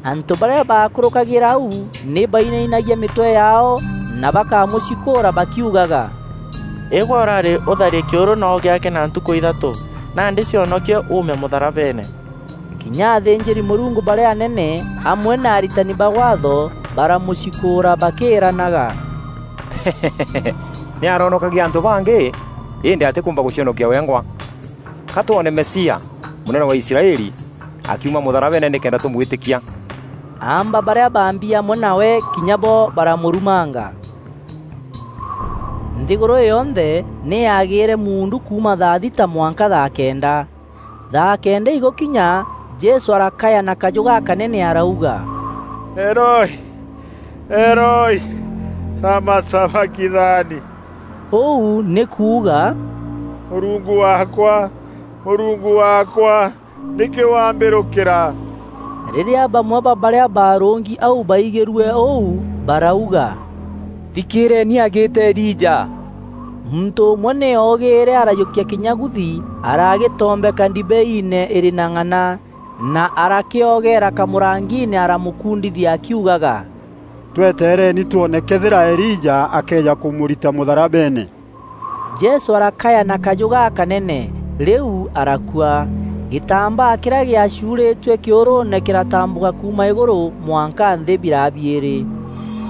Antû barîa baakûrûkagîra au nî bainainagia mîtwe yaao na bakamûcikûûra bakiugaga, "Îgwe ûrarî ûtharie kîûrû noo gîake na ntukû ithatû, nandî cionokie uume mûtharabeene." Kinya athînjîri-Mûrungu barîa anene amwe na aritani ba Waatho baramûcikûûra bakîîranaga, "Nî aronokagia antû bangî, îndî atîkûûmba gûcionokia wengwa. Ka twone Mesia, mûnene wa Israeli, akiuma mûtharabeene nîkenda tûmwîtîkia." Aamba barîa baambi amwe nawe kinya bo baramûrumanga. Nthîgûrû îî yonthe nî yaagîîre muundu kuuma thaa thita mwanka thaa kenda. Thaa kenda igûkinya, Jesû arakaya na kajû gakanene arauga, "Eloi, Eloi, lama sabakithani?" Ûu nî kuuga, "Mûrungu waakwa, Mûrungu waakwa, nîkî wambîrûkîra?" Rîrîa bamwe ba barîa baarûngi au baigîrue ûu, barauga, "Thikîîreeni agîîte Elija." Muntû ûmwe nî oogîîre arajûkia kînyaguthi, aragîtombeka ndibeiine îrî na ng'ana, na arakîogeera kamûrangiine aramûkundithia akiugaga, "Twetereeni twone këethîra Elija akeeja kûmûrita mûtharabeene." Jesû arakaya na kajû gakanene, rîu arakua. Gîtambaa kîrîa gîacuurîtue kîûrûûne kîratambûka kuuma îgûrû mwanka nthî biraa biîrî.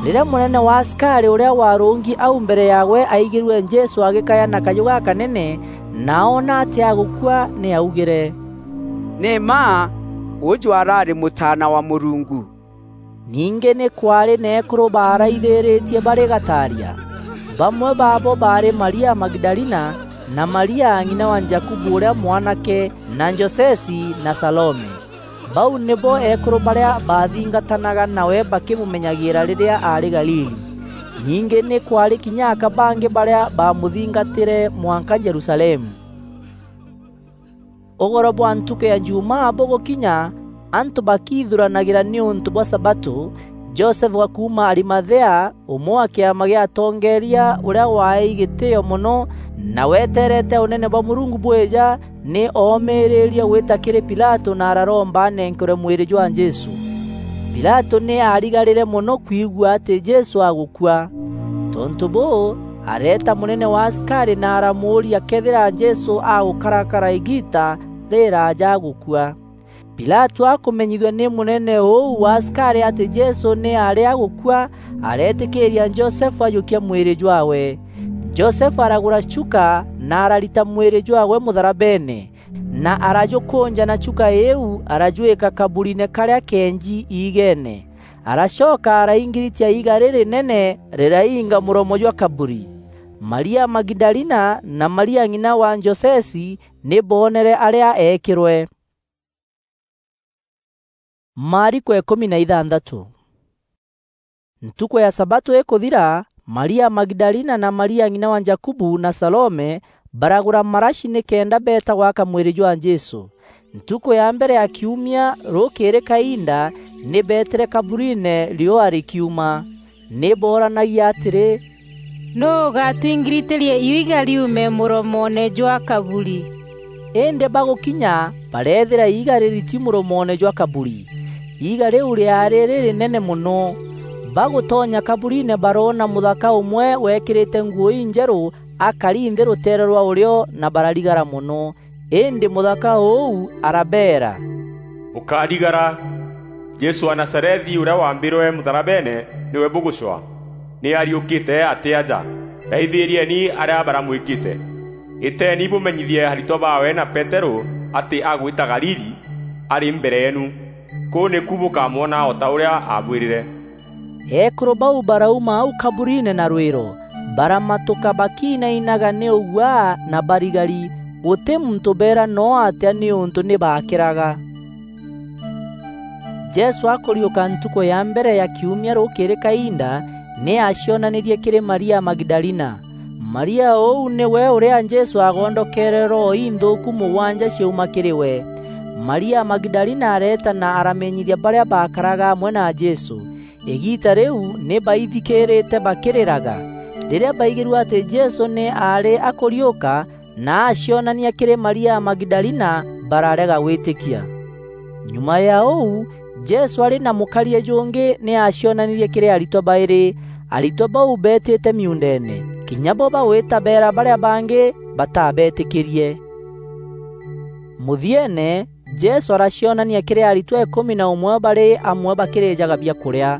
Rîrîa mûnene wa asikarî ûrîa waarûngi au mbere yaawe aigîrue Jesû agîkaya na kajû gakanene na oona atî agûkua, nî augîre, "Nî mma ûûjû araarî Mûtaana wa Mûrungu." Ningî nî kwaarî na eekûrû baaraithîrîtie barî gataaria. Bamwe baabo baarî Maria Magidalina, na Maria ng'ina wa Jakubu ûrîa mwanake, na Josesi, na Salome. Bau nîbo eekûrû barîa baathingatanaga nawe bakîmûmenyagîîra rîrîa aarî Galili. Ningî nî kwaarî kinya aka bangî barîa baamûthingatîre mwanka Jerusalemu. Ûgoro bwa ntukû ya Jumaa bûgûkinya, antû bakiithuranagîra nîûntû bwa sabatû, Josefu wa kuuma Arimathea, ûmwe wa kîama gîa atongeeria ûrîa waaei gîtîîo mono na weteerete ûnene bwa Mûrungu bwîja, nî oomîîrîrie gwîta kîrî Pilatû na araromba anenkerwe mwîrî jwa Jesû. Pilatû nî aarigarîre mono kwigua atî Jesû agûkua. Tontû bûû, areeta mûnene wa asikarî na aramûûria këethîra Jesû agûkarakara îgiita rîrîraaja agûkua. Pilatû akûmenyithua nî mûnene ûu wa asikarî atî Jesû nî aarî agûkua, areetîkîîria Josefu ajûkia mwîrî jwaawe. Josefu aragûra chuka na ararita mwîrî jwaawe mûtharabeene, na arajûkûnja na chuka îîu arajwîka kaburiine karîa keenji iigeene. Aracoka araingiritia iiga rîrînene rîrainga mûromo jwa kaburi. Maria Magidalina na Maria ng'ina wa Josesi nî boonere arîa eekîrwe. Maariko îkûmi na ithanthatû. Ntukû ya sabatû îkûthira, Maria Magidalina na Maria ng'ina wa Jakubu na Salome baragûra marashi nîkenda beeta gwaka mwîrî jwa Jesû. Ntukû ya mbere ya kiumia rûkîrî kainda, nî beetîre kaburiine riûa rîkiuma. Nî booranagia atîrî, "Nûû ûgatwingirîtîria iiga riume mûromoone jwa kaburi?" Îndî bagûkinya, bareethîra iiga rîriti mûromoone jwa kaburi. Iiga rîu rîaarî rîrînene mono. Bagûtonya kaburiine baroona mûthaka ûmwe weekîrîte nguû injerû akari nthî rûteere rwa ûrîo na bararigara mono. Îndî mûthaka ûu arabeera, "Bûkarigara! Jesû wa Nazarethi ûrîa waambîrwe mûtharabeene nîwe bûgûcwaa. Nî ariûkîte atî aja! Raithîrieni arîa baramwîkîte. Îteeni bûmenyithie aritwa baawe na Peterû atî agwîta Galili, arî mbere yeenu. Kûu nîku bûkamwona o ta ûrîa aabwîrîre." Eekûrû bau barauma au kaburiine na rwîro, baramatûka bakiinainaga nî ûguaa na barigari, gûtî muntû beera noo atîa nîûntû nî baakîraga. Jesû akûriûka ntukû ya mbere ya kiumia rûkîrî kainda, nî aacionanîrie kîrî Maria Magidalina. Maria ûu nîwe ûrîa Jesû aagondokeere roho inthûûku mûgwanja ciauma kîrî we. Maria Magidalina areeta na aramenyithia barîa baakaraga amwe na Jesû. Îgiita rîu nî baithikîîrîte bakîrîraga. Rîrîa baigîrue atî Jesû nî aarî akûriûka na aacionania kîrî Maria Magidalina, bararega gwîtîkia. Nyuma ya ûu, Jesû arî na mûkarie jûngî nî aacionanirie kîrî aritwa baîrî. Aritwa bau beetîte miuundeene, kinya bo bagwîta beera barîa bangî batabeetîkîrie. Mûthieene, Jesû aracionania kîrî aritwa îkûmi na ûmwe barî amwe bakîrîjaga biakûrîa.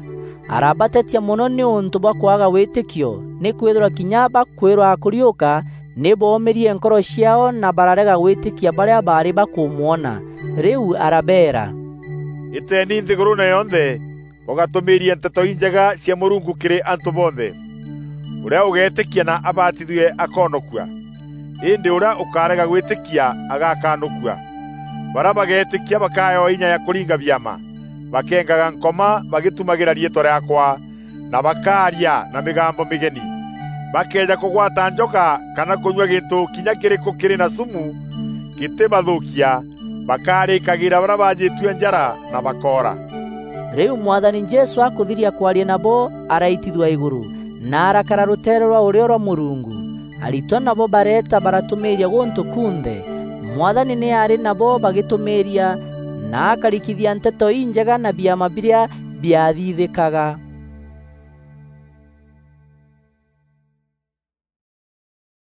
Arabatetia mono nîûntû bwa kwaga wîtîkio, nîkwîthîrwa kinya bakwîrwa akûriûka, nî boomîrie nkoro ciaao na bararega gwîtîkia barîa baarî bakûmwona. Rîu arabeera, "Îteeni nthîgûrûûne yonthe, bûgatûmîîrie Nteto Injega cia Mûrungu kîrî antû bonthe. Ûrîa ûgeetîkia na abatithue akoonokua, îndî ûrîa ûkarega gwîtîkia agakanûkua. Barîa bageetîkia bakaewa inya ya kûringa biama, bakeengaga Nkoma bagîtumagîra riîtwa rîaakwa, na bakaaria na mîgambo mîgeni. Bakeeja kûgwata njoka kana kûnyua gîntû kinya kîrîkû kîrî na sumu gîtîbathûûkia, bakaarîkagîra barîa baajîtue njara na bakoora." Rîu Mwathani Jesû akûthiria kwaria nabo, araitithua îgûrû, na arakara rûteere rwa ûrîo rwa Mûrungu. Aritwa nabo bareeta baratûmîîria gûntû kunthe. Mwathani nî aarî nabo bagîtûmîîria, na akarikithia Nteto Injega na biama birîa biathithîkaga.